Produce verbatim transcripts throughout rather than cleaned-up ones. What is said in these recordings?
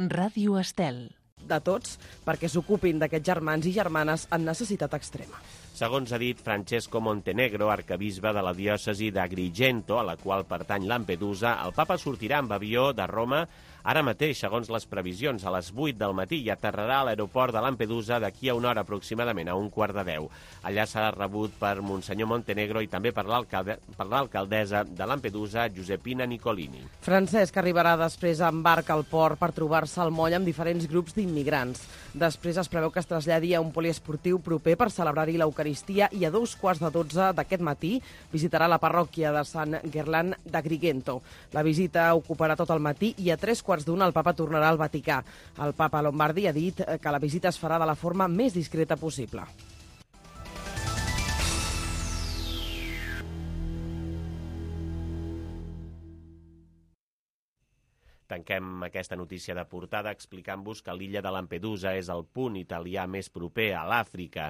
Ràdio Estel. De tots, perquè s'ocupin d'aquests germans i germanes en necessitat extrema. Segons ha dit Francesco Montenegro, arquebisbe de la diòcesi d'Agrigento, a la qual pertany Lampedusa, el papa sortirà amb avió de Roma ara mateix, segons les previsions, a les vuit del matí i aterrarà a l'aeroport de Lampedusa d'aquí a una hora aproximadament, a un quart de deu. Allà serà rebut per Monsenyor Montenegro i també per l'alcaldessa de Lampedusa, Giuseppina Nicolini. Francesc arribarà després en barca al port per trobar-se al moll amb diferents grups d'immigrants. Després es preveu que es traslladi a un poliesportiu proper per celebrar-hi l'Eucaristia i a dos quarts de dotze d'aquest matí visitarà la parròquia de Sant Gerland d'Agrigento. La visita ocuparà tot el matí i a tres quarts d'una el papa tornarà al Vaticà. El papa Lombardi ha dit que la visita es farà de la forma més discreta possible. Tanquem aquesta notícia de portada explicant-vos que l'illa de Lampedusa és el punt italià més proper a l'Àfrica.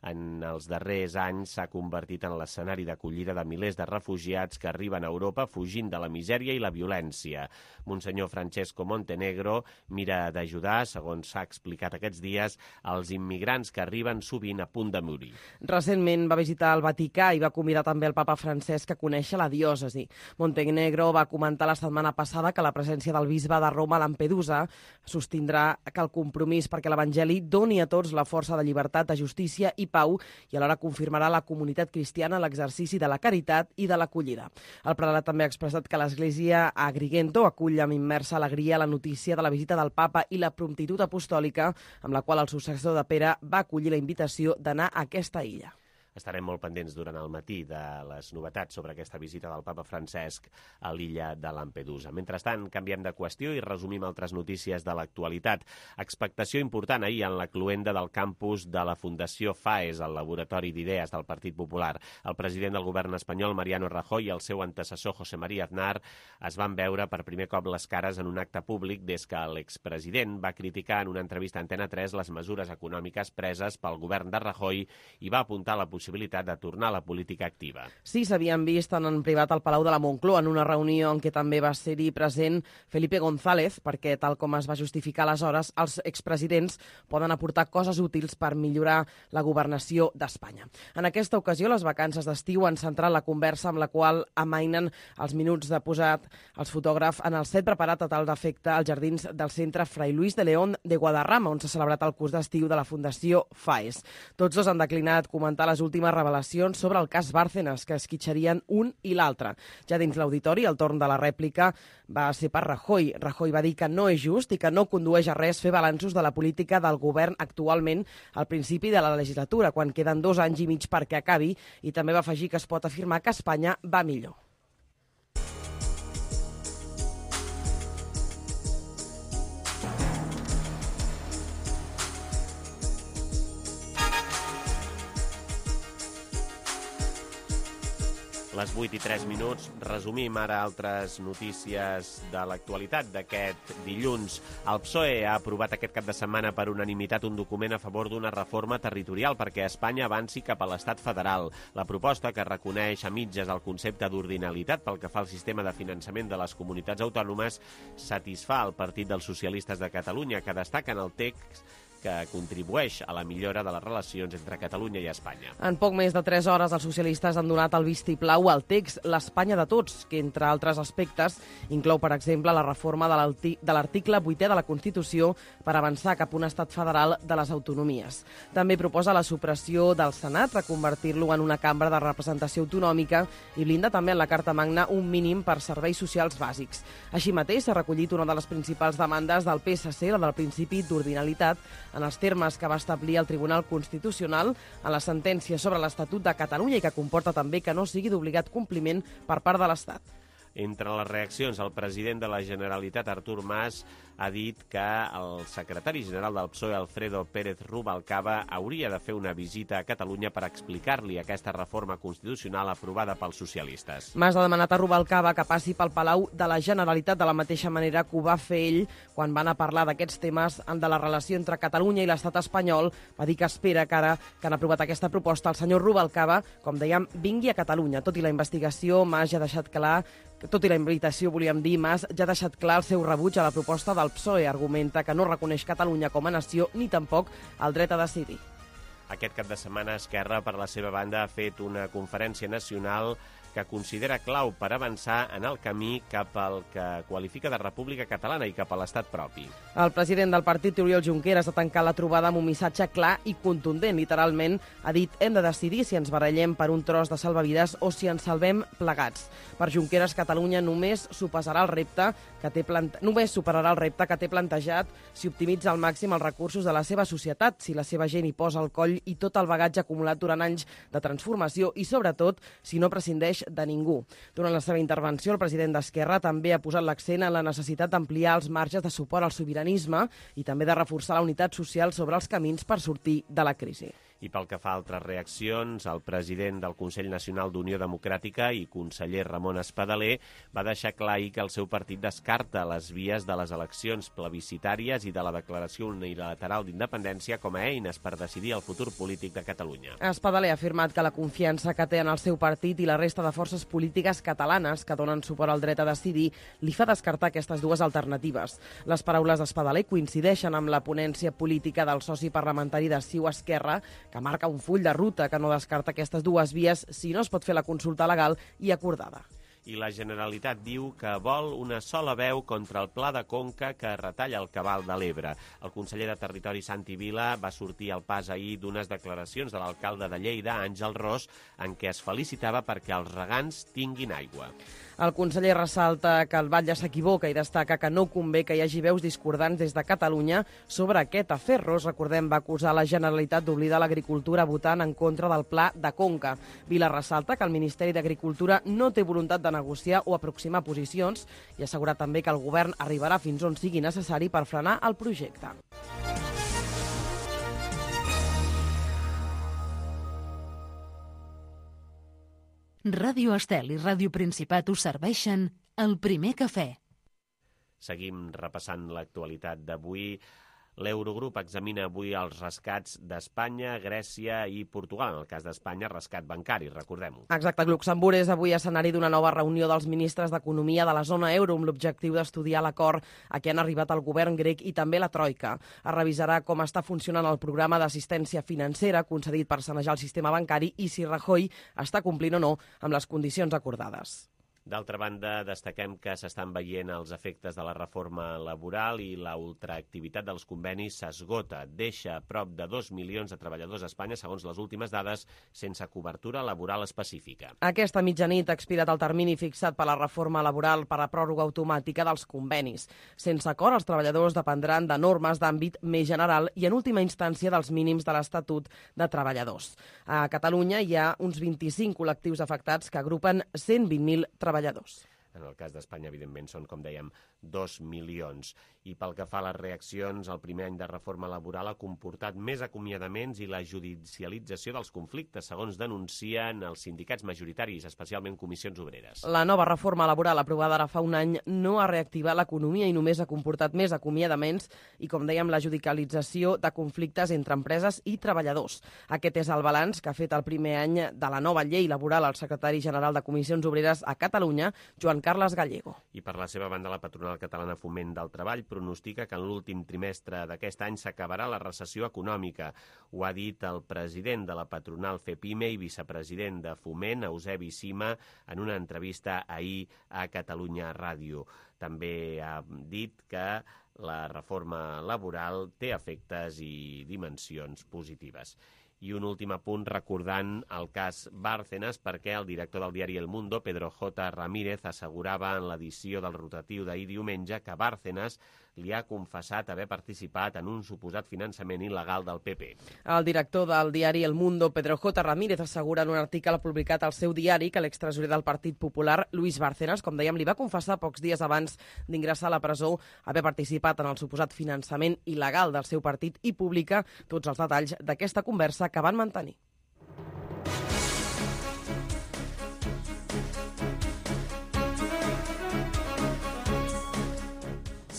En els darrers anys s'ha convertit en l'escenari d'acollida de milers de refugiats que arriben a Europa fugint de la misèria i la violència. Monsenyor Francesco Montenegro mira d'ajudar, segons s'ha explicat aquests dies, als immigrants que arriben sovint a punt de morir. Recentment va visitar el Vaticà i va convidar també el papa Francesc a conèixer la diòcesi. Montenegro va comentar la setmana passada que la presència del bisbe de Roma a Lampedusa sostindrà que el compromís perquè l'Evangeli doni a tots la força de llibertat, de justícia i pau i alhora confirmarà la comunitat cristiana l'exercici de la caritat i de l'acollida. El prelat també ha expressat que l'Església a Agrigento acull amb immersa alegria la notícia de la visita del papa i la promptitud apostòlica amb la qual el successor de Pere va acollir la invitació d'anar a aquesta illa. Estarem molt pendents durant el matí de les novetats sobre aquesta visita del papa Francesc a l'illa de Lampedusa. Mentrestant, canviem de qüestió i resumim altres notícies de l'actualitat. Expectació important ahir en la cloenda del campus de la Fundació FAES, el laboratori d'idees del Partit Popular. El president del govern espanyol, Mariano Rajoy, i el seu antecessor, José María Aznar, es van veure per primer cop les cares en un acte públic des que l'expresident va criticar en una entrevista a Antena tres les mesures econòmiques preses pel govern de Rajoy i va apuntar la possibilitat possibilitat de tornar a la política activa. Sí, s'havien vist en privat al Palau de la Moncloa en una reunió en què també va ser-hi present Felipe González, perquè, tal com es va justificar aleshores, els expresidents poden aportar coses útils per millorar la governació d'Espanya. En aquesta ocasió, les vacances d'estiu han centrat la conversa amb la qual amainen els minuts de posat els fotògrafs en el set preparat a tal d'efecte als jardins del centre Fray Luis de León de Guadarrama, on s'ha celebrat el curs d'estiu de la Fundació FAES. Tots dos han declinat comentar les últimes revelacions sobre el cas Bárcenas, que esquitxarien un i l'altre. Ja dins l'auditori, el torn de la rèplica va ser per Rajoy. Rajoy va dir que no és just i que no condueix a res fer balanços de la política del govern actualment al principi de la legislatura, quan queden dos anys i mig perquè acabi, i també va afegir que es pot afirmar que Espanya va millor. Les vuit i tres minuts, resumim ara altres notícies de l'actualitat d'aquest dilluns. El P S O E ha aprovat aquest cap de setmana per unanimitat un document a favor d'una reforma territorial perquè Espanya avanci cap a l'estat federal. La proposta, que reconeix a mitges el concepte d'ordinalitat pel que fa al sistema de finançament de les comunitats autònomes, satisfà el Partit dels Socialistes de Catalunya, que destaca en el text que contribueix a la millora de les relacions entre Catalunya i Espanya. En poc més de tres hores, els socialistes han donat el vistiplau al text l'Espanya de tots, que, entre altres aspectes, inclou, per exemple, la reforma de l'article vuitè de la Constitució per avançar cap a un estat federal de les autonomies. També proposa la supressió del Senat, reconvertir-lo en una cambra de representació autonòmica i blinda també en la Carta Magna un mínim per serveis socials bàsics. Així mateix, s'ha recollit una de les principals demandes del P S C, la del principi d'ordinalitat, en els termes que va establir el Tribunal Constitucional en la sentència sobre l'Estatut de Catalunya i que comporta també que no sigui d'obligat compliment per part de l'Estat. Entre les reaccions, el president de la Generalitat, Artur Mas, ha dit que el secretari general del P S O E, Alfredo Pérez Rubalcaba, hauria de fer una visita a Catalunya per explicar-li aquesta reforma constitucional aprovada pels socialistes. Mas ha demanat a Rubalcaba que passi pel Palau de la Generalitat de la mateixa manera que ho va fer ell quan van a parlar d'aquests temes de la relació entre Catalunya i l'estat espanyol. Va dir que espera que ara que han aprovat aquesta proposta el senyor Rubalcaba, com dèiem, vingui a Catalunya. Tot i la investigació, Mas ja ha deixat clar Tot i la invitació, volíem dir, Mas ja ha deixat clar el seu rebuig a la proposta del el P S O E argumenta que no reconeix Catalunya com a nació ni tampoc el dret a decidir. Aquest cap de setmana Esquerra, per la seva banda, ha fet una conferència nacional que considera clau per avançar en el camí cap al que qualifica de República Catalana i cap a l'estat propi. El president del partit, Oriol Junqueras, ha tancat la trobada amb un missatge clar i contundent. Literalment ha dit: hem de decidir si ens barallem per un tros de salvavides o si ens salvem plegats. Per Junqueras, Catalunya només superarà el repte que té plante... només superarà el repte que té plantejat si optimitza al màxim els recursos de la seva societat, si la seva gent hi posa el coll i tot el bagatge acumulat durant anys de transformació i, sobretot, si no prescindeix de ningú. Durant la seva intervenció, el president d'Esquerra també ha posat l'accent en la necessitat d'ampliar els marges de suport al sobiranisme i també de reforçar la unitat social sobre els camins per sortir de la crisi. I pel que fa a altres reaccions, el president del Consell Nacional d'Unió Democràtica i conseller Ramon Espadaler va deixar clar ahir que el seu partit descarta les vies de les eleccions plebiscitàries i de la declaració unilateral d'independència com a eines per decidir el futur polític de Catalunya. Espadaler ha afirmat que la confiança que té en el seu partit i la resta de forces polítiques catalanes que donen suport al dret a decidir li fa descartar aquestes dues alternatives. Les paraules d'Espadaler coincideixen amb la ponència política del soci parlamentari de C I U Esquerra, que marca un full de ruta que no descarta aquestes dues vies si no es pot fer la consulta legal i acordada. I la Generalitat diu que vol una sola veu contra el Pla de Conca que retalla el cabal de l'Ebre. El conseller de Territori, Santi Vila, va sortir al pas ahir d'unes declaracions de l'alcalde de Lleida, Àngel Ros, en què es felicitava perquè els regants tinguin aigua. El conseller ressalta que el batlle s'equivoca i destaca que no convé que hi hagi veus discordants des de Catalunya sobre aquest afer. Ros, recordem, va acusar la Generalitat d'oblidar l'agricultura votant en contra del Pla de Conca. Vila ressalta que el Ministeri d'Agricultura no té voluntat de negociar o aproximar posicions i assegura també que el govern arribarà fins on sigui necessari per frenar el projecte. Ràdio Estel i Ràdio Principat us serveixen el primer cafè. Seguim repassant l'actualitat d'avui. L'Eurogrup examina avui els rescats d'Espanya, Grècia i Portugal. En el cas d'Espanya, rescat bancari, recordem-ho. Exacte. Luxemburg és avui escenari d'una nova reunió dels ministres d'Economia de la zona euro amb l'objectiu d'estudiar l'acord a què han arribat el govern grec i també la Troika. Es revisarà com està funcionant el programa d'assistència financera concedit per sanejar el sistema bancari i si Rajoy està complint o no amb les condicions acordades. D'altra banda, destaquem que s'estan veient els efectes de la reforma laboral i la ultraactivitat dels convenis s'esgota. Deixa a prop de dos milions de treballadors a Espanya, segons les últimes dades, sense cobertura laboral específica. Aquesta mitjanit ha expirat el termini fixat per la reforma laboral per a pròrroga automàtica dels convenis. Sense acord, els treballadors dependran de normes d'àmbit més general i, en última instància, dels mínims de l'Estatut de Treballadors. A Catalunya hi ha uns vint-i-cinc col·lectius afectats que agrupen cent vint mil treballadors. treballadors. En el cas d'Espanya, evidentment, són, com dèiem, dos milions. I pel que fa a les reaccions, el primer any de reforma laboral ha comportat més acomiadaments i la judicialització dels conflictes, segons denuncien els sindicats majoritaris, especialment comissions obreres. La nova reforma laboral aprovada ara fa un any no ha reactivat l'economia i només ha comportat més acomiadaments i, com dèiem, la judicialització de conflictes entre empreses i treballadors. Aquest és el balanç que ha fet el primer any de la nova llei laboral el secretari general de Comissions Obreres a Catalunya, Joan Carles Gallego. I per la seva banda, la patronal catalana Foment del Treball pronostica que en l'últim trimestre d'aquest any s'acabarà la recessió econòmica. Ho ha dit el president de la patronal FEPIME i vicepresident de Foment, Eusebi Sima, en una entrevista ahir a Catalunya Ràdio. També ha dit que la reforma laboral té efectes i dimensions positives. I un últim apunt recordant el cas Bárcenas, perquè el director del diari El Mundo, Pedro J. Ramírez, assegurava en l'edició del rotatiu d'ahir diumenge que Bárcenas li ha confessat haver participat en un suposat finançament il·legal del P P. El director del diari El Mundo, Pedro J. Ramírez, assegura en un article publicat al seu diari que l'extresorer del Partit Popular, Luis Bárcenas, com dèiem, li va confessar pocs dies abans d'ingressar a la presó haver participat en el suposat finançament il·legal del seu partit i publica tots els detalls d'aquesta conversa que van mantenir.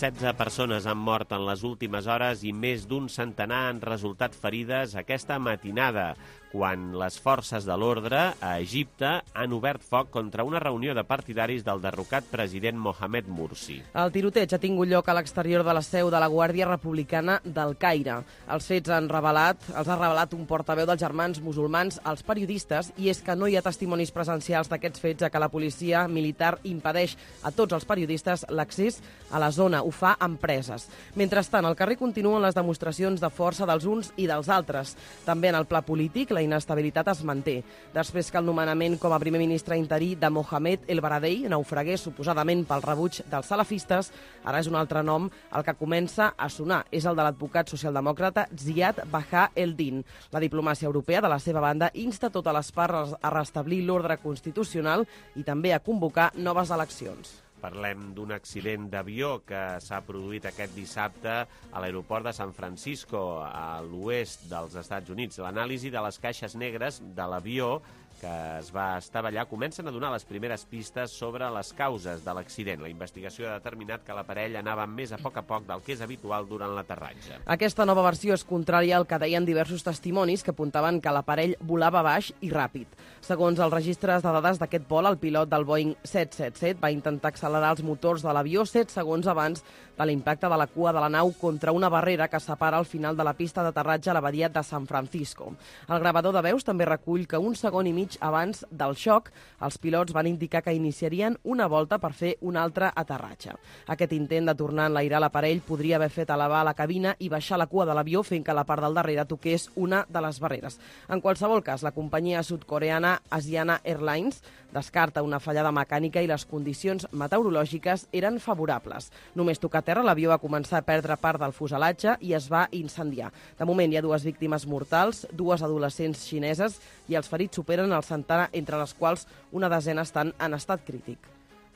setze persones han mort en les últimes hores i més d'un centenar han resultat ferides aquesta matinada. quan les forces de l'ordre a Egipte han obert foc contra una reunió de partidaris del derrocat president Mohamed Morsi. El tiroteig ha tingut lloc a l'exterior de la seu de la Guàrdia Republicana del Caire. Els fets han revelat, els ha revelat un portaveu dels Germans Musulmans als periodistes, i és que no hi ha testimonis presencials d'aquests fets, ja que la policia militar impedeix a tots els periodistes l'accés a la zona. Ho fa amb preses. Mentrestant, al carrer continuen les demostracions de força dels uns i dels altres. També en el pla polític, la inestabilitat es manté. Després que el nomenament com a primer ministre interí de Mohamed El Baradei naufragués suposadament pel rebuig dels salafistes, ara és un altre nom el que comença a sonar. És el de l'advocat socialdemòcrata Ziad Baha el-Din. La diplomàcia europea, de la seva banda, insta totes les parts a restablir l'ordre constitucional i també a convocar noves eleccions. Parlem d'un accident d'avió que s'ha produït aquest dissabte a l'aeroport de San Francisco, a l'oest dels Estats Units. L'anàlisi de les caixes negres de l'avió que es va estavellar comencen a donar les primeres pistes sobre les causes de l'accident. La investigació ha determinat que l'aparell anava més a poc a poc del que és habitual durant l'aterratge. Aquesta nova versió és contrària al que deien diversos testimonis que apuntaven que l'aparell volava baix i ràpid. Segons els registres de dades d'aquest vol, el pilot del Boeing set set set va intentar accelerar els motors de l'avió set segons abans de l'impacte de la cua de la nau contra una barrera que separa el final de la pista d'aterratge a la badia de San Francisco. El gravador de veus també recull que un segon i mig abans del xoc, els pilots van indicar que iniciarien una volta per fer un altre aterratge. Aquest intent de tornar a enlairar l'aparell podria haver fet elevar la cabina i baixar la cua de l'avió fent que la part del darrere toqués una de les barreres. En qualsevol cas, la companyia sud-coreana Asiana Airlines descarta una fallada mecànica i les condicions meteorològiques eren favorables. Només tocar terra, l'avió va començar a perdre part del fuselatge i es va incendiar. De moment hi ha dues víctimes mortals, dues adolescents xineses, i els ferits superen el centenar, entre les quals una desena estan en estat crític.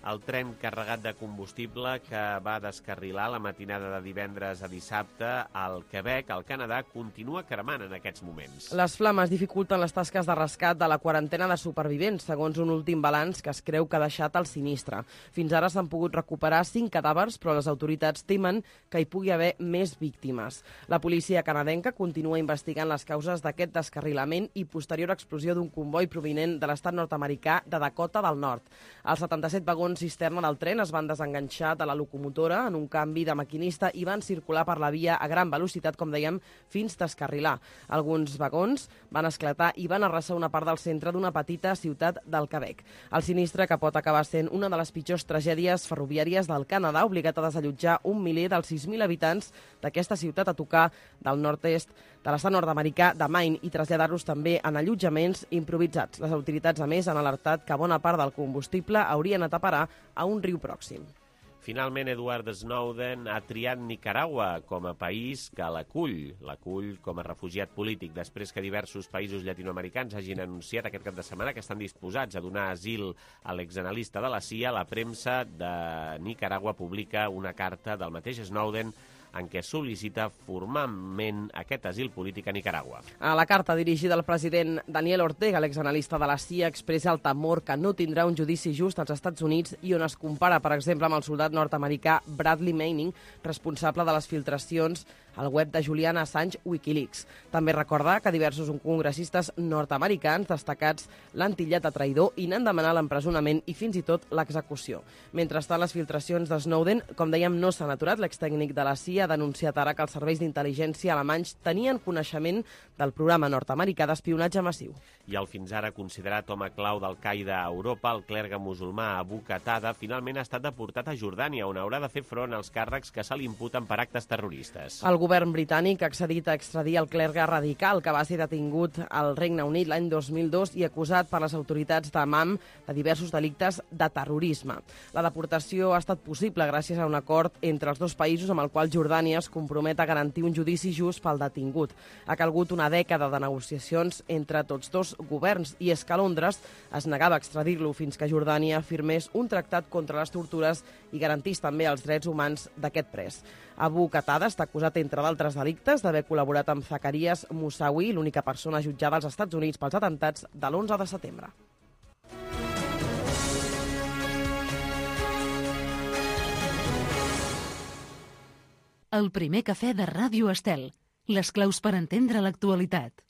El tren carregat de combustible que va descarrilar la matinada de divendres a dissabte al Quebec, al Canadà, continua cremant en aquests moments. Les flames dificulten les tasques de rescat de la quarantena de supervivents, segons un últim balanç que es creu que ha deixat el sinistre. Fins ara s'han pogut recuperar cinc cadàvers, però les autoritats temen que hi pugui haver més víctimes. La policia canadenca continua investigant les causes d'aquest descarrilament i posterior explosió d'un comboi provinent de l'estat nord-americà de Dakota del Nord. Els setanta-set vagons cisterna del tren es van desenganxar de la locomotora en un canvi de maquinista i van circular per la via a gran velocitat, com dèiem, fins descarrilar. Alguns vagons van esclatar i van arrasar una part del centre d'una petita ciutat del Quebec. El sinistre, que pot acabar sent una de les pitjors tragèdies ferroviàries del Canadà, ha obligat a desallotjar un miler dels sis mil habitants d'aquesta ciutat a tocar del nord-est de l'estat nord-americà de Maine i traslladar-los també en allotjaments improvisats. Les autoritats, a més, han alertat que bona part del combustible hauria anat a parar a un riu pròxim. Finalment, Edward Snowden ha triat Nicaragua com a país que l'acull, l'acull com a refugiat polític, després que diversos països llatinoamericans hagin anunciat aquest cap de setmana que estan disposats a donar asil a l'exanalista de la C I A. La premsa de Nicaragua publica una carta del mateix Snowden en què sol·licita formalment aquest asil polític a Nicaragua. A la carta dirigida al president Daniel Ortega, l'exanalista de la C I A expressa el temor que no tindrà un judici just als Estats Units i on es compara, per exemple, amb el soldat nord-americà Bradley Manning, responsable de les filtracions al web de Julian Assange Wikileaks. També recordar que diversos congressistes nord-americans destacats l'han titllat de traïdor i n'han demanat l'empresonament i fins i tot l'execució. Mentrestant, les filtracions de Snowden, com dèiem, no s'han aturat. L'extècnic de la C I A ha denunciat ara que els serveis d'intel·ligència alemanys tenien coneixement del programa nord-americà d'espionatge massiu. I el fins ara considerat home clau d'Al-Qaeda a Europa, el clergue musulmà Abu Qatada, finalment ha estat deportat a Jordània, on haurà de fer front als càrrecs que se li imputen per actes terroristes. El govern britànic ha accedit a extradir el clergue radical que va ser detingut al Regne Unit l'any dos mil dos i acusat per les autoritats d'Amman de diversos delictes de terrorisme. La deportació ha estat possible gràcies a un acord entre els dos països amb el qual Jordània es compromet a garantir un judici just pel detingut. Ha calgut una dècada de negociacions entre tots dos governs i és que Londres es negava a extradir-lo fins que Jordània firmés un tractat contra les tortures i garantís també els drets humans d'aquest pres. Abu Qatada està acusat, entre d'altres delictes, d'haver col·laborat amb Zacarias Moussaoui, l'única persona jutjada als Estats Units pels atentats de l'onze de setembre. El primer cafè de Ràdio Estel. Les claus per entendre l'actualitat.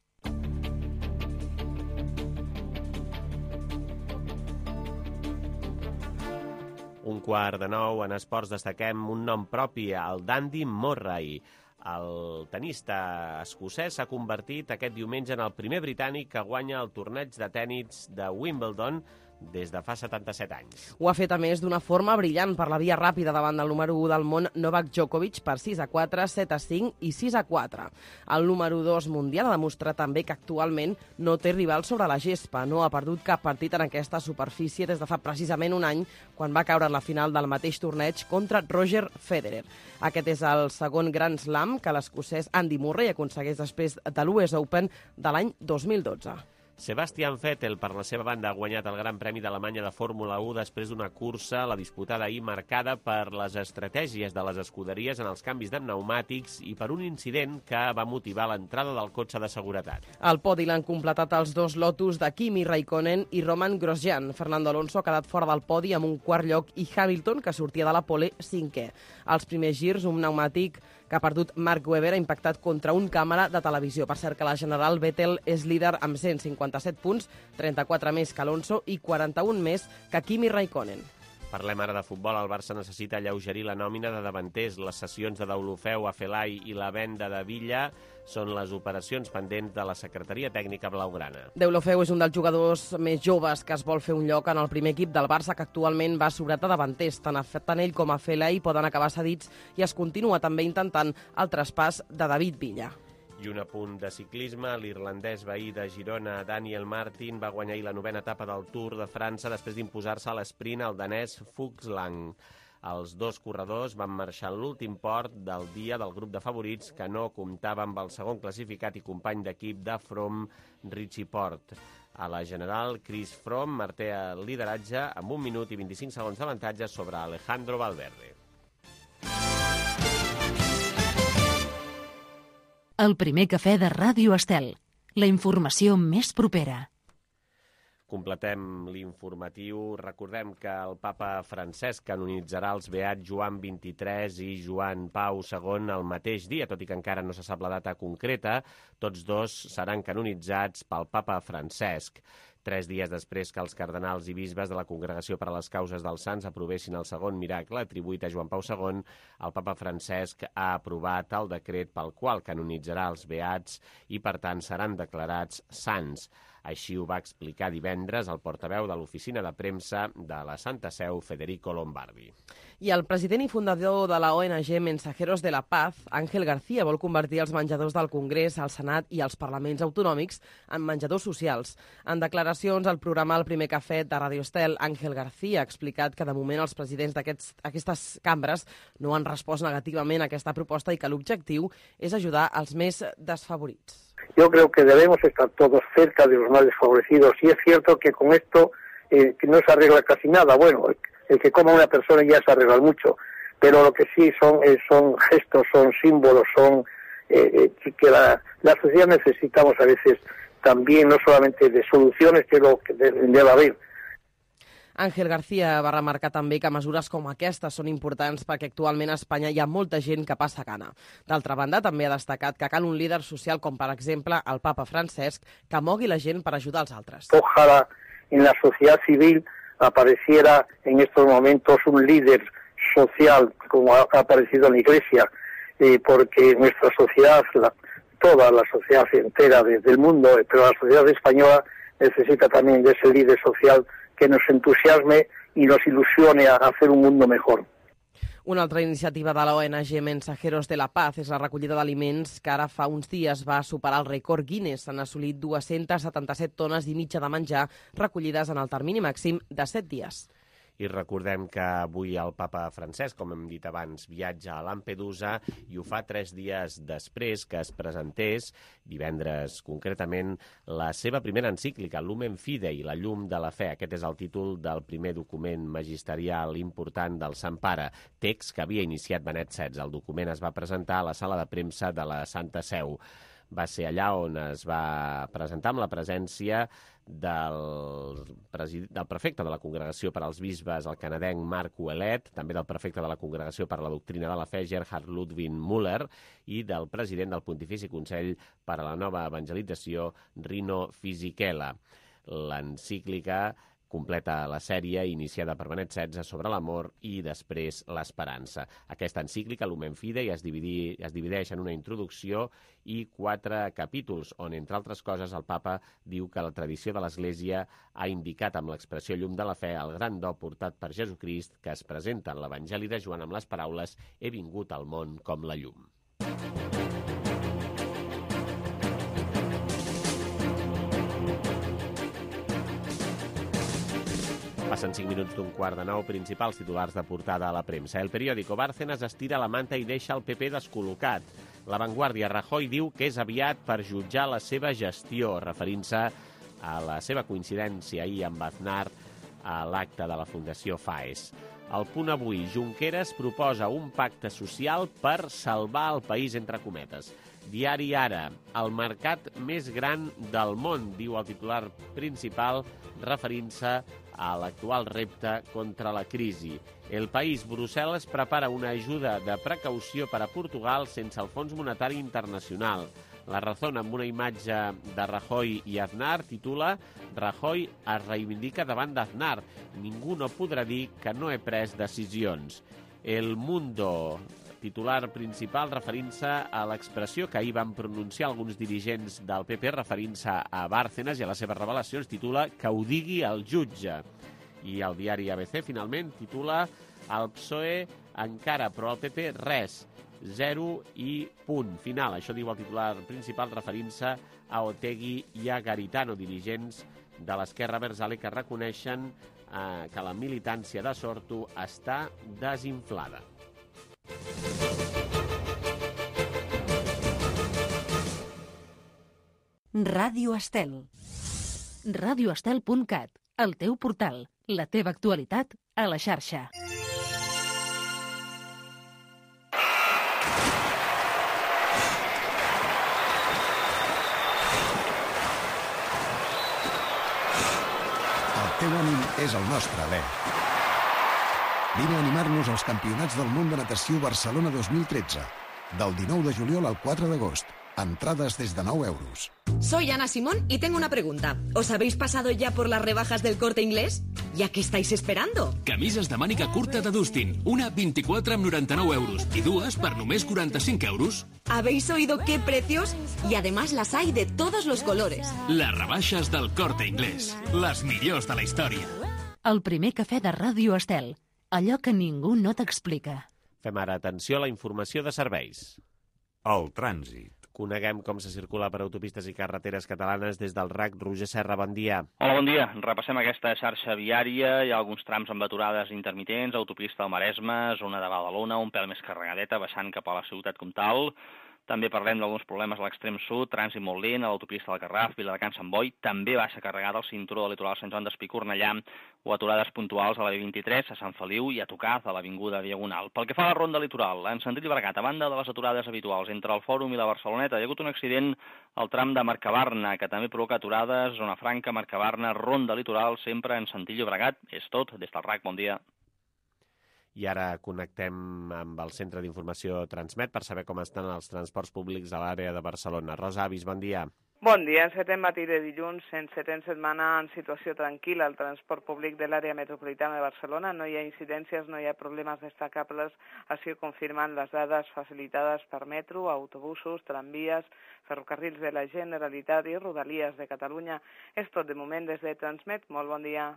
Un quart de nou, en esports destaquem un nom propi, el d'Andy Murray. El tenista escocès s'ha convertit aquest diumenge en el primer britànic que guanya el torneig de tenis de Wimbledon des de fa setanta-set anys. Ho ha fet, a més, d'una forma brillant per la via ràpida davant del número u del món, Novak Djokovic, per sis a quatre, set a cinc i sis a quatre. El número dos mundial ha demostrat també que actualment no té rival sobre la gespa. No ha perdut cap partit en aquesta superfície des de fa precisament un any, quan va caure en la final del mateix torneig contra Roger Federer. Aquest és el segon Grand Slam que l'escocès Andy Murray aconsegueix després de l'U S Open de l'any dos mil dotze. Sebastian Vettel, per la seva banda, ha guanyat el Gran Premi d'Alemanya de Fórmula u després d'una cursa, la disputada ahir, marcada per les estratègies de les escuderies en els canvis de pneumàtics i per un incident que va motivar l'entrada del cotxe de seguretat. Al podi l'han completat els dos Lotus de Kimi Raikkonen i Roman Grosjean. Fernando Alonso ha quedat fora del podi amb un quart lloc i Hamilton, que sortia de la pole, cinquè. Als primers girs, un pneumàtic que ha perdut Mark Webber ha impactat contra un càmera de televisió. Per cert que la general Vettel és líder amb cent cinquanta-set punts, trenta-quatre més que Alonso i quaranta-un més que Kimi Raikkonen. Parlem ara de futbol. El Barça necessita alleugerir la nòmina de davanters. Les cessions de Deulofeu a Felai i la venda de Villa són les operacions pendents de la secretaria tècnica blaugrana. Deulofeu és un dels jugadors més joves que es vol fer un lloc en el primer equip del Barça, que actualment va sobrat a davanters. Tant, tant ell com a Felai poden acabar cedits i es continua també intentant el traspàs de David Villa. I un apunt de ciclisme, l'irlandès veí de Girona, Daniel Martin, va guanyar la novena etapa del Tour de França després d'imposar-se a l'esprint al danès Fuglsang. Els dos corredors van marxar en l'últim port del dia del grup de favorits, que no comptava amb el segon classificat i company d'equip de Froome, Richie Porte. A la general, Chris Froome manté el lideratge amb un minut i vint-i-cinc segons d'avantatge sobre Alejandro Valverde. El primer cafè de Ràdio Estel. La informació més propera. Completem l'informatiu. Recordem que el papa Francesc canonitzarà els beats Joan vint-i-tres i Joan Pau segon el mateix dia, tot i que encara no se sap la data concreta. Tots dos seran canonitzats pel papa Francesc. Tres dies després que els cardenals i bisbes de la Congregació per a les Causes dels Sants aprovessin el segon miracle atribuït a Joan Pau segon, el papa Francesc ha aprovat el decret pel qual canonitzarà els beats i, per tant, seran declarats sants. Així ho va explicar divendres el portaveu de l'oficina de premsa de la Santa Seu, Federico Lombardi. I el president i fundador de la O N G Mensajeros de la Paz, Ángel García, vol convertir els menjadors del Congrés, el Senat i els parlaments autonòmics en menjadors socials. En declaracions al programa El primer cafè de Radio Estel, Ángel García ha explicat que de moment els presidents d'aquestes cambres no han respost negativament a aquesta proposta i que l'objectiu és ajudar els més desfavorits. Yo creo que debemos estar todos cerca de los más desfavorecidos. Y es cierto que con esto eh, que no se arregla casi nada. Bueno, el, el que coma una persona ya se arregla mucho. Pero lo que sí son, eh, son gestos, son símbolos, son eh, eh, que la, la sociedad necesitamos a veces también, no solamente de soluciones, que lo que debe haber. Ángel García va remarcar també que mesures com aquestes són importants perquè actualment a Espanya hi ha molta gent que passa gana. D'altra banda, també ha destacat que cal un líder social com, per exemple, el papa Francesc, que mogui la gent per ajudar els altres. Ojalá en la sociedad civil apareciera en estos momentos un líder social como ha aparecido en la Iglesia, eh, porque nuestra sociedad, la, toda la sociedad entera desde el mundo, pero la sociedad española necesita también de ese líder social que nos entusiasme y nos ilusione a hacer un mundo mejor. Una altra iniciativa de la O N G Mensajeros de la Paz és la recollida d'aliments que ara fa uns dies va superar el rècord Guinness. Han assolit dues-centes setanta-set tones i mitja de menjar recollides en el termini màxim de set dies. I recordem que avui el papa Francesc, com hem dit abans, viatja a Lampedusa i ho fa tres dies després que es presentés, divendres concretament, la seva primera encíclica, Lumen Fidei, la llum de la fe. Aquest és el títol del primer document magisterial important del Sant Pare, text que havia iniciat Benet setze. El document es va presentar a la sala de premsa de la Santa Seu. Va ser allà on es va presentar amb la presència del, del prefecte de la Congregació per als Bisbes, el canadenc Marc Ouellet, també del prefecte de la Congregació per a la Doctrina de la Fe, Gerhard Ludwig Müller, i del president del Pontifici Consell per a la Nova Evangelització, Rino Fisichella. L'encíclica Completa la sèrie iniciada per Benet setze sobre l'amor i després l'esperança. Aquesta encíclica, Lumen Fidei, es, dividi, es divideix en una introducció i quatre capítols, on, entre altres coses, el papa diu que la tradició de l'Església ha indicat amb l'expressió llum de la fe el gran do portat per Jesucrist que es presenta en l'Evangeli de Joan amb les paraules «He vingut al món com la llum». Passen cinc minuts d'un quart de nou, principals titulars de portada a la premsa. El periòdico Bárcenas estira la manta i deixa el P P descol·locat. La Vanguardia, Rajoy diu que és aviat per jutjar la seva gestió, referint-se a la seva coincidència ahir amb Aznar a l'acte de la Fundació FAES. El Punt Avui, Junqueras proposa un pacte social per salvar el país, entre cometes. Diari Ara, el mercat més gran del món, diu el titular principal, referint-se a l'actual repte contra la crisi. El País, Brussel·les prepara una ajuda de precaució per a Portugal sense el Fons Monetari Internacional. La Razón, amb una imatge de Rajoy i Aznar, titula «Rajoy es reivindica davant d'Aznar. Ningú no podrà dir que no he pres decisions». El Mundo, titular principal referint-se a l'expressió que ahir van pronunciar alguns dirigents del P P referint-se a Bárcenas i a les seves revelacions, titula «Que ho digui el jutge». I el diari A B C, finalment, titula «El P S O E encara, però el P P res, zero i punt final». Això diu el titular principal referint-se a Otegi i a Garitano, dirigents de l'esquerra abertzale que reconeixen eh, que la militància de Sortu està desinflada. Ràdio Estel. ràdio estel punt cat, el teu portal, la teva actualitat a la xarxa. El teu ànim és el nostre alè. Vine a animar-nos als Campionats del Món de Natació Barcelona dos mil tretze, del dinou de juliol al quatre d'agost. Entradas desde nou euros. Soy Ana Simón y tengo una pregunta. ¿Os habéis pasado ya por las rebajas del Corte Inglés? ¿Ya qué estáis esperando? Camises de màniga curta de Dustin. Una vint-i-quatre amb noranta-nou euros i dues per només quaranta-cinc euros. ¿Habéis oído qué precios? Y además las hay de todos los colores. Les rebaixes del Corte Inglés. Les millors de la història. El primer cafè de Ràdio Estel. Allò que ningú no t'explica. Fem ara atenció a la informació de serveis. El trànsit. Coneguem com se circula per autopistes i carreteres catalanes des del R A C. Roger Serra, bon dia. Hola, bon dia. Repassem aquesta xarxa viària. Hi ha alguns trams amb aturades intermitents, autopista al Maresme, zona de Badalona, un pèl més carregadeta, baixant cap a la ciutat comtal. També parlem d'alguns problemes a l'extrem sud, trànsit molt lent, a l'autopista del Garraf, Viladecans, Sant Boi, també baixa carregada al cinturó del litoral Sant Joan d'Espí, Cornellà, o aturades puntuals a la B vint-i-tres, a Sant Feliu i a Tocaz, a l'avinguda Diagonal. Pel que fa a la ronda litoral, en sentit Llobregat, a banda de les aturades habituals entre el Fòrum i la Barceloneta, hi ha hagut un accident al tram de Mercabarna, que també provoca aturades, zona franca, Mercabarna, ronda litoral, sempre en sentit Llobregat. És tot, des del R A C, bon dia. I ara connectem amb el Centre d'Informació Transmet per saber com estan els transports públics a l'àrea de Barcelona. Rosa Avis, bon dia. Bon dia. En setè matí de dilluns, en setè setmana en situació tranquil·la al transport públic de l'àrea metropolitana de Barcelona. No hi ha incidències, no hi ha problemes destacables, així ho confirmen les dades facilitades per metro, autobusos, tramvies, ferrocarrils de la Generalitat i Rodalies de Catalunya. És tot de moment des de Transmet. Molt bon dia.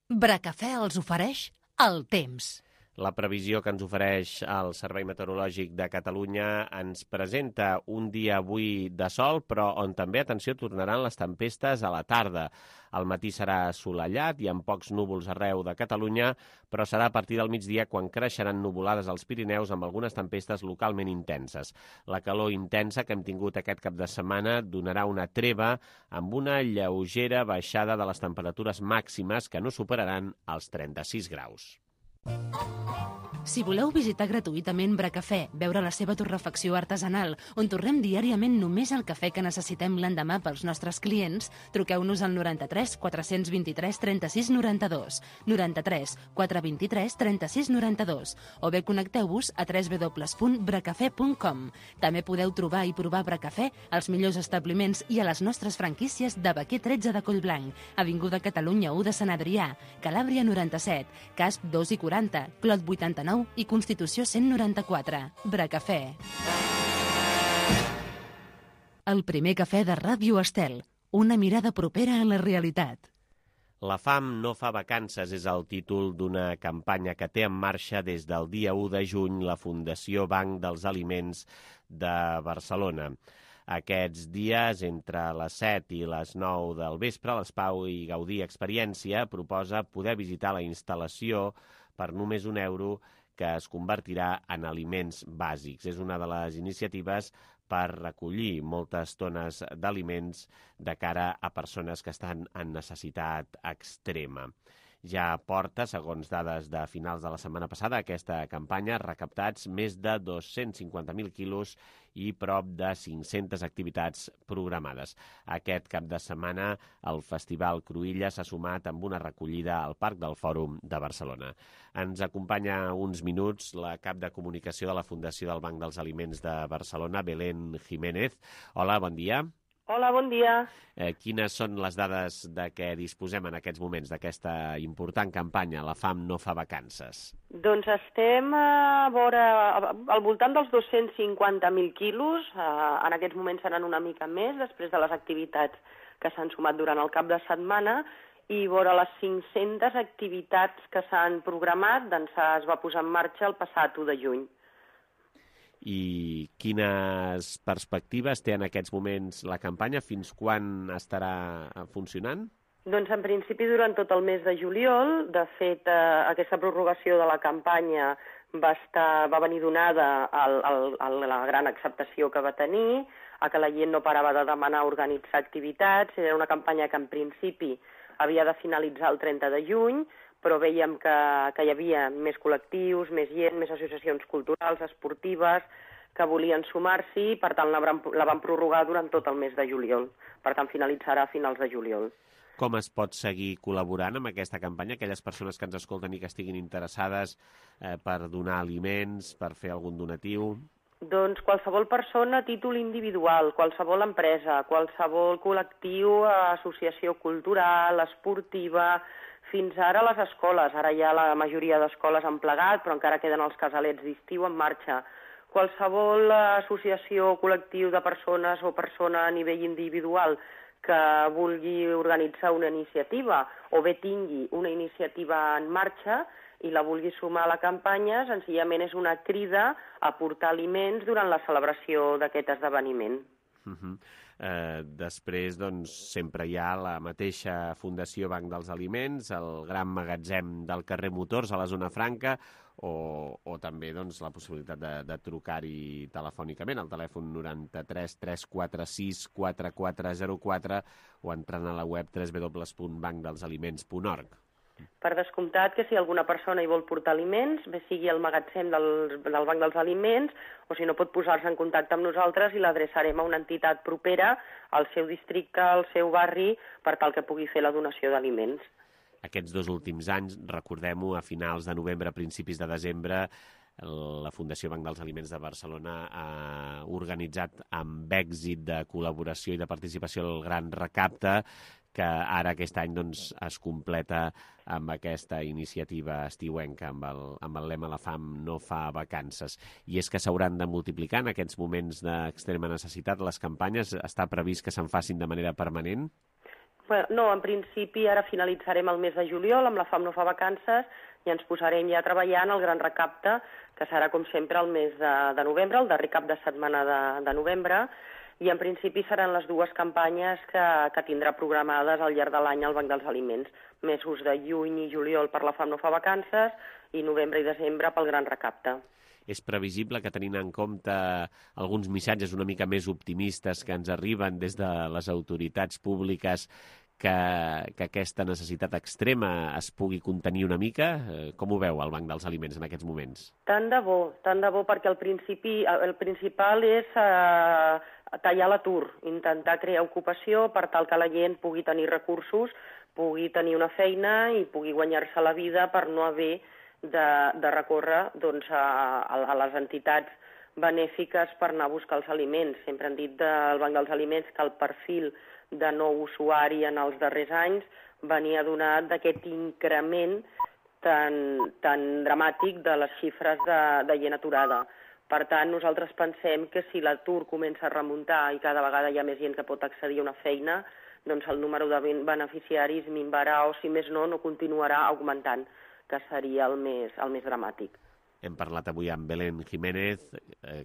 Bracafè els ofereix el temps. La previsió que ens ofereix el Servei Meteorològic de Catalunya ens presenta un dia avui de sol, però on també, atenció, tornaran les tempestes a la tarda. El matí serà assolellat i amb pocs núvols arreu de Catalunya, però serà a partir del migdia quan creixeran nuvolades als Pirineus amb algunes tempestes localment intenses. La calor intensa que hem tingut aquest cap de setmana donarà una treva amb una lleugera baixada de les temperatures màximes que no superaran els trenta-sis graus. Si voleu visitar gratuïtament Bracafè, veure la seva torrefacció artesanal, on torrem diàriament només el cafè que necessitem l'endemà pels nostres clients, truqueu-nos al noranta-tres quatre-cents vint-i-tres trenta-sis noranta-dos, noranta-tres quatre vint-i-tres trenta-sis noranta-dos, o bé connecteu-vos a w w w punt bracafè punt com. També podeu trobar i provar Bracafè als millors establiments i a les nostres franquícies de Baquer tretze de Collblanc, Avinguda Catalunya u de Sant Adrià, Calàbria noranta-set, Casp dos i quaranta, Clot vuitanta-nou i Constitució cent noranta-quatre. Bracafè. El primer cafè de Ràdio Estel. Una mirada propera a la realitat. La fam no fa vacances és el títol d'una campanya que té en marxa des del dia u de juny la Fundació Banc dels Aliments de Barcelona. Aquests dies, entre les set i les nou del vespre, l'Espau i Gaudí Experiència proposa poder visitar la instal·lació per només un euro que es convertirà en aliments bàsics. És una de les iniciatives per recollir moltes tones d'aliments de cara a persones que estan en necessitat extrema. Ja porta, segons dades de finals de la setmana passada, aquesta campanya recaptats més de dos-cents cinquanta mil quilos i prop de cinc-centes activitats programades. Aquest cap de setmana el Festival Cruïlla s'ha sumat amb una recollida al Parc del Fòrum de Barcelona. Ens acompanya uns minuts la cap de comunicació de la Fundació del Banc dels Aliments de Barcelona, Belén Jiménez. Hola, bon dia. Hola, bon dia. Eh, quines són les dades de què disposem en aquests moments d'aquesta important campanya, La fam no fa vacances? Doncs estem a vora, al voltant dels dos-cents cinquanta mil quilos. Eh, en aquests moments seran una mica més, després de les activitats que s'han sumat durant el cap de setmana, i vora les cinc-centes activitats que s'han programat, doncs es va posar en marxa el passat u de juny. I quines perspectives té en aquests moments la campanya? Fins quan estarà funcionant? Doncs en principi durant tot el mes de juliol. De fet, eh, aquesta prorrogació de la campanya va, estar, va venir donada al, al, a la gran acceptació que va tenir, a que la gent no parava de demanar organitzar activitats. Era una campanya que en principi havia de finalitzar el trenta de juny, però veiem que, que hi havia més col·lectius, més gent, més associacions culturals, esportives, que volien sumar-s'hi, per tant la, la van prorrogar durant tot el mes de juliol. Per tant, finalitzarà a finals de juliol. Com es pot seguir col·laborant amb aquesta campanya? Aquelles persones que ens escolten i que estiguin interessades eh, per donar aliments, per fer algun donatiu? Doncs qualsevol persona a títol individual, qualsevol empresa, qualsevol col·lectiu, associació cultural, esportiva, fins ara a les escoles. Ara ja la majoria d'escoles han plegat, però encara queden els casalets d'estiu en marxa. Qualsevol associació o col·lectiu de persones o persona a nivell individual que vulgui organitzar una iniciativa o bé tingui una iniciativa en marxa i la vulgui sumar a la campanya, senzillament és una crida a portar aliments durant la celebració d'aquest esdeveniment. Uh-huh. Eh, després, doncs, sempre hi ha la mateixa Fundació Banc dels Aliments, el gran magatzem del carrer Motors a la zona franca, o, o també doncs, la possibilitat de, de trucar-hi telefònicament al telèfon noranta-tres tres quatre sis quatre quatre zero quatre o entrant a la web w w w punt banc dels aliments punt org. Per descomptat que si alguna persona hi vol portar aliments, bé sigui el magatzem del, del Banc dels Aliments, o si no pot posar-se en contacte amb nosaltres i l'adreçarem a una entitat propera al seu districte, al seu barri, per tal que pugui fer la donació d'aliments. Aquests dos últims anys, recordem-ho, a finals de novembre, a principis de desembre, la Fundació Banc dels Aliments de Barcelona ha organitzat amb èxit de col·laboració i de participació el Gran Recapte, que ara aquest any doncs, es completa amb aquesta iniciativa estiuenca, amb el, amb el lema La fam no fa vacances. I és que s'hauran de multiplicar en aquests moments d'extrema necessitat les campanyes? Està previst que se'n facin de manera permanent? Bueno, no, en principi ara finalitzarem el mes de juliol amb La fam no fa vacances i ens posarem ja a treballar en el Gran Recapte, que serà com sempre el mes de, de novembre, el darrer cap de setmana de, de novembre, i en principi seran les dues campanyes que, que tindrà programades al llarg de l'any al Banc dels Aliments. Mesos de juny i juliol per La fam no fa vacances i novembre i desembre pel Gran Recapte. És previsible que, tenint en compte alguns missatges una mica més optimistes que ens arriben des de les autoritats públiques, que, que aquesta necessitat extrema es pugui contenir una mica? Com ho veu el Banc dels Aliments en aquests moments? Tant de bo, tant de bo, perquè el, principi, el principal és eh, tallar l'atur, intentar crear ocupació per tal que la gent pugui tenir recursos, pugui tenir una feina i pugui guanyar-se la vida per no haver de, de recórrer doncs, a, a les entitats benèfiques per anar a buscar els aliments. Sempre han dit del Banc dels Aliments que el perfil de nou usuari en els darrers anys venia donat d'aquest increment tan, tan dramàtic de les xifres de, de gent aturada. Per tant, nosaltres pensem que si l'atur comença a remuntar i cada vegada hi ha més gent que pot accedir a una feina, doncs el número de beneficiaris minvarà o, si més no, no continuarà augmentant, que seria el més, el més dramàtic. Hem parlat avui amb Belén Jiménez,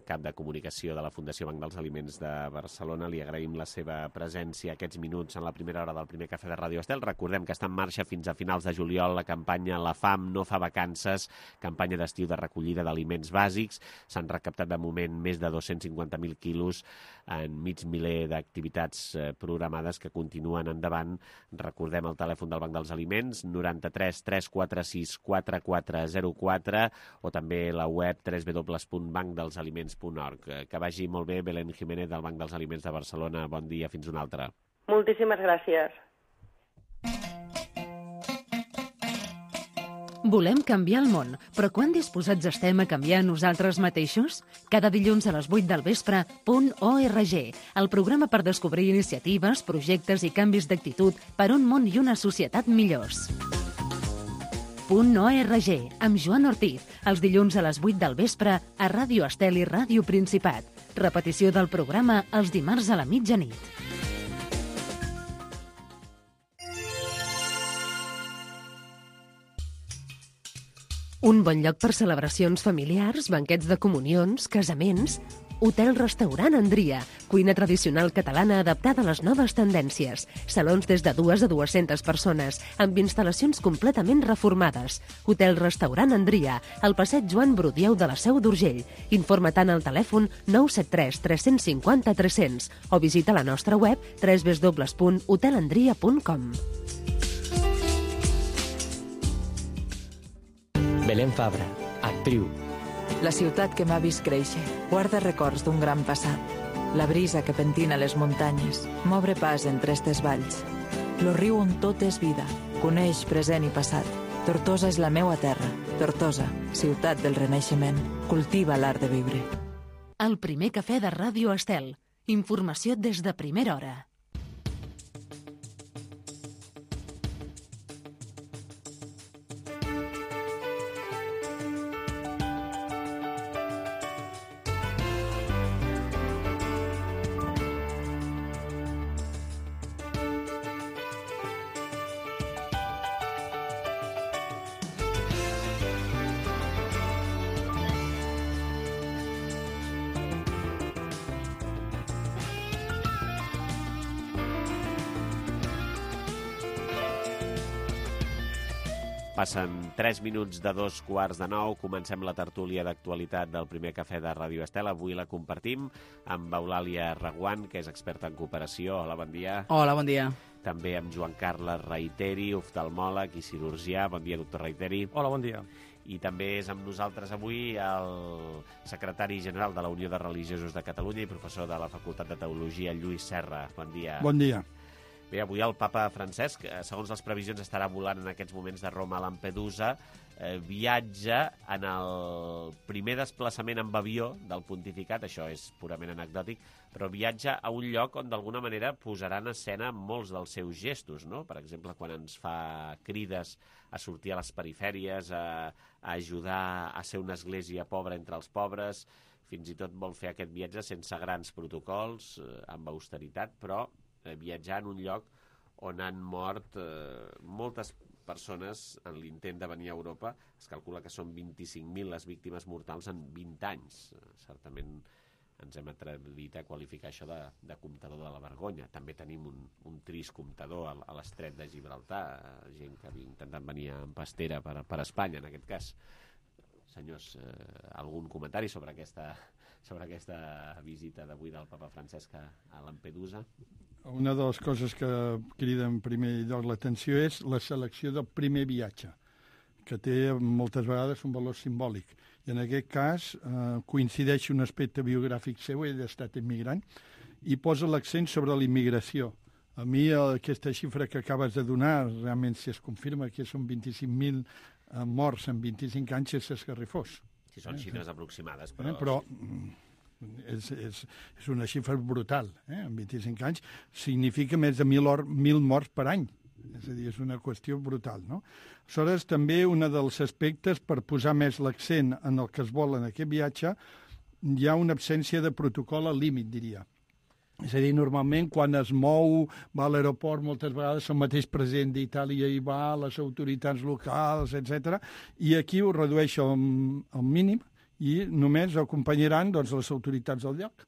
cap de comunicació de la Fundació Banc dels Aliments de Barcelona. Li agraïm la seva presència aquests minuts en la primera hora del primer cafè de Ràdio Estel. Recordem que està en marxa fins a finals de juliol la campanya La fam no fa vacances, campanya d'estiu de recollida d'aliments bàsics. S'han recaptat de moment més de dos-cents cinquanta mil quilos en mig miler d'activitats programades que continuen endavant. Recordem el telèfon del Banc dels Aliments, noranta-tres tres quatre sis quatre quatre zero quatre, o també també la web w w w punt banc dels aliments punt org. Que vagi molt bé, Belén Jiménez, del Banc dels Aliments de Barcelona. Bon dia, fins una altra. Moltíssimes gràcies. Volem canviar el món, però quan disposats estem a canviar nosaltres mateixos? Cada dilluns a les vuit del vespre, punt org, el programa per descobrir iniciatives, projectes i canvis d'actitud per un món i una societat millors. Punt org, amb Joan Ortiz, els dilluns a les vuit del vespre a Ràdio Estel i Ràdio Principat. Repetició del programa els dimarts a la mitjanit. Un bon lloc per celebracions familiars, banquets de comunions, casaments... Hotel-restaurant Andria, cuina tradicional catalana adaptada a les noves tendències. Salons des de dues a dues-centes persones, amb instal·lacions completament reformades. Hotel-restaurant Andria, al passeig Joan Brudieu de la Seu d'Urgell. Informa-te'n al telèfon nou set tres tres cinc zero tres zero zero o visita la nostra web w w w punt hotel andria punt com. Belén Fabra, actriu. La ciutat que m'ha vist créixer guarda records d'un gran passat. La brisa que pentina les muntanyes m'obre pas entre estes valls. Lo riu on tot és vida, coneix present i passat. Tortosa és la meua terra. Tortosa, ciutat del renaixement, cultiva l'art de viure. El primer cafè de Ràdio Estel. Informació des de primera hora. Passen tres minuts de dos quarts de nou. Comencem la tertúlia d'actualitat del primer cafè de Ràdio Estel. Avui la compartim amb Eulàlia Reguant, que és experta en cooperació. Hola, bon dia. Hola, bon dia. També amb Joan Carles Reiteri, oftalmòleg i cirurgià. Bon dia, doctor Reiteri. Hola, bon dia. I també és amb nosaltres avui el secretari general de la Unió de Religiosos de Catalunya i professor de la Facultat de Teologia, Lluís Serra. Bon dia. Bon dia. Bé, avui el papa Francesc, segons les previsions, estarà volant en aquests moments de Roma a Lampedusa. Eh, viatja en el primer desplaçament amb avió del pontificat, això és purament anecdòtic, però viatja a un lloc on d'alguna manera posarà en escena molts dels seus gestos, no? Per exemple, quan ens fa crides a sortir a les perifèries, a, a ajudar a ser una església pobra entre els pobres, fins i tot vol fer aquest viatge sense grans protocols, eh, amb austeritat, però viatjar en un lloc on han mort eh, moltes persones en l'intent de venir a Europa. Es calcula que són vint-i-cinc mil les víctimes mortals en vint anys. Certament ens hem atrevit a qualificar això de, de comptador de la vergonya. També tenim un, un trist comptador a, a l'estret de Gibraltar, gent que havia intentat venir en pastera per, per Espanya, en aquest cas. Senyors, eh, algun comentari sobre aquesta sobre aquesta visita d'avui del papa Francesc a Lampedusa? Una de les coses que crida en primer lloc l'atenció és la selecció del primer viatge, que té moltes vegades un valor simbòlic. I en aquest cas eh, coincideix un aspecte biogràfic seu, ell ha estat immigrant, i posa l'accent sobre la immigració. A mi aquesta xifra que acabes de donar, realment si es confirma que són vint-i-cinc mil morts en vint-i-cinc anys, és esgarrifós. Sí, són xifres aproximades, però... Eh, però és, és, és una xifra brutal, eh? En vint-i-cinc anys significa més de mil, or, mil morts per any. És a dir, és una qüestió brutal, no? Aleshores, també un dels aspectes, per posar més l'accent en el que es vol en aquest viatge, hi ha una absència de protocol al límit, diria. És a dir, normalment quan es mou, va a l'aeroport, moltes vegades el mateix president d'Itàlia hi va, les autoritats locals, etcètera, i aquí ho redueix al, al mínim i només acompanyaran doncs, les autoritats del lloc,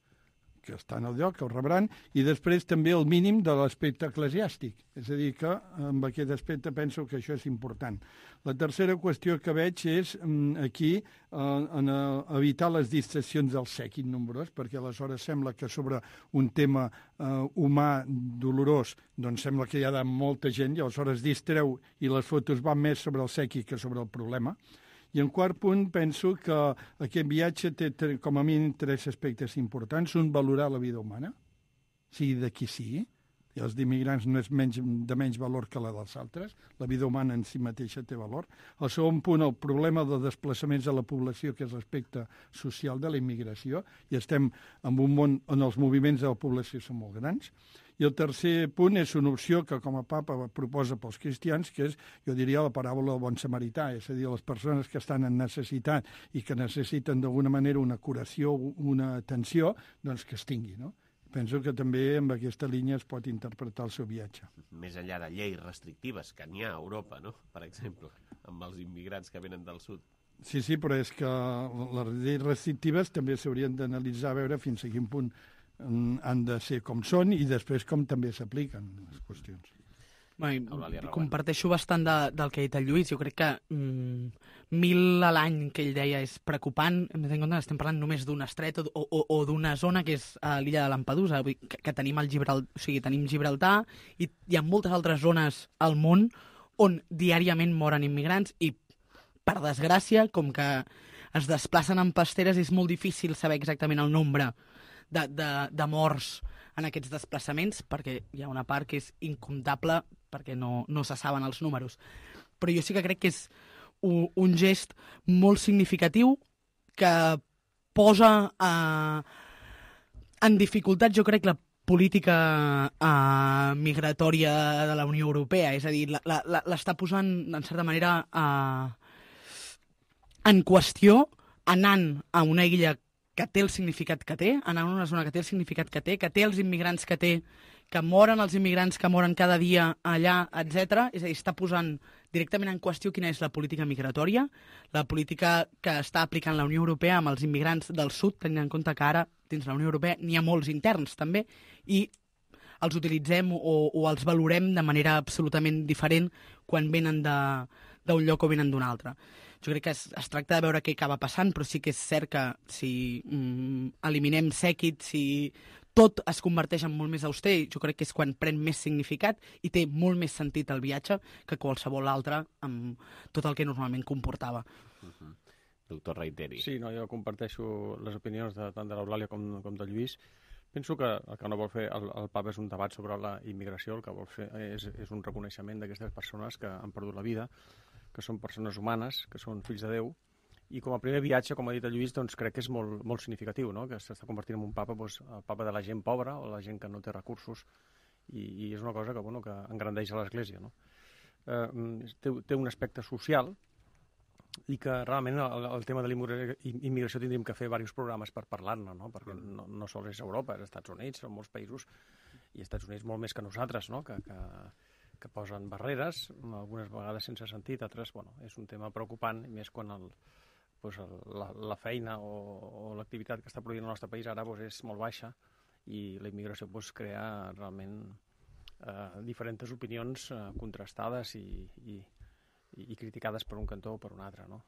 que estan al lloc, que ho rebran, i després també el mínim de l'aspecte eclesiàstic. És a dir, que amb aquest aspecte penso que això és important. La tercera qüestió que veig és aquí eh, en evitar les distraccions del sèquit nombrós, perquè aleshores sembla que sobre un tema eh, humà dolorós doncs sembla que hi ha molta gent i aleshores distreu i les fotos van més sobre el sèquit que sobre el problema. I en quart punt, penso que aquest viatge té, com a mínim, tres aspectes importants. Un, valorar la vida humana, sigui de qui sigui. I els d'immigrants no és menys, de menys valor que la dels altres. La vida humana en si mateixa té valor. El segon punt, el problema de desplaçaments de la població, que és l'aspecte social de la immigració. I estem en un món on els moviments de la població són molt grans. I el tercer punt és una opció que com a papa proposa pels cristians, que és, jo diria, la paràbola del bon samarità, és a dir, les persones que estan en necessitat i que necessiten d'alguna manera una curació, una atenció, doncs que es tingui, no? Penso que també amb aquesta línia es pot interpretar el seu viatge. Més enllà de lleis restrictives, que n'hi ha a Europa, no?, per exemple, amb els immigrants que venen del sud. Sí, sí, però és que les lleis restrictives també s'haurien d'analitzar a veure fins a quin punt han de ser com són i després com també s'apliquen les qüestions. Bueno, comparteixo bastant de, del que ha dit el Lluís. Jo crec que mm, mil a l'any que ell deia és preocupant. Hem de tenir en compte que estem parlant només d'un estret o, o, o d'una zona que és a l'illa de Lampedusa, que, que tenim, el Gibraltar, o sigui, tenim Gibraltar i hi ha moltes altres zones al món on diàriament moren immigrants i, per desgràcia, com que es desplacen en pasteres, és molt difícil saber exactament el nombre de, de, de morts en aquests desplaçaments, perquè hi ha una part que és incomptable perquè no, no se saben els números. Però jo sí que crec que és un, un gest molt significatiu que posa eh, en dificultat, jo crec, la política eh, migratòria de la Unió Europea. És a dir, l'està posant, en certa manera, eh, en qüestió, anant a una illa que té el significat que té, anant a una zona que té el significat que té, que té els immigrants que té, que moren els immigrants que moren cada dia allà, etcètera. És a dir, està posant directament en qüestió quina és la política migratòria, la política que està aplicant la Unió Europea amb els immigrants del sud, tenint en compte que ara dins la Unió Europea n'hi ha molts interns també, i els utilitzem o, o els valorem de manera absolutament diferent quan venen d'un lloc o venen d'un altre. Jo crec que es, es tracta de veure què acaba passant, però sí que és cert que si mm, eliminem sèquit, si tot es converteix en molt més auster, jo crec que és quan pren més significat i té molt més sentit el viatge que qualsevol altre amb tot el que normalment comportava. Uh-huh. Doctor Reiteri. Sí, no, jo comparteixo les opinions de, tant de l'Eulàlia com, com de Lluís. Penso que el que no vol fer el, el papa és un debat sobre la immigració, el que vol fer és, és un reconeixement d'aquestes persones que han perdut la vida, que són persones humanes, que són fills de Déu, i com a primer viatge, com ha dit el Lluís, doncs crec que és molt, molt significatiu, no? Que s'està convertint en un papa, doncs, el papa de la gent pobra o la gent que no té recursos, i, i és una cosa que, bueno, que engrandeix a l'Església, no? Eh, té, té un aspecte social i que realment el, el tema de l'immigració tindríem que fer diversos programes per parlar-ne, no? Perquè no, no sols és Europa, és Estats Units, són molts països, i Estats Units molt més que nosaltres, no? Que, que, que posen barreres, algunes vegades sense sentit, altres, bueno, és un tema preocupant, més quan el, doncs el, la, la feina o, o l'activitat que està produint el nostre país ara doncs, és molt baixa i la immigració doncs, crea realment eh, diferents opinions eh, contrastades i, i, i criticades per un cantó o per un altre, no?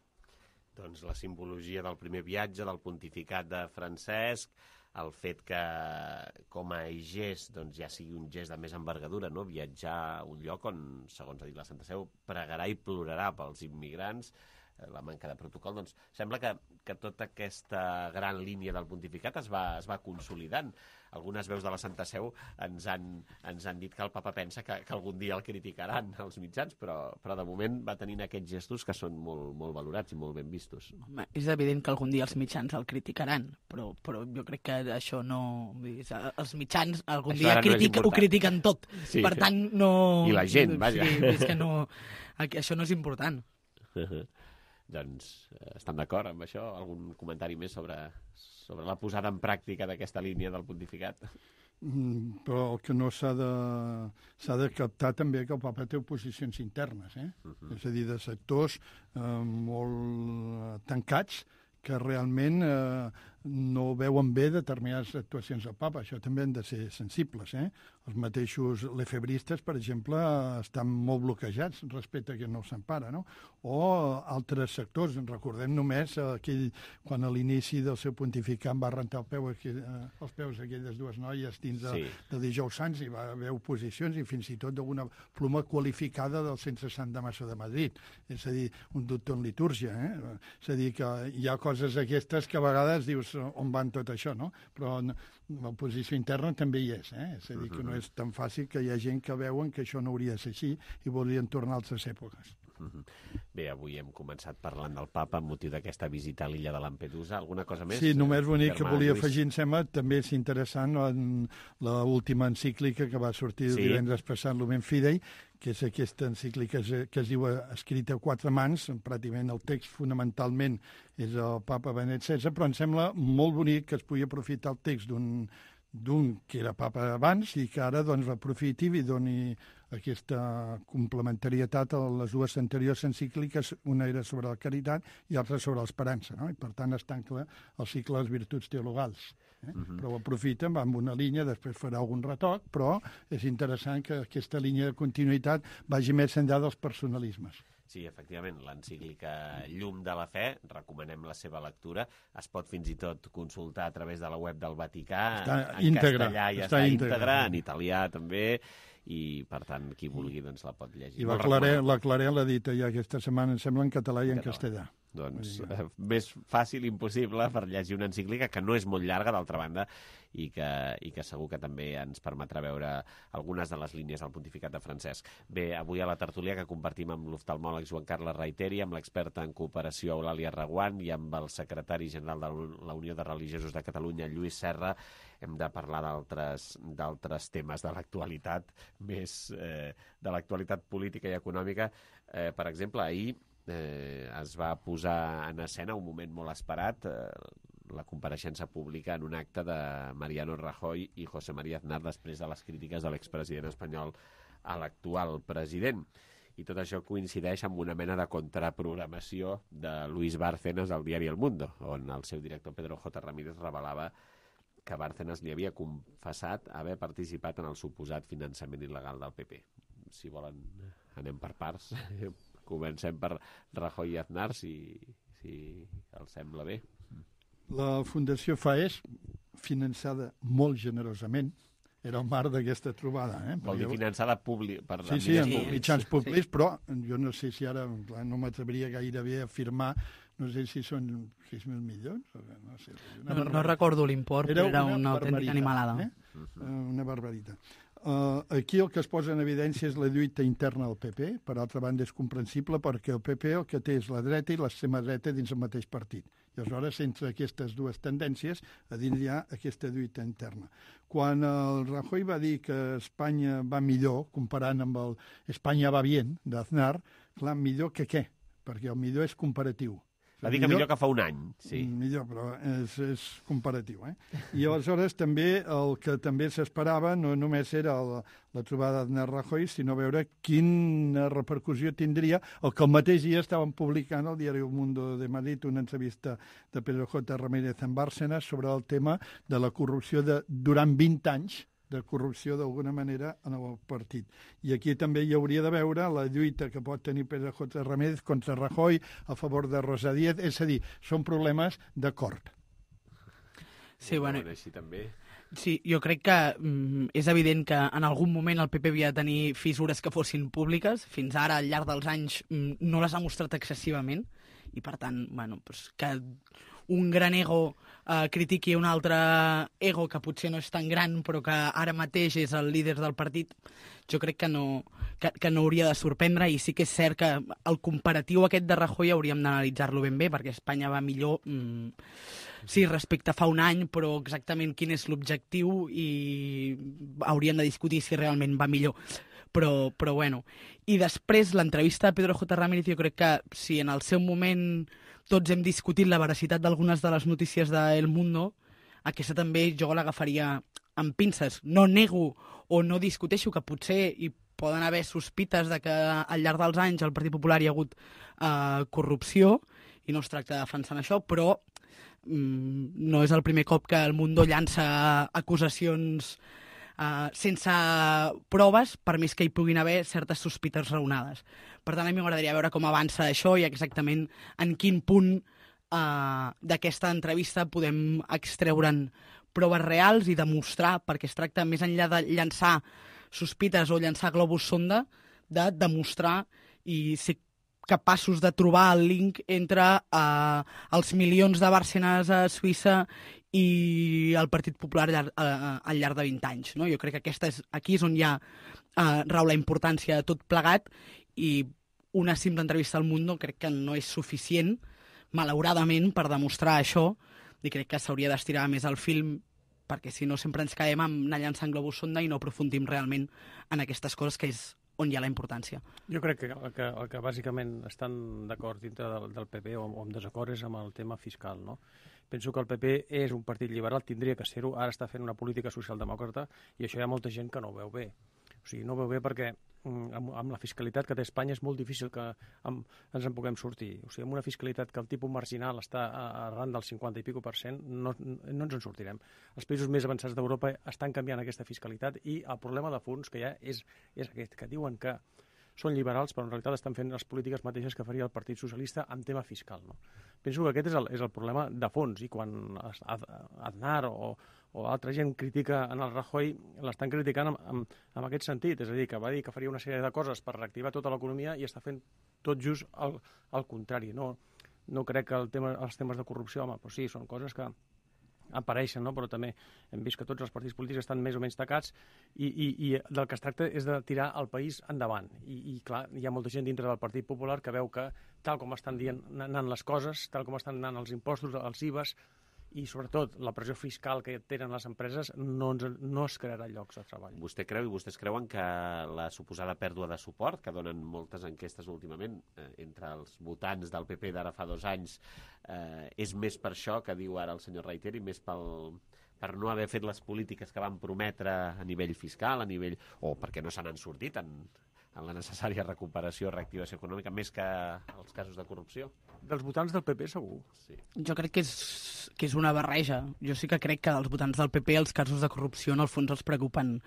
Doncs la simbologia del primer viatge, del pontificat de Francesc, el fet que com a gest doncs, ja sigui un gest de més envergadura, no? Viatjar a un lloc on, segons ha dit la Santa Seu, pregarà i plorarà pels immigrants, la manca de protocol, doncs sembla que, que tota aquesta gran línia del pontificat es va, es va consolidant. Algunes veus de la Santa Seu ens han, ens han dit que el papa pensa que, que algun dia el criticaran els mitjans, però, però de moment va tenint aquests gestos que són molt, molt valorats i molt ben vistos. Home, és evident que algun dia els mitjans el criticaran, però, però jo crec que això no... Els mitjans algun això dia critic, no ho critiquen tot, sí. Per tant no... I la gent, vaja. Sí, és que no... Això no és important. Doncs eh, estan d'acord amb això? Algun comentari més sobre, sobre la posada en pràctica d'aquesta línia del pontificat? Mm, però el que no s'ha de, s'ha de captar també que el papa té oposicions internes, eh? Uh-huh. És a dir, de sectors eh, molt tancats que realment eh, no veuen bé determinades actuacions del papa. Això també han de ser sensibles, eh? Els mateixos lefebristes, per exemple, estan molt bloquejats respecte a que no s'empara, no? O altres sectors. Recordem només aquell, quan a l'inici del seu pontificat va rentar el peu, aquell, els peus d'aquelles dues noies dins de, sí. de Dijous Sants, i va haver oposicions i fins i tot d'una pluma qualificada del Centre Sant Damaso de Madrid. És a dir, un doctor en litúrgia, eh? És a dir, que hi ha coses aquestes que a vegades dius on van tot això, no? Però l'oposició interna també hi és, eh? És a dir, que no és tan fàcil, que hi ha gent que veuen que això no hauria de ser així i voldrien tornar a altres èpoques. Bé, avui hem començat parlant del papa amb motiu d'aquesta visita a l'illa de Lampedusa. Alguna cosa més? Sí, només bonic que volia Lluís? afegir, em sembla, també és interessant l'última encíclica que va sortir sí. divendres passat, Lumen Fidei, que és aquesta encíclica que es diu escrita a quatre mans, pràcticament el text fonamentalment és el papa Benet setze, però em sembla molt bonic que es pugui aprofitar el text d'un d'un que era papa abans i que ara doncs aprofiti i doni aquesta complementarietat a les dues anteriors encícliques, una era sobre la caritat i l'altra sobre l'esperança, no? I per tant es tanca el cicle de les virtuts teologals. Eh? Uh-huh. Però ho aprofiten, va amb una línia, després farà algun retoc, però és interessant que aquesta línia de continuïtat vagi més enllà dels personalismes. Sí, efectivament, l'encíclica Llum de la Fe, recomanem la seva lectura, es pot fins i tot consultar a través de la web del Vaticà, està en íntegra, castellà ja està, està íntegra, en italià també, i per tant qui vulgui doncs la pot llegir. I la Claret, la Claret l'ha dit ja aquesta setmana, em sembla, en català i en castellà. Doncs eh, més fàcil impossible per llegir una encíclica que no és molt llarga, d'altra banda, i que, i que segur que també ens permetrà veure algunes de les línies del pontificat de Francesc. Bé, avui a la tertúlia que compartim amb l'oftalmòleg Joan Carles Reiteri, amb l'experta en cooperació Eulàlia Reguant i amb el secretari general de la Unió de Religiosos de Catalunya, Lluís Serra, hem de parlar d'altres d'altres temes de l'actualitat, més eh, de l'actualitat política i econòmica. Eh, per exemple, ahir eh, es va posar en escena un moment molt esperat, eh, la compareixença pública en un acte de Mariano Rajoy i José María Aznar després de les crítiques de l'expresident espanyol a l'actual president. I tot això coincideix amb una mena de contraprogramació de Luis Bárcenas al diari El Mundo, on el seu director Pedro J. Ramírez revelava que Bárcenas li havia confessat haver participat en el suposat finançament il·legal del P P. Si volen, anem per parts. Comencem per Rajoy i Aznar, si, si els sembla bé. La Fundació FAES, finançada molt generosament, era el marc d'aquesta trobada. Eh? Vol dir finançada públic, per sí, sí, en mitjans públics, sí. Però jo no sé si ara, clar, no m'atreviria gairebé a afirmar, no sé si són sis mil milions. No, sé, no, no recordo l'import, però era una, una autèntica animalada. Eh? Uh-huh. Una barbaritat. Uh, aquí el que es posa en evidència és la lluita interna del P P. Per altra banda, és comprensible perquè el P P el que té és la dreta i l'extrema dreta dins el mateix partit. I aleshores, entre aquestes dues tendències, a dins hi ha aquesta lluita interna. Quan el Rajoy va dir que Espanya va millor, comparant amb el Espanya va bien, d'Aznar, clar, millor que què? Perquè el millor és comparatiu. Va dir que millor, millor que fa un any, sí. Millor, però és, és comparatiu, eh? I aleshores també el que també s'esperava no només era la, la trobada d'Aznar-Rajoy, sinó veure quina repercussió tindria el que el mateix dia estaven publicant al diari El Mundo de Madrid una entrevista de Pedro J. Ramírez en Bárcenas sobre el tema de la corrupció de, durant vint anys de corrupció d'alguna manera en el partit. I aquí també hi hauria de veure la lluita que pot tenir Pedro J. Ramírez contra Rajoy a favor de Rosa Díez, és a dir, són problemes d'acord. Sí, bueno, així també. Sí, jo crec que mm, és evident que en algun moment el P P havia de tenir fissures que fossin públiques. Fins ara, al llarg dels anys, mm, no les ha mostrat excessivament. I, per tant, bueno, pues, que un gran ego eh, critiqui un altre ego que potser no és tan gran, però que ara mateix és el líder del partit, jo crec que no, que, que no hauria de sorprendre. I sí que és cert que el comparatiu aquest de Rajoy hauríem d'analitzar-lo ben bé, perquè Espanya va millor... Mm, sí, respecte a fa un any, però exactament quin és l'objectiu i hauríem de discutir si realment va millor. Però, però bueno. I després, l'entrevista de Pedro J. Ramírez, jo crec que si en el seu moment tots hem discutit la veracitat d'algunes de les notícies de El Mundo, aquesta també jo l'agafaria amb pinces. No nego o no discuteixo que potser hi poden haver sospites de que al llarg dels anys al Partit Popular hi ha hagut eh, corrupció, i no es tracta de defensar això, però no és el primer cop que el Mundo llança acusacions uh, sense proves, per més que hi puguin haver certes sospites raonades. Per tant, a mi m'agradaria veure com avança això i exactament en quin punt uh, d'aquesta entrevista podem extreure'n proves reals i demostrar, perquè es tracta, més enllà de llançar sospites o llançar globus sonda, de demostrar i ser capaços de trobar el link entre uh, els milions de Bárcenas a Suïssa i el Partit Popular al, uh, al llarg de vint anys. No? Jo crec que aquesta és, aquí és on hi ha uh, rau la importància de tot plegat, i una simple entrevista al Mundo crec que no és suficient, malauradament, per demostrar això, i crec que s'hauria d'estirar més el film, perquè si no sempre ens caiem amb anar llançant globus sonda i no aprofundim realment en aquestes coses, que és on hi ha la importància. Jo crec que el que, el que bàsicament estan d'acord dintre del, del P P o, o amb desacord és amb el tema fiscal, no? Penso que el P P és un partit liberal, tindria que ser-ho, ara està fent una política socialdemòcrata i això hi ha molta gent que no ho veu bé. O sigui, no ho veu bé perquè amb, amb la fiscalitat que té Espanya és molt difícil que amb, ens en puguem sortir. O sigui, amb una fiscalitat que el tipus marginal està arran del cinquanta i pico per cent, no, no ens en sortirem. Els països més avançats d'Europa estan canviant aquesta fiscalitat i el problema de fons que hi ha és, és aquest, que diuen que són liberals, però en realitat estan fent les polítiques mateixes que faria el Partit Socialista en tema fiscal. No? Penso que aquest és el, és el problema de fons, i quan Aznar o, o altra gent critica en el Rajoy, l'estan criticant en, en, en aquest sentit, és a dir, que va dir que faria una sèrie de coses per reactivar tota l'economia i està fent tot just el, el contrari. No, no crec que el tema, els temes de corrupció, home, però sí, són coses que apareixen, no? Però també hem vist que tots els partits polítics estan més o menys tacats i, i, i del que es tracta és de tirar el país endavant. I, i clar, hi ha molta gent dintre del Partit Popular que veu que tal com estan dient, anant les coses, tal com estan anant els impostos, els I V As, i sobretot la pressió fiscal que tenen les empreses, no, ens, no es crearà llocs de treball. Vostè creu i vostès creuen que la suposada pèrdua de suport que donen moltes enquestes últimament eh, entre els votants del P P d'ara fa dos anys eh, és més per això que diu ara el senyor Reiter i més pel, per no haver fet les polítiques que van prometre a nivell fiscal, a nivell o perquè no se n'han sortit en, en la necessària recuperació, reactivació econòmica, més que els casos de corrupció? Dels votants del P P, segur. Sí. Jo crec que és, que és una barreja. Jo sí que crec que dels votants del P P els casos de corrupció en el fons els preocupen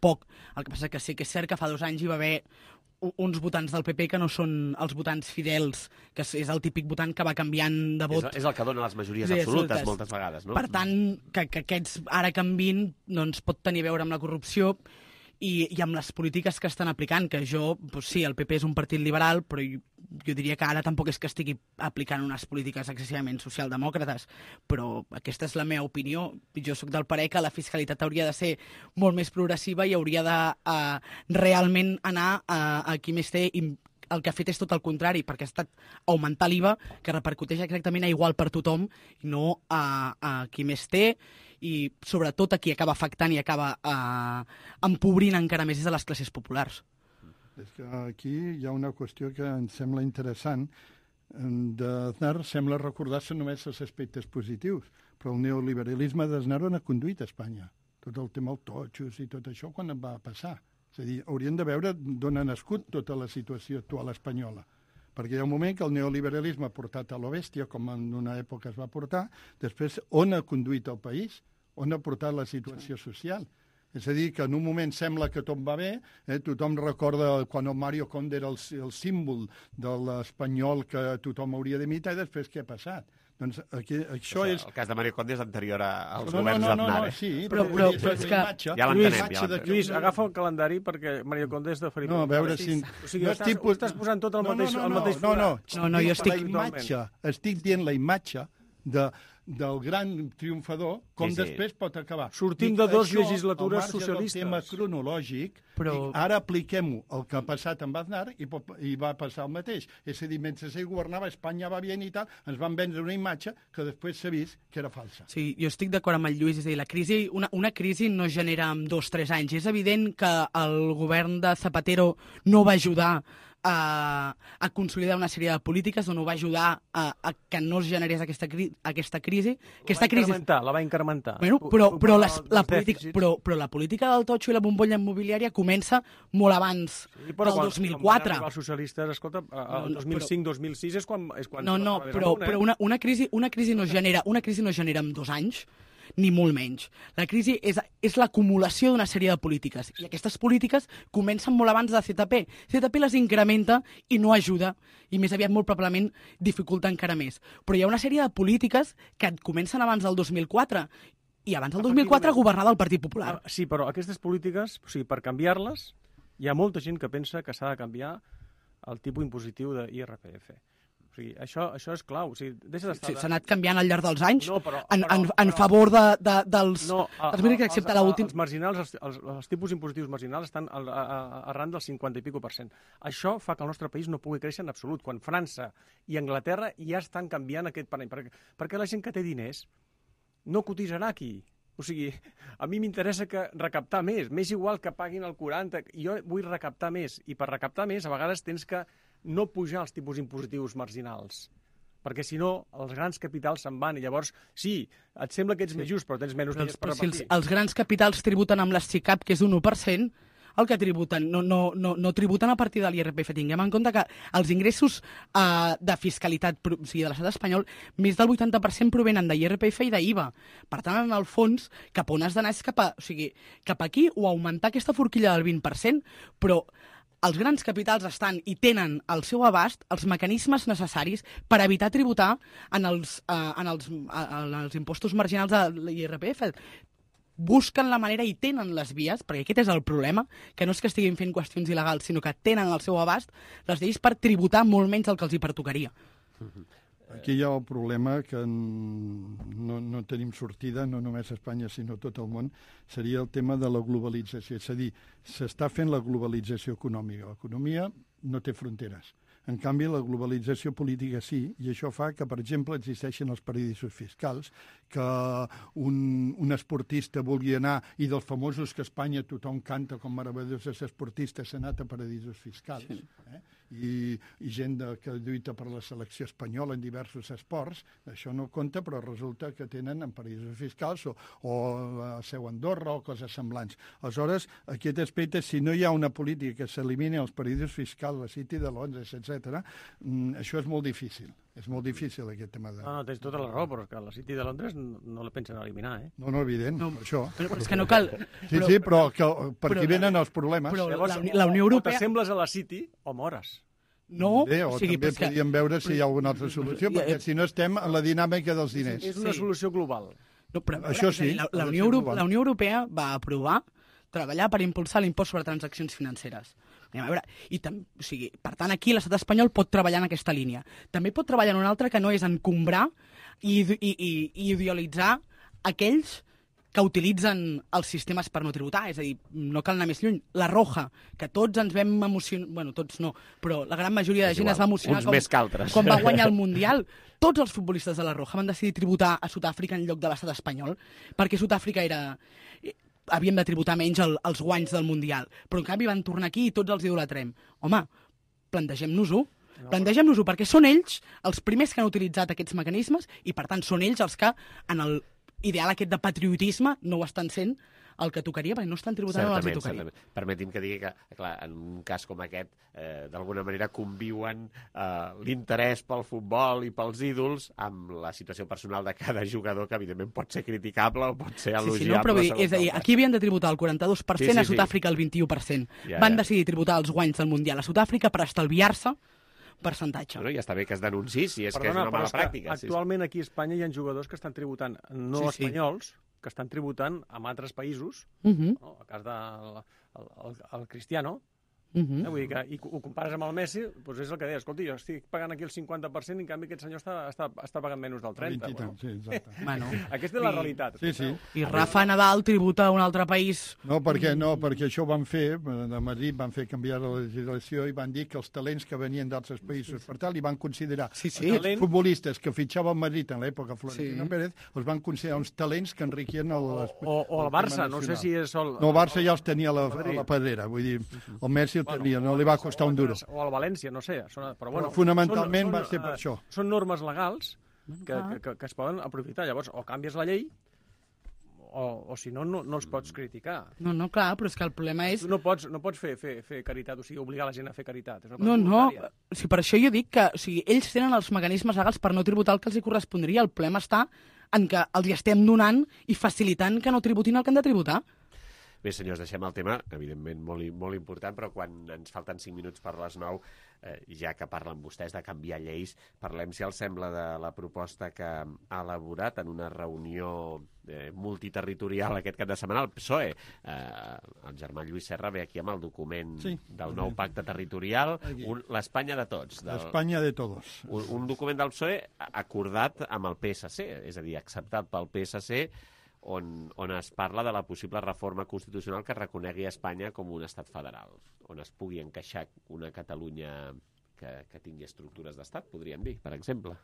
poc. El que passa que sí que és cert que fa dos anys hi va haver uns votants del P P que no són els votants fidels, que és el típic votant que va canviant de vot. És, és el que dona les majories sí, absolutes, absolutes moltes vegades, no? Per tant, que, que aquests ara canvin doncs, pot tenir a veure amb la corrupció i, i amb les polítiques que estan aplicant, que jo, doncs sí, el P P és un partit liberal, però jo, jo diria que ara tampoc és que estigui aplicant unes polítiques excessivament socialdemòcrates, però aquesta és la meva opinió. Jo sóc del parer que la fiscalitat hauria de ser molt més progressiva i hauria de uh, realment anar a, a qui més té. El que ha fet és tot el contrari, perquè ha estat augmentar l'I V A, que repercuteix exactament a igual per tothom, i no a, a qui més té, i sobretot a qui acaba afectant i acaba eh, empobrint encara més de les classes populars. És que aquí hi ha una qüestió que em sembla interessant. D'Aznar sembla recordar-se només els aspectes positius, però el neoliberalisme d'Aznar on ha conduït a Espanya. Tot el tema dels totxos i tot això, quan va passar? És a dir, hauríem de veure d'on ha nascut tota la situació actual espanyola. Perquè hi ha un moment que el neoliberalisme ha portat a lo bèstia, com en una època es va portar, després on ha conduït el país, on ha portat la situació social. És a dir, que en un moment sembla que tot va bé, eh? Tothom recorda quan el Mario Conde era el, el símbol de l'espanyol que tothom hauria d'imitar, i després què ha passat? Doncs aquí, això, això és... El cas de Mario Conde és anterior als no, governs no, no, d'Aznar. No, no, sí, però, però, però és que... Ja l'entenem, ja l'entenem. Lluís, agafa el calendari perquè Mario Conde és de Felipe. No, a veure si... O sigui, no estàs, tipus... estàs posant tot el no, mateix, no, no, el mateix no, no, no, no, jo estic... La imatge, estic dient la imatge de, del gran triomfador, com sí, sí. després pot acabar. Sortim de dues legislatures socialistes. Al tema cronològic, però... ara apliquem-ho el que ha passat amb Aznar i, pot, i va passar el mateix. És a dir, mentre ell governava, Espanya va bien i tal, ens van vendre una imatge que després s'ha vist que era falsa. Sí, jo estic d'acord amb el Lluís, és a dir, la crisi, una, una crisi no genera en dos o tres anys. És evident que el govern de Zapatero no va ajudar A, a consolidar una sèrie de polítiques on ho va ajudar a, a que no es generés aquesta, cri, aquesta crisi. La aquesta va incrementar, crisi... la va incrementar. Bueno, però, però, les, la política, però, però la política del totxo i la bombolla immobiliària comença molt abans sí, del dos mil quatre. Quan els socialistes, escolta, el dos mil cinc dos mil sis és quan... És quan no, no, però, però una, una, crisi, una, crisi no genera, una crisi no genera en dos anys, ni molt menys. La crisi és, és l'acumulació d'una sèrie de polítiques, i aquestes polítiques comencen molt abans de Z P. Z P les incrementa i no ajuda, i més aviat molt probablement dificulta encara més. Però hi ha una sèrie de polítiques que comencen abans del dos mil quatre, i abans del dos mil quatre governava el Partit Popular. Sí, però aquestes polítiques, o sigui, per canviar-les, hi ha molta gent que pensa que s'ha de canviar el tipus impositiu de I R P F. O sigui, això, això és clau. O sigui, deixa d'estar... Sí, s'ha anat canviant al llarg dels anys, no, però, en, però, en, en però, favor de, de, dels... No, a, els, els, els, els, els marginals, els, els, els tipus impositius marginals estan al, a, a, arran del cinquanta i pico per cent. Això fa que el nostre país no pugui créixer en absolut, quan França i Anglaterra ja estan canviant aquest parell. Perquè, perquè la gent que té diners no cotitzarà aquí. O sigui, a mi m'interessa que recaptar més. M'és igual que paguin el quaranta. Jo vull recaptar més. I per recaptar més, a vegades tens que no pujar els tipus impositius marginals. Perquè, si no, els grans capitals se'n van. I llavors, sí, et sembla que ets sí. més just, però tens menys diners per repartir. Si els, els grans capitals tributen amb l'ESTICAP, que és un u per cent, el que tributen, no, no, no, no tributen a partir de l'I R P F. Tinguem en compte que els ingressos eh, de fiscalitat, o sigui, de l'estat espanyol, més del vuitanta per cent provenen de l'I R P F i d'I V A. Per tant, en el fons, cap on has d'anar és cap, a, o sigui, cap aquí o augmentar aquesta forquilla del vint per cent, però els grans capitals estan i tenen al seu abast els mecanismes necessaris per evitar tributar en els, eh, en els, en els impostos marginals de l'I R P F. Busquen la manera i tenen les vies, perquè aquest és el problema, que no és que estiguin fent qüestions il·legals, sinó que tenen al seu abast les lleis per tributar molt menys del que els hi pertocaria. Aquí hi ha el problema que no, no tenim sortida, no només a Espanya, sinó a tot el món, seria el tema de la globalització. És a dir, s'està fent la globalització econòmica. L'economia no té fronteres. En canvi, la globalització política sí, i això fa que, per exemple, existeixen els paradisos fiscals, que un, un esportista vulgui anar, i dels famosos que a Espanya tothom canta com meravellosos esportistes, s'ha anat a paradisos fiscals, sí. eh? I, i gent de, que lluita per la selecció espanyola en diversos esports, això no compta, però resulta que tenen en paradisos fiscals o, o a seu Andorra o coses semblants. Aleshores, aquest aspecte, si no hi ha una política que s'elimini els paradisos fiscals, la City de Londres, etcètera, això és molt difícil. És molt difícil, aquest tema de... No, no, tens tota la raó, però que la City de Londres no, no la pensen eliminar, eh? No, no, evident, no, per això. Però, però és que no cal... Sí, però, sí, però que, per aquí venen els problemes. Però llavors, la, la Unió Europea... O t'assembles a la City o mores. No, Bé, o, o sigui, també podríem que... veure si hi ha alguna altra solució, perquè si no estem en la dinàmica dels diners. És una sí. solució global. No, però, això sí. La, la, Unió Europea, la Unió Europea va aprovar treballar per impulsar l'impost sobre transaccions financeres. A veure, i tam, o sigui, per tant, aquí l'estat espanyol pot treballar en aquesta línia. També pot treballar en una altra que no és encombrar i, i, i, i idealitzar aquells que utilitzen els sistemes per no tributar, és a dir, no cal anar més lluny. La Roja, que tots ens vam emocionar, bueno, tots no, però la gran majoria de gent es va emocionar com, quan va guanyar el Mundial. Tots els futbolistes de la Roja van decidir tributar a Sud-àfrica en lloc de l'estat espanyol, perquè Sud-àfrica era... havíem de tributar menys el, els guanys del Mundial, però en canvi van tornar aquí i tots els idolatrem. Home, plantegem-nos-ho. No. Plantegem-nos-ho, perquè són ells els primers que han utilitzat aquests mecanismes i, per tant, són ells els que, en el ideal aquest de patriotisme, no ho estan sent el que tocaria, perquè no estan tributant on els hi tocaria. Certament. Permeti'm que digui que, clar, en un cas com aquest, eh, d'alguna manera conviuen eh, l'interès pel futbol i pels ídols amb la situació personal de cada jugador, que evidentment pot ser criticable o pot ser elogiable. Sí, sí, no, però dir, és a dir, aquí havien de tributar el quaranta-dos per cent, sí, sí, a Sud-àfrica el vint-i-u per cent. Ja, Van ja. decidir tributar els guanys del Mundial a Sud-àfrica per estalviar-se percentatge. Bueno, ja està bé que es denunciï, si és Perdona, que és una mala pràctica. Actualment aquí a Espanya hi ha jugadors que estan tributant, no sí, espanyols, sí. que estan tributant en altres països, uh -huh. no? El cas del el, el, el Cristiano, uh -huh. eh? Vull dir que i ho compares amb el Messi, doncs és el que deia, escolti, jo estic pagant aquí el cinquanta per cent i en canvi aquest senyor està, està, està pagant menys del trenta per cent. Bueno. Sí, exacte. Bueno, aquesta és la realitat. Sí, sí. I Rafa Nadal tributa a un altre país. No, perquè, no, perquè això ho van fer, de Madrid van fer canviar la legislació i van dir que els talents que venien d'altres països, sí, sí. per tal, i van considerar sí, sí. els talent... futbolistes que fitxava el Madrid en l'època Florentino sí. Pérez, els van considerar uns talents que enriquien el... O, o, o el Barça, no sé si és... El... No, el Barça ja els tenia a la, a la pedrera, vull dir, el Messi el tenia, bueno, no li va costar un duro. O el València, no sé. Són, però, bueno, però fonamentalment són, va ser per uh, això. Són normes legals que, que, que, que es poden aprofitar. Llavors, o canvies la llei, o, o si no, no, no els pots criticar. No, no, clar, però és que el problema és... Tu no pots, no pots fer, fer, fer caritat, o sigui, obligar la gent a fer caritat. És una cosa no, no, voluntària. o sigui, per això jo dic que o sigui, ells tenen els mecanismes legals per no tributar el que els hi correspondria. El problema està en que els hi estem donant i facilitant que no tributin el que han de tributar. Bé, senyors, deixem el tema, evidentment molt, molt important, però quan ens falten cinc minuts per les nou, eh, ja que parlen vostès de canviar lleis, parlem, si els sembla, de la proposta que ha elaborat en una reunió eh, multiterritorial aquest cap de setmana el P S O E. Eh, el germà Lluís Serra ve aquí amb el document sí, del nou pacte territorial, l'Espanya de tots. L'Espanya de tots. Un, un document del P S O E acordat amb el P S C, és a dir, acceptat pel P S C, On, on es parla de la possible reforma constitucional que reconegui Espanya com un estat federal, on es pugui encaixar una Catalunya que, que tingui estructures d'estat, podríem dir, per exemple.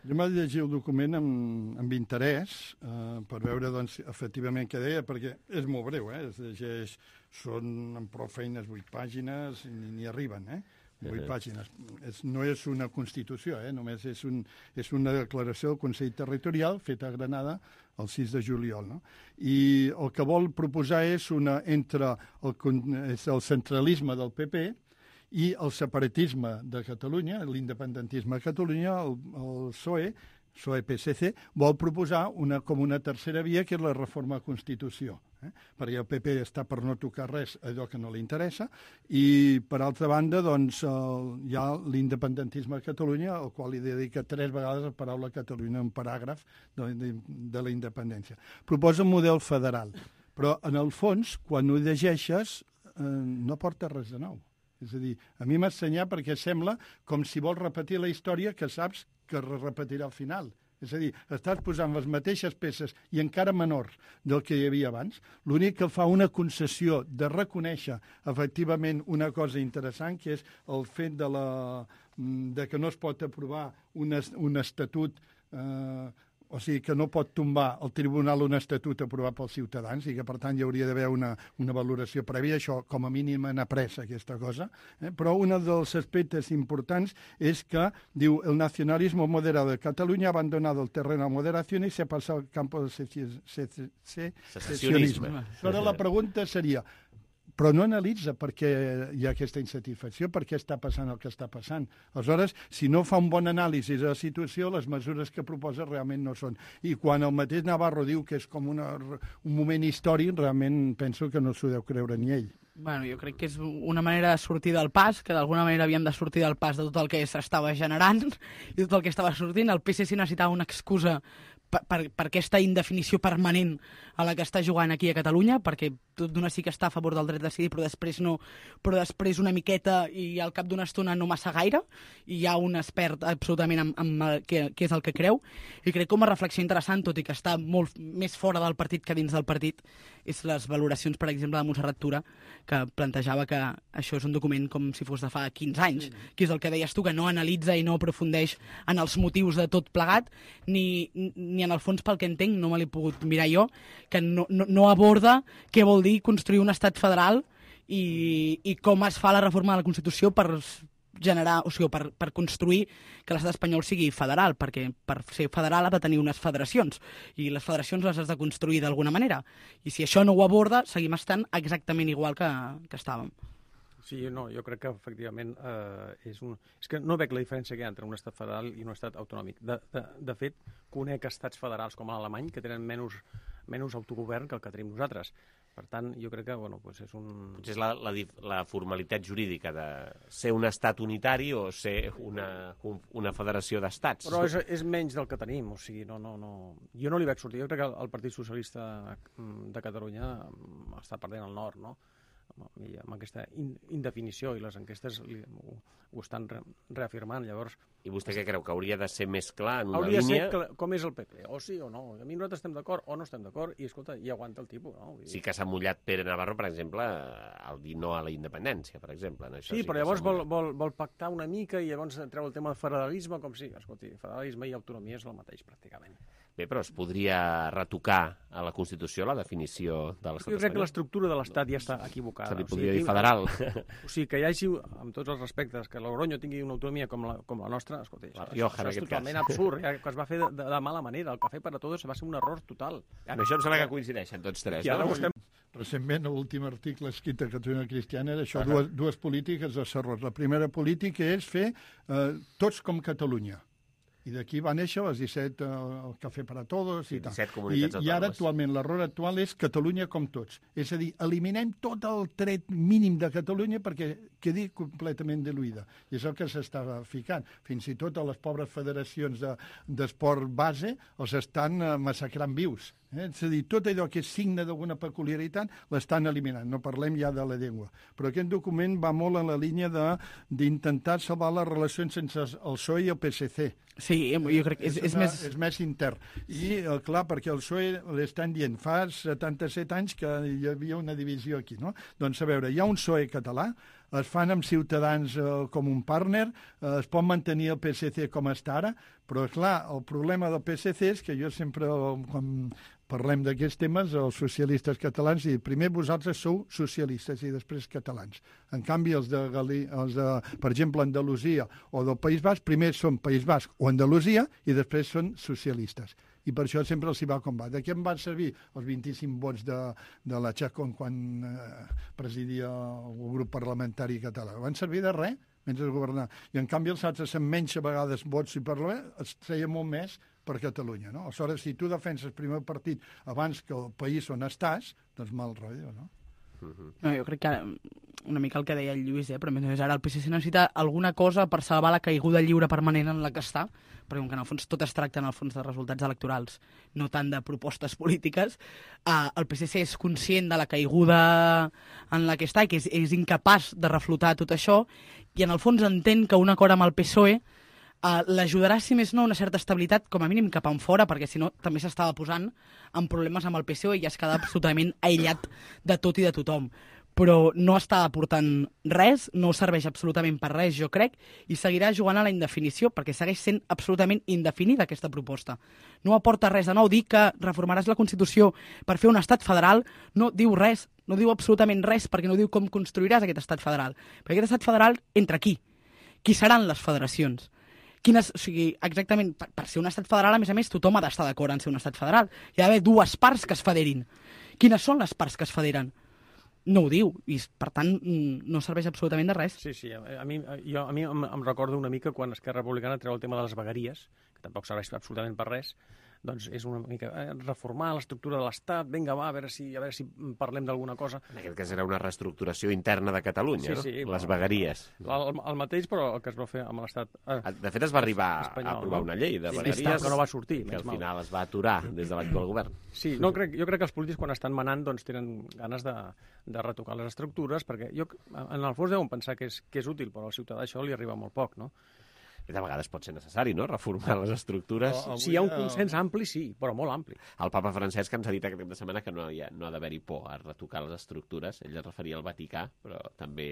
Jo m'he llegit el document amb, amb interès eh, per veure, doncs, efectivament què deia, perquè és molt breu, eh? Es llegeix, són amb prou feines vuit pàgines i ni arriben, eh? Vuit pàgines. És, no és una Constitució, eh? Només és, un, és una declaració del Consell Territorial feta a Granada el sis de juliol. No? I el que vol proposar és una entre el, és el centralisme del P P i el separatisme de Catalunya, l'independentisme de Catalunya, el, el P S O E, P S O E P S C, vol proposar una, com una tercera via, que és la reforma de la Constitució. Eh? Perquè el P P està per no tocar res, allò que no li interessa, i, per altra banda, doncs, el, hi ha l'independentisme de Catalunya, al qual li dedica tres vegades la paraula Catalunya, un paràgraf de, de, de la independència. Proposa un model federal, però, en el fons, quan ho llegeixes, eh, no porta res de nou. És a dir, a mi m'ha assenyat perquè sembla com si vols repetir la història que saps que es repetirà al final. És a dir, estàs posant les mateixes peces i encara menors del que hi havia abans. L'únic que fa una concessió de reconèixer efectivament una cosa interessant, que és el fet de, la, de que no es pot aprovar un, un estatut, eh, o sigui, que no pot tombar el tribunal un estatut aprovat pels ciutadans i que, per tant, hi hauria d'haver una, una valoració prèvia. Això, com a mínim, han après aquesta cosa. Eh? Però un dels aspectes importants és que, diu, el nacionalismo moderado de Cataluña ha abandonado el terreno a moderación y se ha pasado al campo del secesionisme. Però la pregunta seria, però no analitza per què hi ha aquesta insatisfacció, per què està passant el que està passant. Aleshores, si no fa un bon anàlisi de la situació, les mesures que proposa realment no són. I quan el mateix Navarro diu que és com una, un moment històric, realment penso que no s'ho deu creure ni ell. Bueno, jo crec que és una manera de sortir del pas, que d'alguna manera havíem de sortir del pas de tot el que s'estava generant i tot el que estava sortint. El P S C necessitava una excusa per, per, per aquesta indefinició permanent a la que està jugant aquí a Catalunya, perquè tot d'una sí que està a favor del dret a decidir, però després no, però després una miqueta i al cap d'una estona no massa gaire, i hi ha un expert absolutament amb, amb què, què és el que creu, i crec com a reflexió interessant, tot i que està molt més fora del partit que dins del partit, és les valoracions, per exemple, de Montserrat Tura, que plantejava que això és un document com si fos de fa quinze anys, que és el que deies tu, que no analitza i no aprofundeix en els motius de tot plegat, ni, ni en el fons, pel que entenc, no me l'he pogut mirar jo, que no, no, no aborda què vol dir construir un estat federal i, i com es fa la reforma de la Constitució per generar, o sigui, per, per construir que l'estat espanyol sigui federal, perquè per ser federal ha de tenir unes federacions, i les federacions les has de construir d'alguna manera. I si això no ho aborda, seguim estant exactament igual que, que estàvem. Sí, no, jo crec que efectivament eh, és un... És que no veig la diferència que hi ha entre un estat federal i un estat autonòmic. De, de, de fet, conec estats federals com l'alemany que tenen menys, menys autogovern que el que tenim nosaltres. Per tant, jo crec que, bueno, pues és un... Potser és la, la, la formalitat jurídica de ser un estat unitari o ser una, una federació d'estats. Però és, és menys del que tenim, o sigui, no, no, no... Jo no li veig sortir. Jo crec que el Partit Socialista de Catalunya està perdent el nord, no? I amb aquesta indefinició i les enquestes li, ho, ho estan re, reafirmant, llavors... I vostè què creu, que hauria de ser més clar en una hauria línia? Hauria de ser com és el P P, o sí o no. A mi nosaltres estem d'acord o no estem d'acord i, escolta, i aguanta el tipus, no? Sí que s'ha mullat Pere Navarro, per exemple, al dir no a la independència, per exemple. En això sí, sí, però llavors vol, vol, vol pactar una mica i llavors treu el tema del federalisme, com si, escolti, federalisme i autonomia és el mateix, pràcticament. Bé, però es podria retocar a la Constitució la definició de l'estat espanyol. Jo crec que l'estructura de l'estat ja està equivocada. Se li podria o sigui, dir federal. O sigui, que hi hagi, amb tots els respectes, que Logroño tingui una autonomia com la, com la nostra, escolta, la això, Rioja, això és totalment cas. absurd, ja, que es va fer de, de, de mala manera. El Café para Todos va ser un error total. En això em sembla que coincideixen tots tres. I ara no? estem... Recentment, l'últim article escrit a Catalunya Cristiana era això, uh -huh. dues, dues polítiques de errors. La primera política és fer eh, tots com Catalunya. I d'aquí va néixer les disset, eh, el Café para Todos i tal. I, I ara actualment l'error actual és Catalunya com tots. És a dir, eliminem tot el tret mínim de Catalunya perquè quedi completament diluïda. I és el que s'està ficant. Fins i tot a les pobres federacions d'esport de, base els estan eh, massacrant vius. Eh? És a dir, tot allò que és signe d'alguna peculiaritat l'estan eliminant. No parlem ja de la llengua. Però aquest document va molt en la línia d'intentar salvar les relacions entre el P S O E i el P S C. Sí, jo crec que és, és, una, més... és més intern. I, clar, perquè el P S O E l'estan dient fa setanta-set anys que hi havia una divisió aquí, no? Doncs, a veure, hi ha un P S O E català, es fan amb Ciutadans eh, com un partner, eh, es pot mantenir el P S C com està ara, però, clar, el problema del P S C és que jo sempre, quan parlem d'aquests temes, els socialistes catalans, i primer vosaltres sou socialistes i després catalans. En canvi, els de, Gali, els de per exemple, Andalusia o del País Basc, primer són País Basc o Andalusia i després són socialistes. I per això sempre els hi va com va. De què em van servir els vint-i-cinc vots de, de la Chacón quan eh, presidia el grup parlamentari català? Van servir de res mentre governar. I en canvi els altres amb menys vegades vots i parlament es treia molt més per Catalunya, no? Aleshores, si tu defenses el primer partit abans que el país on estàs, doncs mal rotllo, no? No, jo crec que una mica el que deia el Lluís, eh? Però més ara el P S C necessita alguna cosa per salvar la caiguda lliure permanent en la que està, perquè com que en el fons tot es tracta en el fons de resultats electorals, no tant de propostes polítiques, eh, el P S C és conscient de la caiguda en la que està i que és, és incapaç de reflotar tot això, i en el fons entén que un acord amb el P S O E Uh, l'ajudarà, si més no, una certa estabilitat, com a mínim cap en fora, perquè si no també s'estava posant en problemes amb el P S O E i es queda absolutament aïllat de tot i de tothom. Però no està aportant res, no serveix absolutament per res, jo crec, i seguirà jugant a la indefinició, perquè segueix sent absolutament indefinida aquesta proposta. No aporta res de nou. Dir que reformaràs la Constitució per fer un estat federal no diu res, no diu absolutament res, perquè no diu com construiràs aquest estat federal. Perquè aquest estat federal entra aquí. Qui seran les federacions? Quines, o sigui, exactament, per, per ser un estat federal, a més a més, tothom ha d'estar d'acord en ser un estat federal. Hi ha d'haver dues parts que es federin. Quines són les parts que es federen? No ho diu, i per tant no serveix absolutament de res. Sí, sí, a, a mi, jo, a mi em, em recordo una mica quan Esquerra Republicana treu el tema de les vegueries, que tampoc serveix absolutament per res, doncs és una mica eh, reformar l'estructura de l'Estat, vinga, va, a veure si, a veure si parlem d'alguna cosa. En aquest cas era una reestructuració interna de Catalunya, sí, sí, no? Les però, vegueries. El, el mateix, però el que es va fer amb l'Estat... Eh, de fet, es va arribar espanyol, a aprovar no? una llei de sí, vegueries que no va sortir, que al final es va aturar des de l'actual govern. Sí, no, crec, jo crec que els polítics quan estan manant doncs, tenen ganes de, de retocar les estructures, perquè jo, en el fons deuen pensar que és, que és útil, però al ciutadà això li arriba molt poc, no? De vegades pot ser necessari, no?, reformar les estructures. Però, si hi ha un consens ampli, sí, però molt ampli. El papa Francesc ens ha dit aquest cap de setmana que no hi ha, no ha d'haver-hi por a retocar les estructures. Ell es referia al Vaticà, però també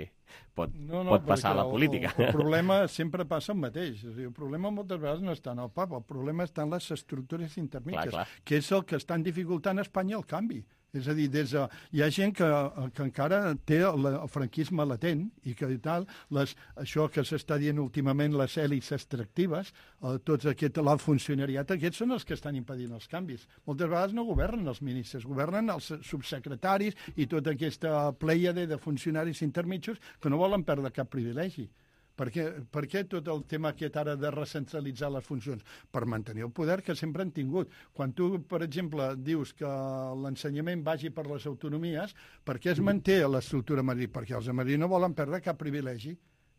pot, no, no, pot passar a la política. El, el problema sempre passa el mateix. O sigui, el problema moltes vegades no està en el papa, el problema està en les estructures intermèdies, que és el que estan dificultant a Espanya el canvi. És a dir, des de, hi ha gent que, que encara té el, el franquisme latent i que i tal, les, això que s'està dient últimament, les èlits extractives, eh, tots aquest, l'alt funcionariat, aquests són els que estan impedint els canvis. Moltes vegades no governen els ministres, governen els subsecretaris i tota aquesta pleiade de funcionaris intermitjos que no volen perdre cap privilegi. Per què, per què tot el tema aquest ara de recentralitzar les funcions? Per mantenir el poder que sempre han tingut. Quan tu, per exemple, dius que l'ensenyament vagi per les autonomies, per què es manté l'estructura a Madrid? Perquè els de Madrid no volen perdre cap privilegi.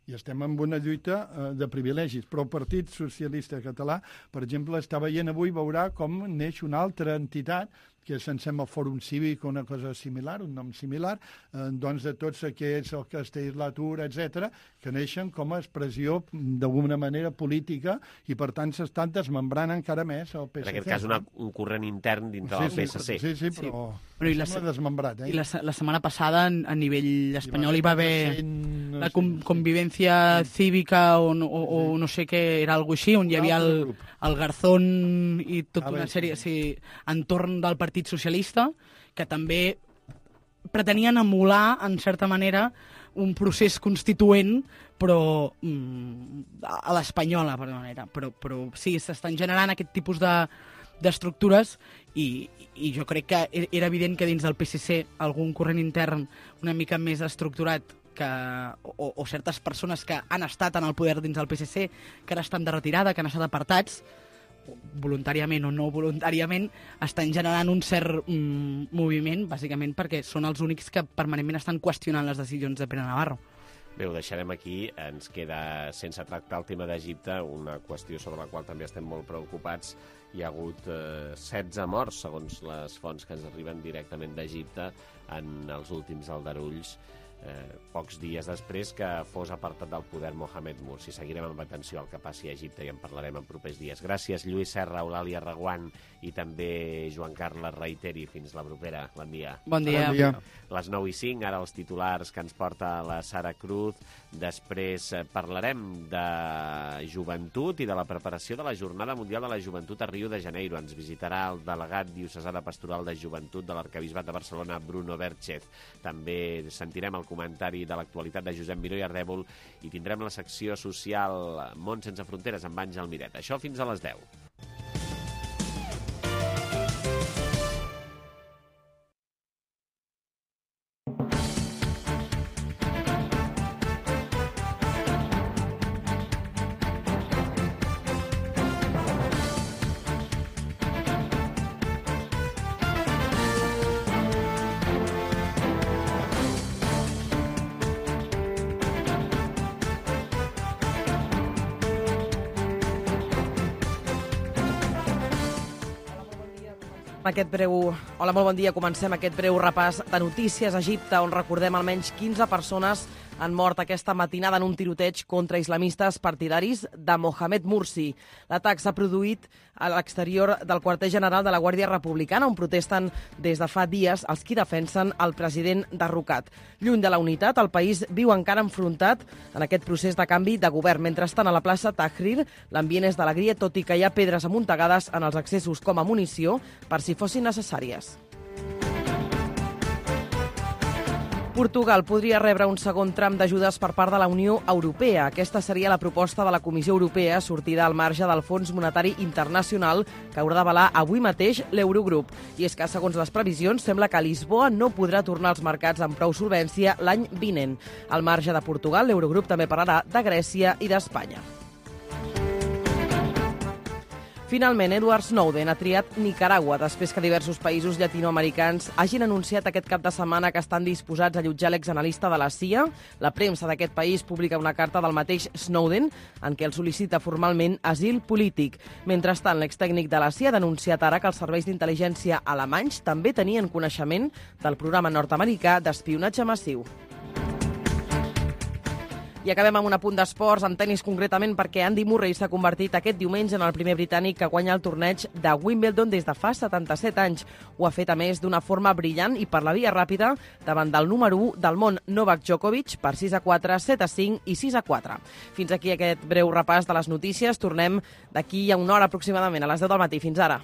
I estem en una lluita eh, de privilegis. Però el Partit Socialista Català, per exemple, està veient avui, veurà com neix una altra entitat que se'n sembla el Fòrum Cívic, una cosa similar, un nom similar, eh, doncs de tots aquests, el Castellatura, etcètera, que neixen com a expressió d'alguna manera política i per tant s'estan desmembrant encara més el P S C. En aquest cas una, un corrent intern dintre sí, del P S C. Sí, sí, però, sí. però la, sembla desmembrat. Eh? I la, la setmana passada a nivell espanyol hi va haver no la com, convivència cívica o, o, o no sé què, era alguna així, on hi havia el, el Garzón i tota una sèrie sí, entorn del Partit Socialista, que també pretenien emular, en certa manera, un procés constituent, però mm, a l'espanyola, per manera. Però, però sí, s'estan generant aquest tipus de d'estructures i, i jo crec que era evident que dins del P S C algun corrent intern una mica més estructurat que, o, o certes persones que han estat en el poder dins del P S C, que ara estan de retirada, que han estat apartats, voluntàriament o no voluntàriament, estan generant un cert mm, moviment, bàsicament perquè són els únics que permanentment estan qüestionant les decisions de Pere Navarro. Bé, ho deixarem aquí. Ens queda sense tractar el tema d'Egipte, una qüestió sobre la qual també estem molt preocupats. Hi ha hagut eh, setze morts, segons les fonts que ens arriben directament d'Egipte, en els últims aldarulls, eh, pocs dies després que fos apartat del poder Mohamed Mursi. Seguirem amb atenció al que passi a Egipte i en parlarem en propers dies. Gràcies, Lluís Serra, Eulàlia Reguant i també Joan Carles Reiteri. Fins la propera. Bon dia. Bon dia. Bon dia. Les nou i cinc, ara els titulars que ens porta la Sara Cruz. Després parlarem de joventut i de la preparació de la Jornada Mundial de la Joventut a Rio de Janeiro. Ens visitarà el delegat diocesà de Pastoral de Joventut de l'Arquebisbat de Barcelona, Bruno Berchez. També sentirem el comentari de l'actualitat de Josep Miró i Ardèvol i tindrem la secció social Món sense fronteres amb Àngel Miret. Això fins a les deu. Aquest breu... Hola, molt bon dia. Comencem aquest breu repàs de notícies a Egipte, on recordem almenys quinze persones han mort aquesta matinada en un tiroteig contra islamistes partidaris de Mohamed Mursi. L'atac s'ha produït a l'exterior del quarter general de la Guàrdia Republicana, on protesten des de fa dies els qui defensen el president derrocat. Lluny de la unitat, el país viu encara enfrontat en aquest procés de canvi de govern. Mentrestant, a la plaça Tahrir, l'ambient és d'alegria, tot i que hi ha pedres amuntegades en els accessos com a munició per si fossin necessàries. Portugal podria rebre un segon tram d'ajudes per part de la Unió Europea. Aquesta seria la proposta de la Comissió Europea sortida al marge del Fons Monetari Internacional que haurà d'avalar avui mateix l'Eurogrup. I és que, segons les previsions, sembla que Lisboa no podrà tornar als mercats amb prou solvència l'any vinent. Al marge de Portugal, l'Eurogrup també parlarà de Grècia i d'Espanya. Finalment, Edward Snowden ha triat Nicaragua després que diversos països llatinoamericans hagin anunciat aquest cap de setmana que estan disposats a allotjar l'exanalista de la C I A. La premsa d'aquest país publica una carta del mateix Snowden en què el sol·licita formalment asil polític. Mentrestant, l'extècnic de la C I A ha denunciat ara que els serveis d'intel·ligència alemanys també tenien coneixement del programa nord-americà d'espionatge massiu. I acabem amb un apunt d'esports, en tennis concretament, perquè Andy Murray s'ha convertit aquest diumenge en el primer britànic que guanya el torneig de Wimbledon des de fa setanta-set anys. Ho ha fet, a més, d'una forma brillant i per la via ràpida davant del número u del món, Novak Djokovic, per sis a quatre, set a cinc i sis a quatre. Fins aquí aquest breu repàs de les notícies. Tornem d'aquí a una hora aproximadament, a les deu del matí. Fins ara.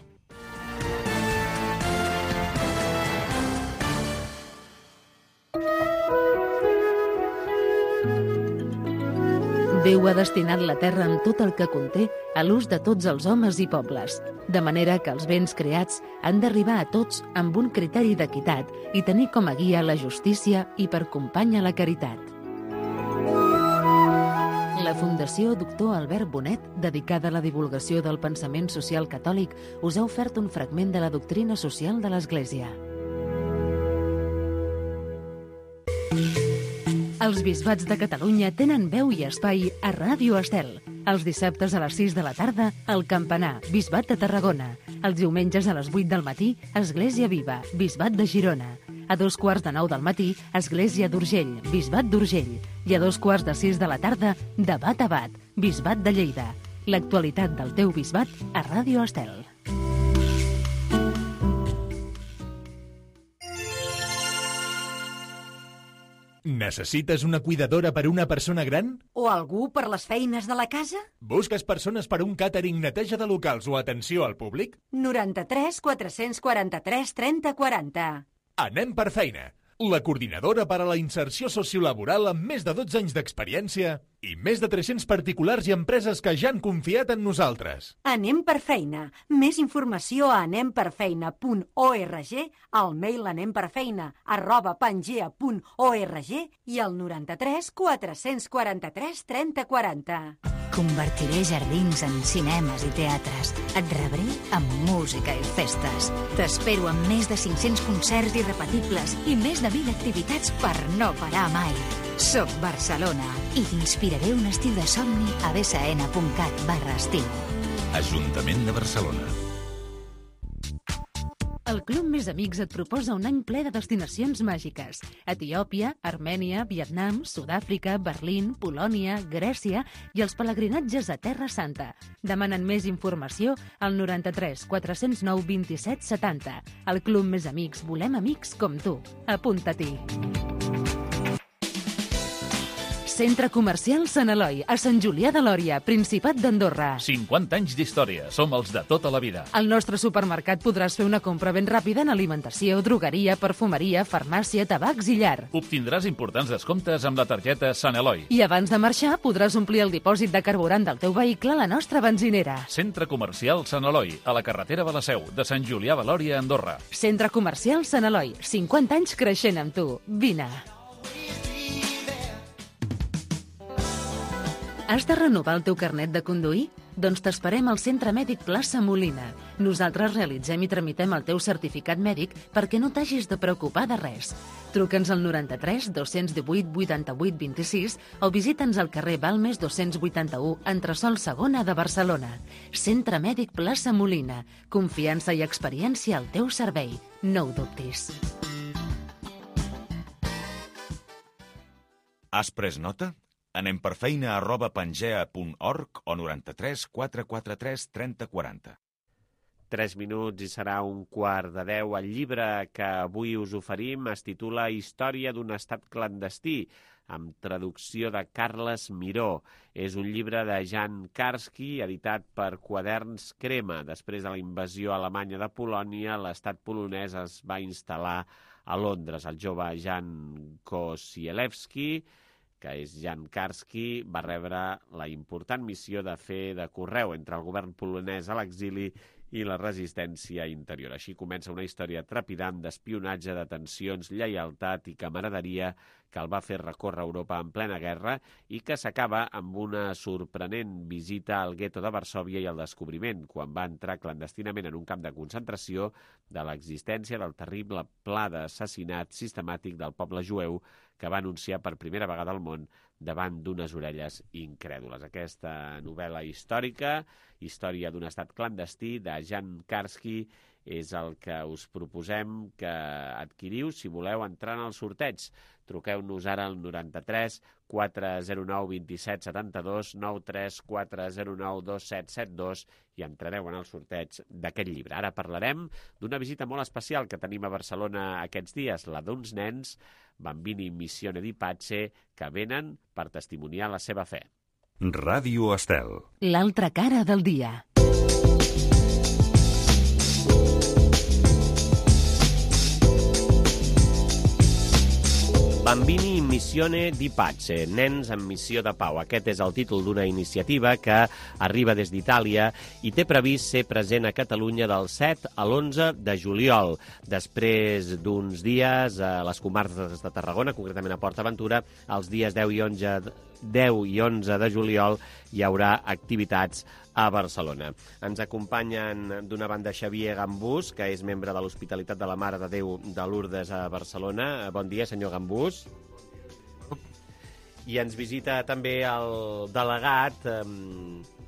Déu ha destinat la terra amb tot el que conté a l'ús de tots els homes i pobles, de manera que els béns creats han d'arribar a tots amb un criteri d'equitat i tenir com a guia la justícia i per companya la caritat. La Fundació Doctor Albert Bonet, dedicada a la divulgació del pensament social catòlic, us ha ofert un fragment de la doctrina social de l'Església. Els bisbats de Catalunya tenen veu i espai a Ràdio Estel. Els dissabtes a les sis de la tarda, el Campanar, Bisbat de Tarragona. Els diumenges a les vuit del matí, Església Viva, Bisbat de Girona. A dos quarts de nou del matí, Església d'Urgell, Bisbat d'Urgell. I a dos quarts de sis de la tarda, Debat a Bat, Bisbat de Lleida. L'actualitat del teu bisbat a Ràdio Estel. Necessites una cuidadora per a una persona gran? O algú per les feines de la casa? Busques persones per a un càtering, neteja de locals o atenció al públic? noranta-tres quatre-cents quaranta-tres trenta quaranta. Anem per feina. La coordinadora per a la inserció sociolaboral amb més de dotze anys d'experiència i més de tres-cents particulars i empreses que ja han confiat en nosaltres. Anem per feina. Més informació a anem per feina punt org, al mail anemperfeina arroba pangea punt org i al noranta-tres quatre-cents quaranta-tres trenta quaranta. Convertiré jardins en cinemes i teatres. Et rebré amb música i festes. T'espero amb més de cinc-cents concerts irrepetibles i més de mil activitats per no parar mai. Soc Barcelona i t'inspiraré un estil de somni a bsn punt cat barra estiu. Ajuntament de Barcelona. El Club Més Amics et proposa un any ple de destinacions màgiques. Etiòpia, Armènia, Vietnam, Sud-àfrica, Berlín, Polònia, Grècia i els pelegrinatges a Terra Santa. Demanen més informació al noranta-tres quatre-cents nou vint-i-set setanta. El Club Més Amics volem amics com tu. Apunta-t'hi. Centre Comercial Sant Eloi, a Sant Julià de Lòria, Principat d'Andorra. cinquanta anys d'història. Som els de tota la vida. Al nostre supermercat podràs fer una compra ben ràpida en alimentació, drogueria, perfumeria, farmàcia, tabacs i llar. Obtindràs importants descomptes amb la targeta Sant Eloi. I abans de marxar podràs omplir el dipòsit de carburant del teu vehicle a la nostra benzinera. Centre Comercial Sant Eloi, a la carretera de la Seu, de Sant Julià de Lòria, Andorra. Centre Comercial Sant Eloi, cinquanta anys creixent amb tu. Vine. Has de renovar el teu carnet de conduir? Doncs t'esperem al Centre Mèdic Plaça Molina. Nosaltres realitzem i tramitem el teu certificat mèdic perquè no t'hagis de preocupar de res. Truca'ns al noranta-tres dos-cents divuit vuitanta-vuit vint-i-sis o visita'ns al carrer Balmes dos-cents vuitanta-u, entresòl segona de Barcelona. Centre Mèdic Plaça Molina. Confiança i experiència al teu servei. No ho dubtis. Has pres nota? Anem per feina arroba pangea punt org o noranta-tres quatre quaranta-tres trenta quaranta. Tres minuts i serà un quart de deu. El llibre que avui us oferim es titula Història d'un estat clandestí, amb traducció de Carles Miró. És un llibre de Jan Karski, editat per Quaderns Crema. Després de la invasió alemanya de Polònia, l'estat polonès es va instal·lar a Londres. El jove Jan Kosielewski, que és Jan Karski, va rebre la important missió de fer de correu entre el govern polonès a l'exili i la resistència interior. Així comença una història trepidant d'espionatge, detencions, lleialtat i camaraderia que el va fer recórrer Europa en plena guerra i que s'acaba amb una sorprenent visita al gueto de Varsòvia i el descobriment, quan va entrar clandestinament en un camp de concentració, de l'existència del terrible pla d'assassinat sistemàtic del poble jueu que va anunciar per primera vegada al món davant d'unes orelles incrèdules. Aquesta novel·la històrica, Història d'un estat clandestí, de Jan Karski, és el que us proposem que adquiriu si voleu entrar en el sorteig. Truqueu-nos ara al noranta-tres quatre zero nou vint-i-set setanta-dos, nou tres quatre zero nou dos set set dos i entrareu en el sorteig d'aquest llibre. Ara parlarem d'una visita molt especial que tenim a Barcelona aquests dies, la d'uns nens, Bambini Missione di Pace, que venen per testimoniar la seva fe. Ràdio Estel. L'altra cara del dia. Bambini in missione di pace, nens en missió de pau. Aquest és el títol d'una iniciativa que arriba des d'Itàlia i té previst ser present a Catalunya del set a l'onze de juliol. Després d'uns dies a les comarques de Tarragona, concretament a Port Aventura, els dies deu i onze de juliol hi haurà activitats a Barcelona. Ens acompanyen d'una banda Xavier Gambús, que és membre de l'Hospitalitat de la Mare de Déu de Lourdes a Barcelona. Bon dia, senyor Gambús. I ens visita també el delegat eh,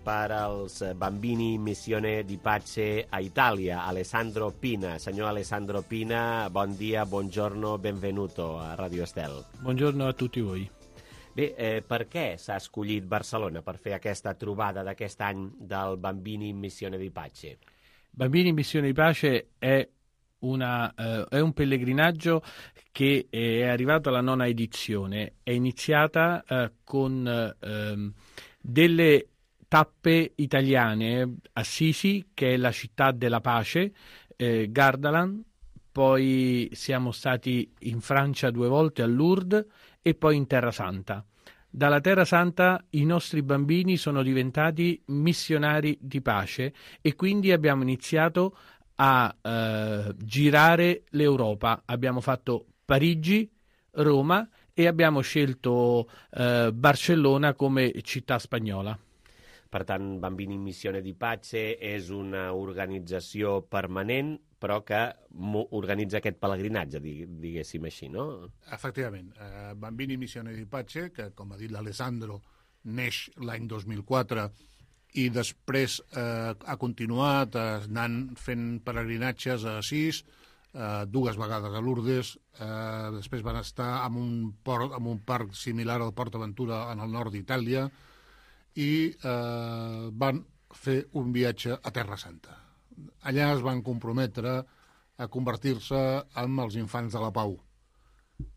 per als Bambini in Missione di Pace a Itàlia, Alessandro Pina. Senyor Alessandro Pina, bon dia, buongiorno, benvenuto a Radio Estel. Buongiorno a tutti voi. Bé, eh, per què s'ha escollit Barcelona per fer aquesta trobada d'aquest any del Bambini in Missione di Pace? Bambini in Missione di Pace è, una, eh, è un pellegrinaggio che è arrivato alla nona edizione. È iniziata eh, con eh, delle tappe italiane, Assisi, che è la città della pace, eh, Gardaland, poi siamo stati in Francia due volte a Lourdes e poi in Terra Santa. Dalla Terra Santa i nostri bambini sono diventati missionari di pace e quindi abbiamo iniziato a eh, girare l'Europa. Abbiamo fatto Parigi, Roma e abbiamo scelto eh, Barcellona come città spagnola. Per tant, Bambini in Missione di Pace és una organització permanent, però que organitza aquest pelegrinatge, diguéssim així, no? Efectivament. Eh, Bambini in Missione di Pace, que, com ha dit l'Alessandro, neix l'any dos mil quatre i després eh, ha continuat eh, anant fent pelegrinatges a Assís, eh, dues vegades a Lourdes, eh, després van estar en un, port, en un parc similar al Port Aventura en el nord d'Itàlia, i eh, van fer un viatge a Terra Santa. Allà es van comprometre a convertir-se en els infants de la pau.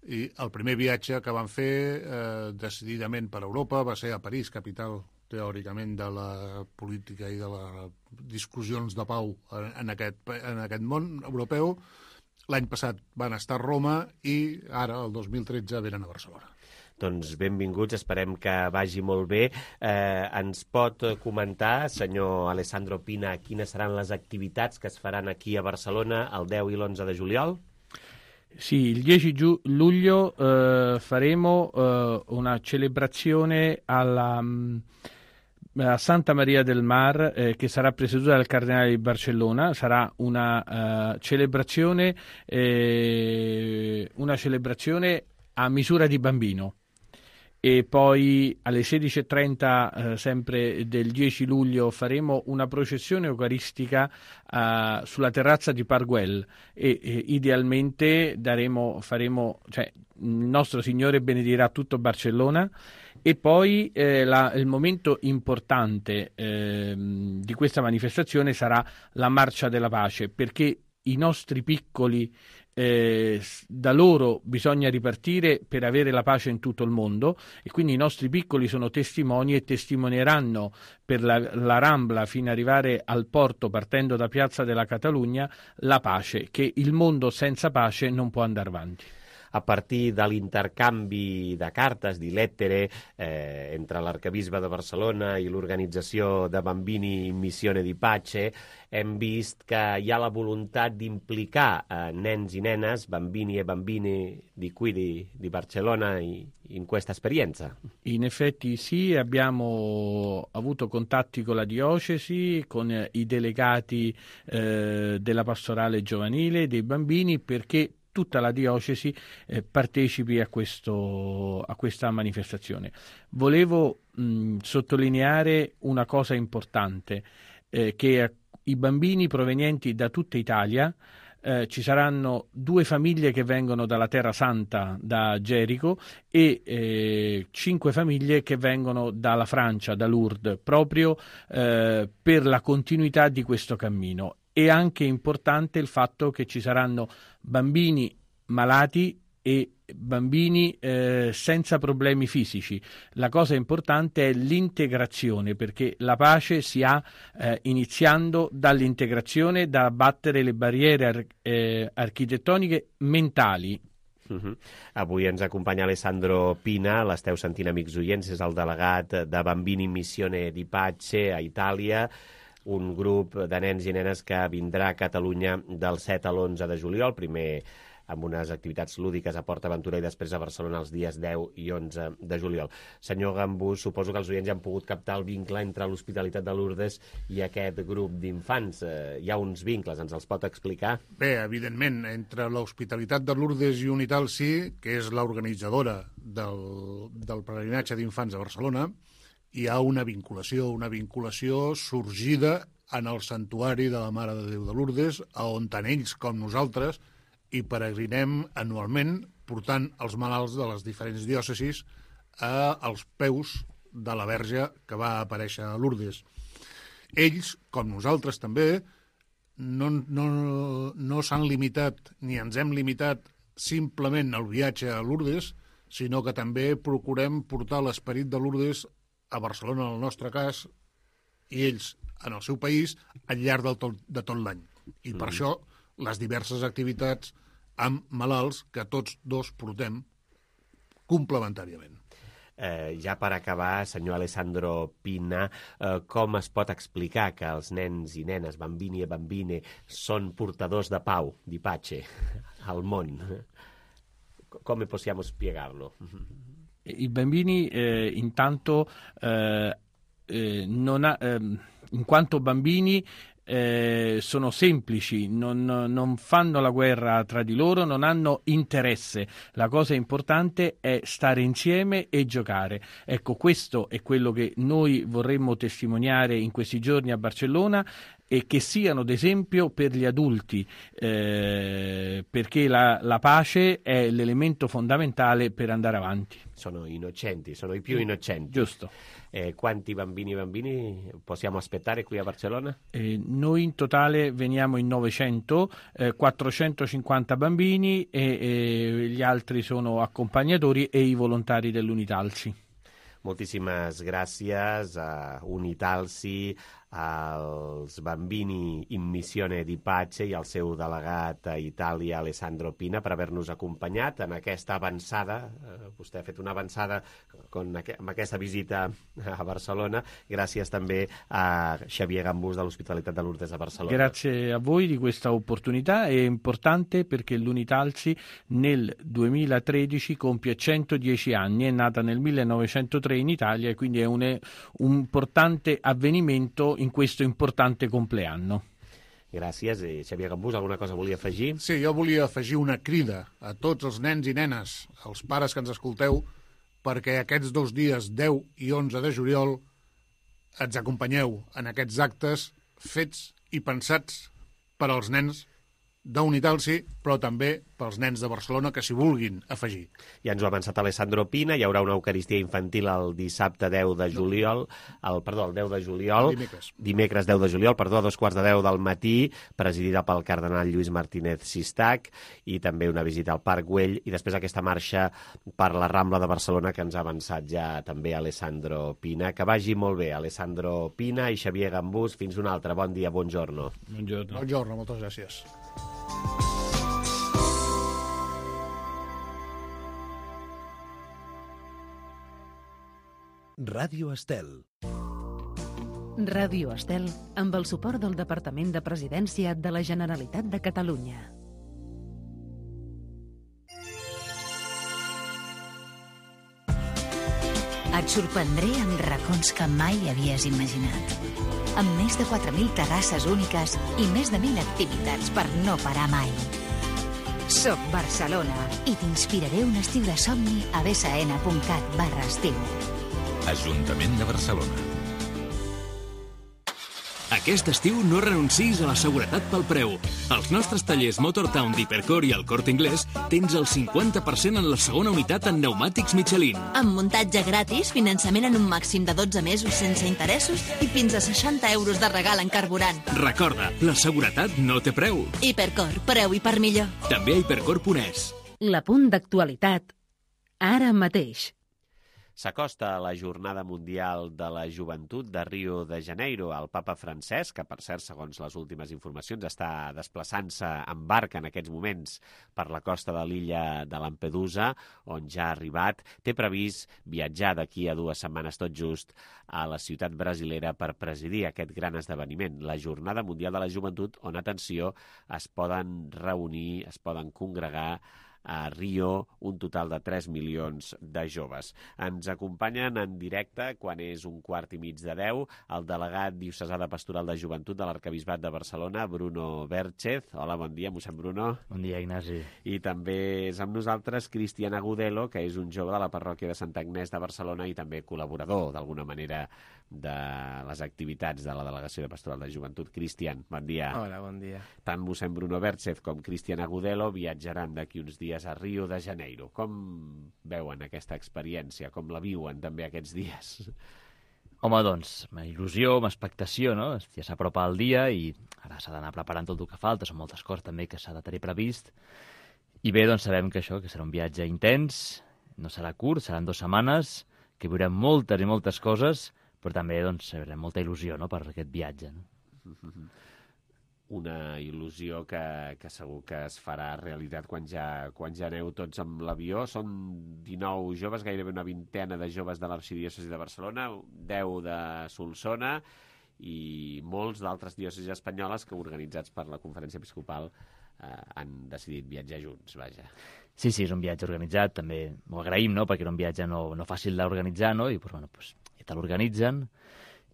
I el primer viatge que van fer eh, decididament per Europa va ser a París, capital teòricament de la política i de les discussions de pau en aquest, en aquest món europeu. L'any passat van estar a Roma i ara, el dos mil tretze, venen a Barcelona. Doncs benvinguts, esperem que vagi molt bé. Eh, ens pot comentar, senyor Alessandro Pina, quines seran les activitats que es faran aquí a Barcelona el deu i l'onze de juliol? Sì, il dieci giu- luglio eh, faremo eh, una celebrazione alla, a Santa Maria del Mar eh, che sarà presieduta dal Cardinale di Barcellona. Sarà una uh, celebrazione eh, una celebrazione a misura di bambino. E poi alle sedici e trenta eh, sempre del dieci luglio faremo una processione eucaristica eh, sulla terrazza di Parguel e, e idealmente daremo, faremo, cioè il nostro Signore benedirà tutto Barcellona. E poi eh, la, il momento importante eh, di questa manifestazione sarà la Marcia della Pace, perché i nostri piccoli Eh, da loro bisogna ripartire per avere la pace in tutto il mondo e quindi i nostri piccoli sono testimoni e testimonieranno per la, la Rambla fino ad arrivare al porto partendo da Piazza della Catalunya la pace, che il mondo senza pace non può andare avanti. A partir de l'intercanvi de cartes, di lettere, eh, entre l'arcabisbe de Barcelona i l'organització de Bambini in Missione di Pace, hem vist que hi ha la voluntat d'implicar eh, nens i nenes, bambini e bambini di qui di, di Barcellona i, in questa esperienza. In effetti sì, abbiamo avuto contatti con la diocesi, con eh, i delegati eh, della pastorale giovanile, dei bambini, perché tutta la diocesi eh, partecipi a, questo, a questa manifestazione. Volevo mh, sottolineare una cosa importante, eh, che i bambini provenienti da tutta Italia, eh, ci saranno due famiglie che vengono dalla Terra Santa, da Gerico, e eh, cinque famiglie che vengono dalla Francia, da Lourdes, proprio eh, per la continuità di questo cammino. È anche importante il fatto che ci saranno bambini malati e bambini eh, senza problemi fisici. La cosa importante è l'integrazione, perché la pace si ha eh, iniziando dall'integrazione, da abbattere le barriere ar- eh, architettoniche mentali. Uh -huh. Avui ens acompanya Alessandro Pina, l'esteu sentint, amics oients, és el delegat de Bambini Missione di Pace a Itàlia, un grup de nens i nenes que vindrà a Catalunya del set a l'onze de juliol, primer amb unes activitats lúdiques a Port Aventura i després a Barcelona els dies deu i onze de juliol. Senyor Gambús, suposo que els oients ja han pogut captar el vincle entre l'Hospitalitat de Lourdes i aquest grup d'infants. Eh, hi ha uns vincles, ens els pot explicar? Bé, evidentment, entre l'Hospitalitat de Lourdes i Unitalsi, que és l'organitzadora del, del peregrinatge d'infants a Barcelona, hi ha una vinculació, una vinculació sorgida en el santuari de la Mare de Déu de Lourdes, on tant ells com nosaltres i peregrinem anualment portant els malalts de les diferents diòcesis a, als peus de la Verge que va aparèixer a Lourdes. Ells, com nosaltres també, no, no, no s'han limitat ni ens hem limitat simplement al viatge a Lourdes, sinó que també procurem portar l'esperit de Lourdes a Barcelona, en el nostre cas, i ells en el seu país al llarg del tot, de tot l'any. I per mm. això les diverses activitats amb malalts que tots dos portem complementàriament. Eh, ja per acabar, senyor Alessandro Pina, eh, com es pot explicar que els nens i nenes, bambini e bambine, són portadors de pau, di pace, al món? Come possiamo spiegarlo? I bambini eh, intanto eh, eh, non ha, eh, in quanto bambini Eh, sono semplici, non, non fanno la guerra tra di loro, non hanno interesse. La cosa importante è stare insieme e giocare. Ecco, questo è quello che noi vorremmo testimoniare in questi giorni a Barcellona, e che siano d'esempio per gli adulti, eh, perché la, la pace è l'elemento fondamentale per andare avanti. Sono innocenti, sono i più innocenti. Giusto. Eh, quanti bambini e bambini possiamo aspettare qui a Barcellona? Eh, noi in totale veniamo in novecento, eh, quattrocentocinquanta bambini e, e gli altri sono accompagnatori e i volontari dell'Unitalsi. Moltíssimes gràcies a Unitalsi, als Bambini in Missione di Pace i al seu delegat a Itàlia, Alessandro Pina, per haver-nos acompanyat en aquesta avançada. Eh, vostè ha fet una avançada con, amb aquesta visita a Barcelona. Gràcies també a Xavier Gambús de l'Hospitalitat de Lourdes a Barcelona. Grazie a voi di questa opportunità. È importante perché l'Unitalsi nel duemilatredici compie centodieci anni, è nata nel millenovecentotre in Italia e quindi è un, un importante avvenimento in questo importante compleanno. Gràcies. I Xavier Gambús, alguna cosa volia afegir? Sí, jo volia afegir una crida a tots els nens i nenes, als pares que ens escolteu, perquè aquests dos dies, deu i onze de juliol, ens acompanyeu en aquests actes fets i pensats per als nens d'Unitalsi, però també pels nens de Barcelona que s'hi vulguin afegir. Ja ens ho ha avançat Alessandro Pina, hi haurà una Eucaristia infantil el dissabte deu de juliol, el, perdó, el deu de juliol, dimecres. dimecres deu de juliol, perdó, a dos quarts de deu del matí, presidida pel cardenal Lluís Martínez Sistac, i també una visita al Parc Güell, i després aquesta marxa per la Rambla de Barcelona que ens ha avançat ja també Alessandro Pina. Que vagi molt bé, Alessandro Pina i Xavier Gambús. Fins un altre. Bon dia, buongiorno. Buongiorno. Buongiorno, moltes gràcies. Ràdio Estel. Ràdio Estel, amb el suport del Departament de Presidència de la Generalitat de Catalunya. Et sorprendré amb racons que mai havies imaginat. Amb més de quatre mil terrasses úniques i més de mil activitats per no parar mai. Soc Barcelona i t'inspiraré un estiu de somni a bsn.cat barra estiu. Ajuntament de Barcelona. Aquest estiu no renuncis a la seguretat pel preu. Als nostres tallers Motortown d'Hipercor i el Corte Inglés tens el cinquanta per cent en la segona unitat en pneumàtics Michelin. Amb muntatge gratis, finançament en un màxim de dotze mesos sense interessos i fins a seixanta euros de regal en carburant. Recorda, la seguretat no té preu. Hipercor, preu i per millor. També a hipercor punt es. L'apunt d'actualitat, ara mateix. S'acosta a la Jornada Mundial de la Joventut de Rio de Janeiro. El papa Francesc, que per cert, segons les últimes informacions, està desplaçant-se en barca en aquests moments per la costa de l'illa de Lampedusa, on ja ha arribat, té previst viatjar d'aquí a dues setmanes tot just a la ciutat brasilera per presidir aquest gran esdeveniment, la Jornada Mundial de la Joventut, on, atenció, es poden reunir, es poden congregar a Rio un total de tres milions de joves. Ens acompanyen en directe, quan és un quart i mig de deu, el delegat diocesà de Pastoral de Joventut de l'Arquebisbat de Barcelona, Bruno Vérchez. Hola, bon dia, mossèn Bruno. Bon dia, Ignasi. I també és amb nosaltres Cristian Agudelo, que és un jove de la parròquia de Sant Agnès de Barcelona i també col·laborador, d'alguna manera, de les activitats de la Delegació de Pastoral de Joventut. Cristian, bon dia. Hola, bon dia. Tant mossèn Bruno Vérchez com Cristian Agudelo viatjaran d'aquí uns dies a Rio de Janeiro. Com veuen aquesta experiència? Com la viuen també aquests dies? Home, doncs, amb il·lusió, amb expectació, no? Ja s'apropa el dia i ara s'ha d'anar preparant tot el que falta. Són moltes coses també que s'ha de tenir previst. I bé, doncs sabem que això, que serà un viatge intens, no serà curt, seran dues setmanes, que viurem moltes i moltes coses, però també doncs, haurem molta il·lusió, no?, per aquest viatge. No? Una il·lusió que, que segur que es farà realitat quan ja, quan ja aneu tots amb l'avió. Són dinou joves, gairebé una vintena de joves de l'arxidiòcesi de Barcelona, deu de Solsona i molts d'altres diòcesis espanyoles que, organitzats per la Conferència Episcopal, eh, han decidit viatjar junts, vaja. Sí, sí, és un viatge organitzat, també ho agraïm, no?, perquè era un viatge no, no fàcil d'organitzar, no?, i pues, bueno, pues, te l'organitzen,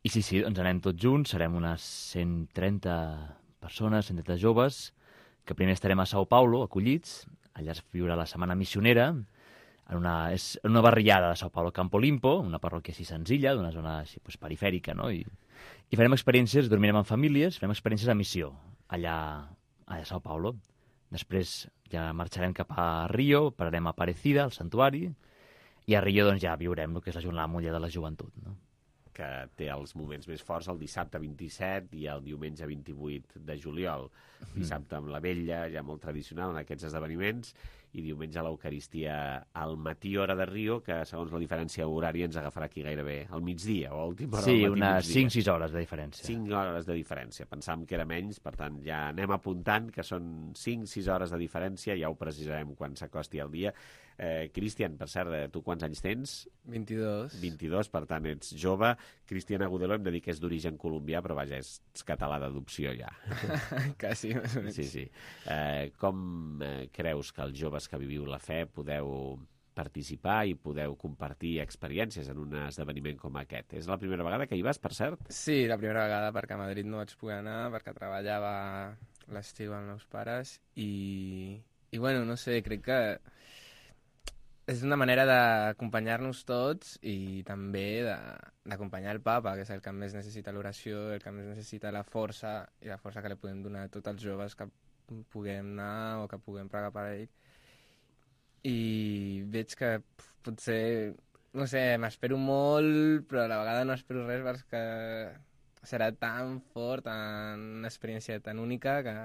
i sí, sí, doncs anem tots junts, serem unes cent trenta persones, cent trenta joves, que primer estarem a Sao Paulo, acollits, allà es viurà la setmana missionera, en una, és en una barriada de Sao Paulo, Campo Limpo, una parròquia així senzilla, d'una zona així, pues, perifèrica, no?, i, i farem experiències, dormirem en famílies, farem experiències de missió, allà, allà a Sao Paulo. Després ja marxarem cap a Rio, pararem a Aparecida, al santuari, i a Rio doncs, ja viurem el que és la Jornada Mundial de la Joventut, no? Que té els moments més forts el dissabte vint-i-set i el diumenge vint-i-vuit de juliol. Dissabte amb la vetlla, ja molt tradicional en aquests esdeveniments, i diumenge a l'Eucaristia al matí, hora de Rio, que segons la diferència horària ens agafarà aquí gairebé al migdia, o a última hora sí, del matí. Sí, unes cinc sis hores de diferència. cinc hores de diferència. Pensàvem que era menys, per tant ja anem apuntant que són cinc sis hores de diferència, ja ho precisarem quan s'acosti el dia. Eh, Cristian, per cert, tu quants anys tens? vint-i-dos. vint-i-dos, per tant ets jove. Cristian Agudelo hem de dir que és d'origen colombià, però vaja, és català d'adopció ja. Quasi, més o menys. Sí, sí. Eh, com eh, creus que els joves que viviu la fe podeu participar i podeu compartir experiències en un esdeveniment com aquest? És la primera vegada que hi vas, per cert? Sí, la primera vegada, perquè a Madrid no vaig poder anar, perquè treballava l'estiu amb els meus pares, i, i bueno, no sé, crec que és una manera d'acompanyar-nos tots i també d'acompanyar el papa, que és el que més necessita l'oració, el que més necessita la força, i la força que li podem donar a tots els joves que puguem anar o que puguem pregar per ell. I veig que potser, no sé, m'espero molt, però a la vegada no espero res perquè serà tan fort, tan, una experiència tan única que...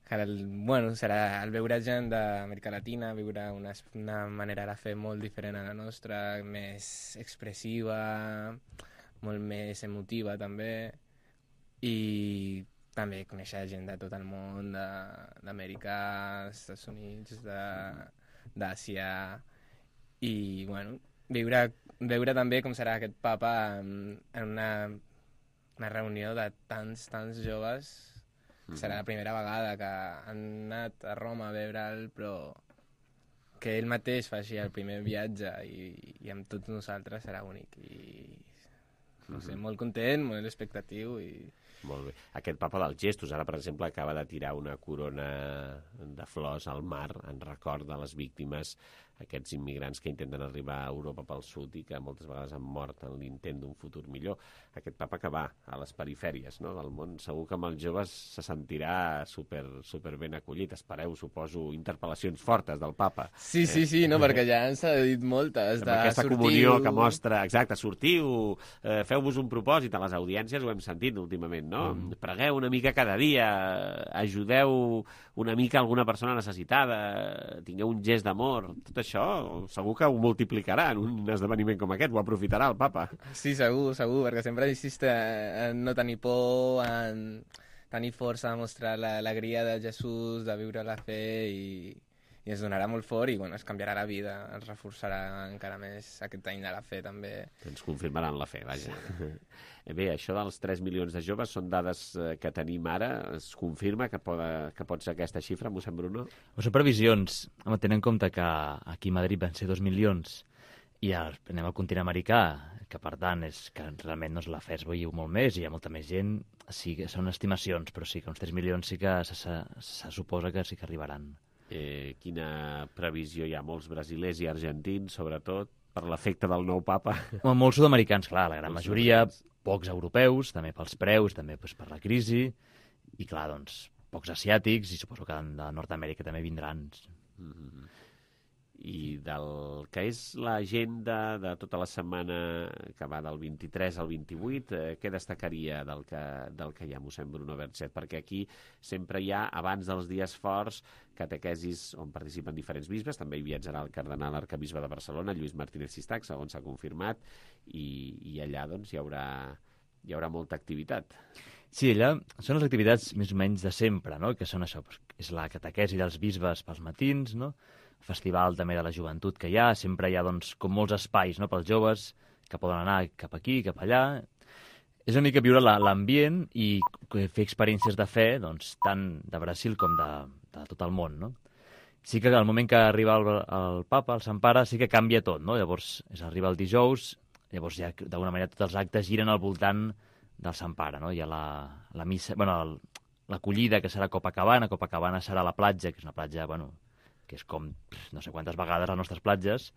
que el, bueno, serà el veure gent d'Amèrica Latina, viure una, una manera de fer molt diferent a la nostra, més expressiva, molt més emotiva també, i també conèixer gent de tot el món, d'Amèrica, Estats Units, d'Àsia, i bueno, viure, veure també com serà aquest papa en, en una, una reunió de tants, tants joves. Serà la primera vegada que han anat a Roma a veure'l, però que ell mateix faci el primer viatge i, i amb tots nosaltres serà únic. I no sé, molt content, molt expectatiu. I... Molt bé. Aquest papa dels gestos, ara per exemple acaba de tirar una corona de flors al mar en record de les víctimes, aquests immigrants que intenten arribar a Europa pel sud i que moltes vegades han mort en l'intent d'un futur millor. Aquest papa que va a les perifèries, no?, del món, segur que amb els joves se sentirà super, super ben acollit. Espereu, suposo, interpel·lacions fortes del papa. Sí, sí, sí, no, perquè ja ens ha dit moltes. De aquesta sortiu... comunió que mostra, exacte, sortiu, eh, feu-vos un propòsit, a les audiències ho hem sentit últimament, no? Mm. Pregueu una mica cada dia, ajudeu una mica alguna persona necessitada, tingueu un gest d'amor, tot això segur que ho multiplicarà en un esdeveniment com aquest, ho aprofitarà el papa. Sí, segur, segur, perquè sempre insiste en no tenir por, en tenir força, a mostrar l'alegria de Jesús, de viure la fe, i, i ens donarà molt fort i bueno, es canviarà la vida, ens reforçarà encara més aquest any de la fe també. Ens confirmaran la fe, vaja. Sí. Bé, això dels tres milions de joves són dades que tenim ara, es confirma que pot, que pot ser aquesta xifra, mossèn Bruno? O són previsions, home, tenint en compte que aquí a Madrid van ser dos milions i anem al continent americà, que per tant és que realment doncs, la fe es veiu molt més i hi ha molta més gent, sí que són estimacions, però sí que uns tres milions sí que se, se, se suposa que sí que arribaran. Eh, quina previsió hi ha? Molts brasilers i argentins, sobretot, per l'efecte del nou papa? Bueno, molts sud-americans, clar, la gran molts majoria, pocs europeus, també pels preus, també doncs, per la crisi, i clar, doncs, pocs asiàtics, i suposo que de Nord-Amèrica també vindran. Mm-hmm. I del que és l'agenda de tota la setmana que va del vint-i-tres al vint-i-vuit, eh, què destacaria del que, del que hi ha, mossèn Bruno Berchet? Perquè aquí sempre hi ha, abans dels dies forts, catequesis on participen diferents bisbes, també hi viatjarà el cardenal arcabisbe de Barcelona, Lluís Martínez Sistac, segons s'ha confirmat, i, i allà doncs, hi haurà, hi haurà molta activitat. Sí, allà són les activitats més o menys de sempre, no? Que són això, és la catequesi dels bisbes pels matins, no? Festival també de la joventut que hi ha, sempre hi ha doncs, com molts espais, no?, pels joves que poden anar cap aquí, cap allà. És una mica viure l'ambient i fer experiències de fe, doncs, tant de Brasil com de, de tot el món, no? Sí que al moment que arriba el, el papa, el Sant Pare, sí que canvia tot, no? Llavors, és, arriba el dijous, llavors ja d'alguna manera tots els actes giren al voltant del Sant Pare, no? Hi ha la, la missa, bueno, l'acollida, que serà a Copacabana, Copacabana serà la platja, que és una platja, bueno, que és com no sé quantes vegades les nostres platges,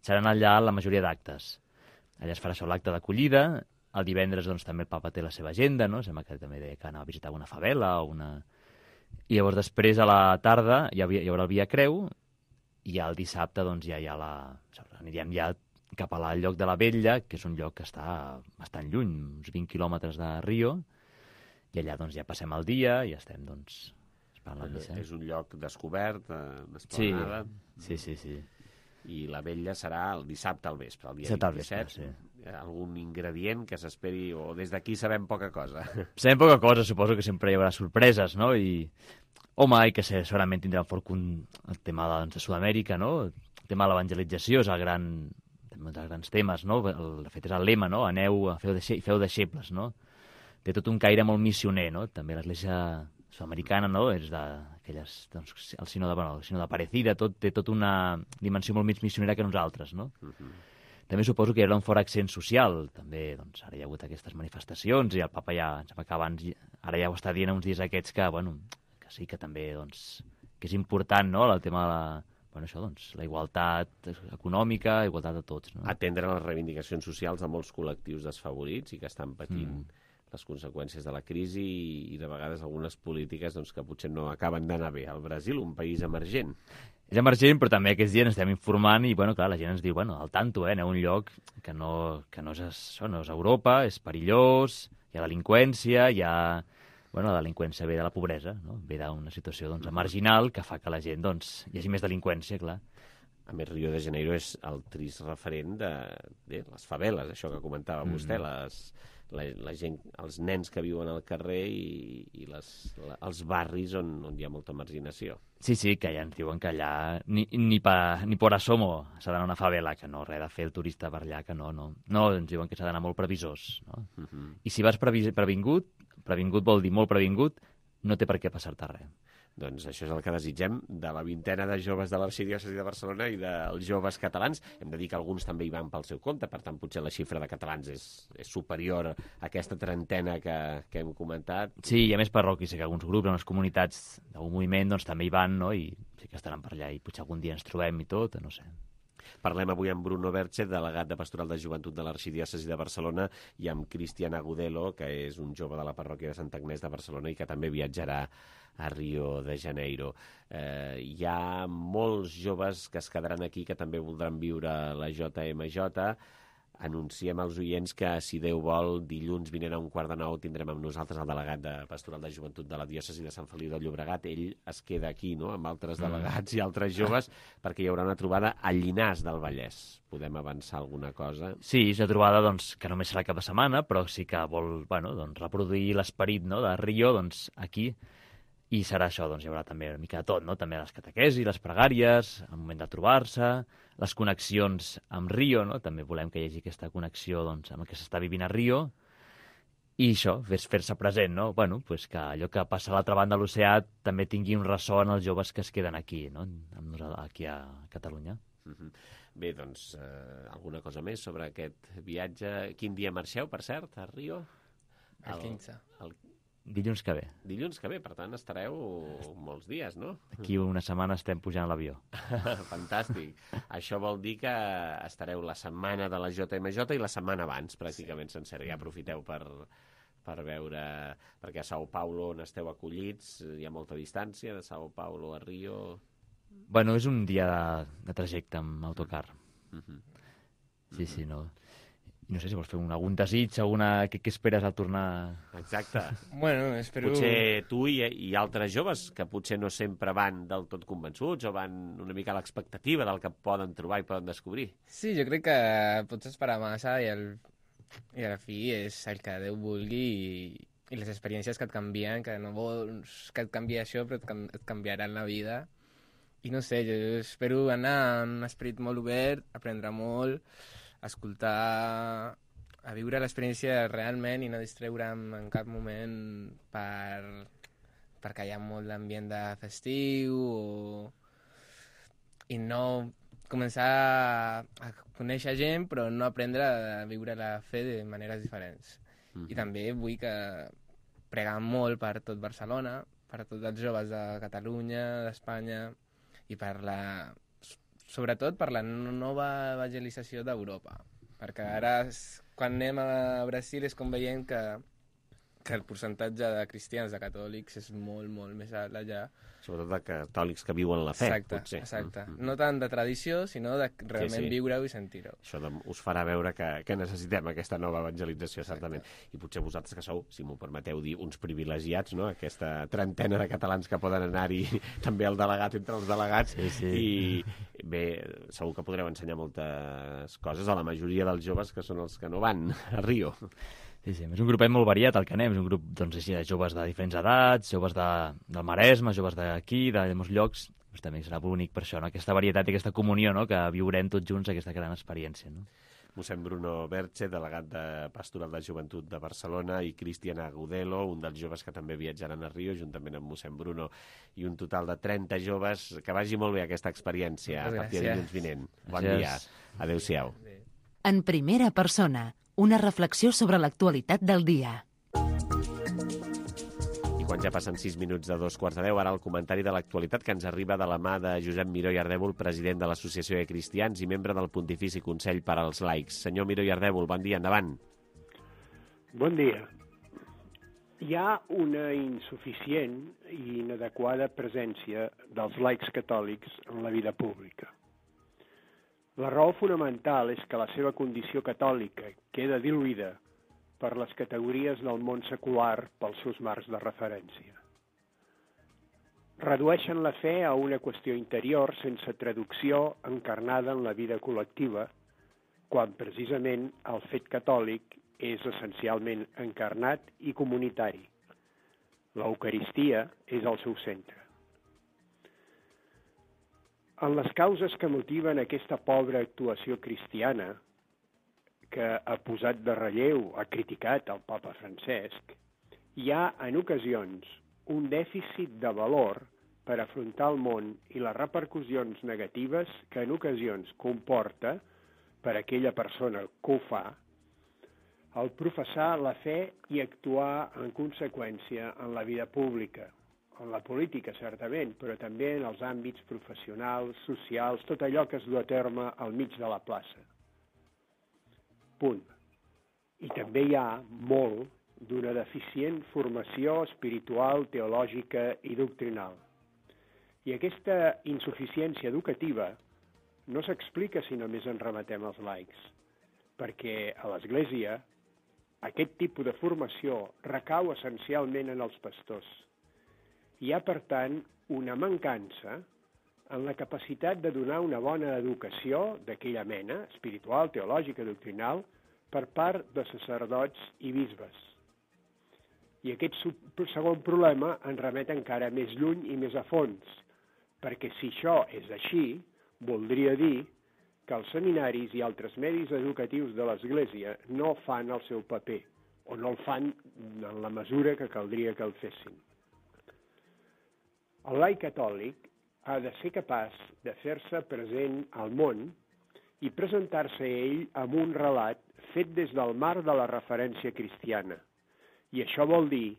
seran allà la majoria d'actes. Allà es farà això l'acte d'acollida, el divendres doncs, també el papa té la seva agenda, no? Sembla que també deia que anava a visitar una favela o una... I llavors després a la tarda hi, havia, hi haurà el Via Creu i ja el dissabte doncs, ja hi ha la... anirem ja cap al lloc de la Vetlla, que és un lloc que està bastant lluny, uns vint quilòmetres de Rio, i allà doncs, ja passem el dia i estem doncs... És un lloc descobert, eh, esplanada. Sí, sí, sí, sí. I la vetlla serà el dissabte al vespre, el dia vint-i-set. Sí. Hi ha algun ingredient que s'esperi, o des d'aquí sabem poca cosa? Sabem poca cosa, suposo que sempre hi haurà sorpreses, no? I, home, i que segurament tindrà fort el tema doncs, de Sud-amèrica, no? El tema de l'evangelització és el gran, un dels grans temes, no? El, de fet, és el lema, no? Aneu, feu, deixe, feu deixebles, no? Té tot un caire molt missioner, no? També l'Església sud-americana, no? És d'aquelles, doncs, el sinó de, bueno, el sinó de Parecida, tot, té tota una dimensió molt més missionera que nosaltres, no? Uh-huh. També suposo que hi haurà un fort accent social, també, doncs, ara hi ha hagut aquestes manifestacions i el papa ja, em sembla que abans, ara ja ho està dient uns dies aquests que, bueno, que sí que també, doncs, que és important, no?, el tema de la, bueno, això, doncs, la igualtat econòmica, igualtat de tots, no? Atendre les reivindicacions socials de molts col·lectius desfavorits i que estan patint mm. les conseqüències de la crisi i, i de vegades algunes polítiques doncs, que potser no acaben d'anar bé. El Brasil, un país emergent. És emergent, però també aquests dies estem informant i, bueno, clar, la gent ens diu, bueno, al tanto, eh, aneu a un lloc que no, que no, és, això, no és Europa, és perillós, hi ha delinqüència, hi ha... Bueno, la delinqüència ve de la pobresa, no? Ve d'una situació doncs, marginal que fa que la gent doncs, hi hagi més delinqüència, clar. A més, Rio de Janeiro és el trist referent de, de les faveles, això que comentava mm. vostè, les... La, la gent, els nens que viuen al carrer i, i les, la, els barris on, on hi ha molta marginació. Sí, sí, que ja ens diuen que allà ni, ni, pa, ni por asomo s'ha d'anar a una favela, que no, res de fer el turista per allà, que no, no. No, ens diuen que s'ha d'anar molt previsors, no? Uh-huh. I si vas previ, previngut, previngut vol dir molt previngut, no té per què passar-te res. Doncs això és el que desitgem de la vintena de joves de l'Arxidiòcesi de Barcelona i dels joves catalans. Hem de dir que alguns també hi van pel seu compte, per tant, potser la xifra de catalans és, és superior a aquesta trentena que, que hem comentat. Sí, i a més parroquis, sé que alguns grups, unes comunitats d'algun moviment, doncs també hi van, no?, i sí que estaran per allà i potser algun dia ens trobem i tot, no sé. Parlem avui amb Bruno Berchet, delegat de Pastoral de Joventut de l'Arxidiòcesi de Barcelona, i amb Cristian Agudelo, que és un jove de la parròquia de Sant Agnès de Barcelona i que també viatjarà a Rio de Janeiro. Eh, hi ha molts joves que es quedaran aquí que també voldran viure la J M J. anunciem als oients que, si Déu vol, dilluns vinent a un quart de nou tindrem amb nosaltres el delegat de Pastoral de Joventut de la diòcesi de Sant Feliu de Llobregat. Ell es queda aquí, no?, amb altres delegats mm. i altres joves, perquè hi haurà una trobada a Llinars del Vallès. Podem avançar alguna cosa? Sí, és una trobada doncs, que només serà cap de setmana, però sí que vol bueno, doncs, reproduir l'esperit, no?, de Rio doncs, aquí. I serà això, doncs hi haurà també una mica de tot, no?, també les catequesis, les pregàries, el moment de trobar-se, les connexions amb Rio, no?, també volem que hi hagi aquesta connexió doncs, amb el que s'està vivint a Rio, i això, fer-se present, no?, bueno, pues que allò que passa a l'altra banda de l'oceà també tingui un ressò en els joves que es queden aquí, no?, amb nosaltres, aquí a Catalunya. Mm-hmm. Bé, doncs, eh, alguna cosa més sobre aquest viatge? Quin dia marxeu, per cert, a Rio? El quinze. El... Dilluns que ve. Dilluns que ve, per tant, estareu molts dies, no? Aquí una setmana estem pujant a l'avió. Fantàstic. Això vol dir que estareu la setmana de la J M J i la setmana abans, pràcticament sí. sencera. Ja aprofiteu per, per veure... Perquè a Sao Paulo on esteu acollits hi ha molta distància, de Sao Paulo a Rio... Bueno, és un dia de, de trajecte amb autocar. Mm-hmm. Sí, sí, no... No sé si vols fer un, algun desig, alguna... Què, què esperes al tornar? Exacte. Bueno, espero... Potser tu i, i altres joves que potser no sempre van del tot convençuts o van una mica a l'expectativa del que poden trobar i poden descobrir. Sí, jo crec que pots esperar massa i, el, i a la fi és el que Déu vulgui i, i les experiències que et canvien, que no vols que et canviï això, però et, et canviaran la vida. I no sé, jo espero anar amb un esperit molt obert, aprendre molt, escoltar, a viure l'experiència realment i no distreure'm en cap moment per, perquè hi ha molt d'ambient de festiu o... i no començar a conèixer gent però no aprendre a viure la fe de maneres diferents. Mm-hmm. I també vull que pregar molt per tot Barcelona, per tots els joves de Catalunya, d'Espanya i per la... sobretot per la nova evangelització d'Europa, perquè ara quan anem a Brasil és com veiem que, que el percentatge de cristians, de catòlics, és molt, molt més alt allà. Sobretot de catòlics que viuen la fe, exacte, potser. Exacte, mm-hmm. No tant de tradició, sinó de realment sí, sí. viure-ho i sentir-ho. Això de, us farà veure que, que necessitem aquesta nova evangelització, certament. Exacte. I potser vosaltres que sou, si m'ho permeteu dir, uns privilegiats, no?, aquesta trentena de catalans que poden anar-hi, també el delegat entre els delegats, sí, sí. i bé, segur que podreu ensenyar moltes coses a la majoria dels joves que són els que no van a Rio. Sí, sí, és un grupet molt variat el que anem, és un grup doncs, així, de joves de diferents edats, joves de, del Maresme, joves d'aquí, de molts llocs, doncs, també serà bonic per això, no? Aquesta varietat i aquesta comunió, no?, que viurem tots junts aquesta gran experiència. No? Mossèn Bruno Berche, delegat de Pastoral de Joventut de Barcelona, i Cristian Agudelo, un dels joves que també viatjaran a Rio, juntament amb mossèn Bruno, i un total de trenta joves. Que vagi molt bé aquesta experiència a partir de dilluns vinent. Bon dia. Adéu-siau. En primera persona, una reflexió sobre l'actualitat del dia. I quan ja passen sis minuts de dos quarts de deu, ara el comentari de l'actualitat que ens arriba de la mà de Josep Miró i Ardèvol, president de l'Associació de Cristians i membre del Pontifici Consell per als Laics. Senyor Miró i Ardèvol, bon dia, endavant. Bon dia. Hi ha una insuficient i inadequada presència dels laics catòlics en la vida pública. La raó fonamental és que la seva condició catòlica queda diluïda per les categories del món secular pels seus marcs de referència. Redueixen la fe a una qüestió interior sense traducció encarnada en la vida col·lectiva, quan precisament el fet catòlic és essencialment encarnat i comunitari. L'Eucaristia és el seu centre. En les causes que motiven aquesta pobra actuació cristiana, que ha posat de relleu, ha criticat el papa Francesc, hi ha, en ocasions, un dèficit de valor per afrontar el món i les repercussions negatives que en ocasions comporta, per aquella persona que ho fa, el professar la fe i actuar en conseqüència en la vida pública. En la política, certament, però també en els àmbits professionals, socials, tot allò que es du a terme al mig de la plaça. Punt. I també hi ha molt d'una deficient formació espiritual, teològica i doctrinal. I aquesta insuficiència educativa no s'explica si només ens remetem als laics. perquè a l'Església aquest tipus de formació recau essencialment en els pastors. Hi ha, per tant, una mancança en la capacitat de donar una bona educació d'aquella mena, espiritual, teològica, doctrinal, per part de sacerdots i bisbes. I aquest segon problema ens remet encara més lluny i més a fons, perquè si això és així, voldria dir que els seminaris i altres medis educatius de l'Església no fan el seu paper, o no el fan en la mesura que caldria que el fessin. El laic catòlic ha de ser capaç de fer-se present al món i presentar-se a ell amb un relat fet des del marc de la referència cristiana. I això vol dir,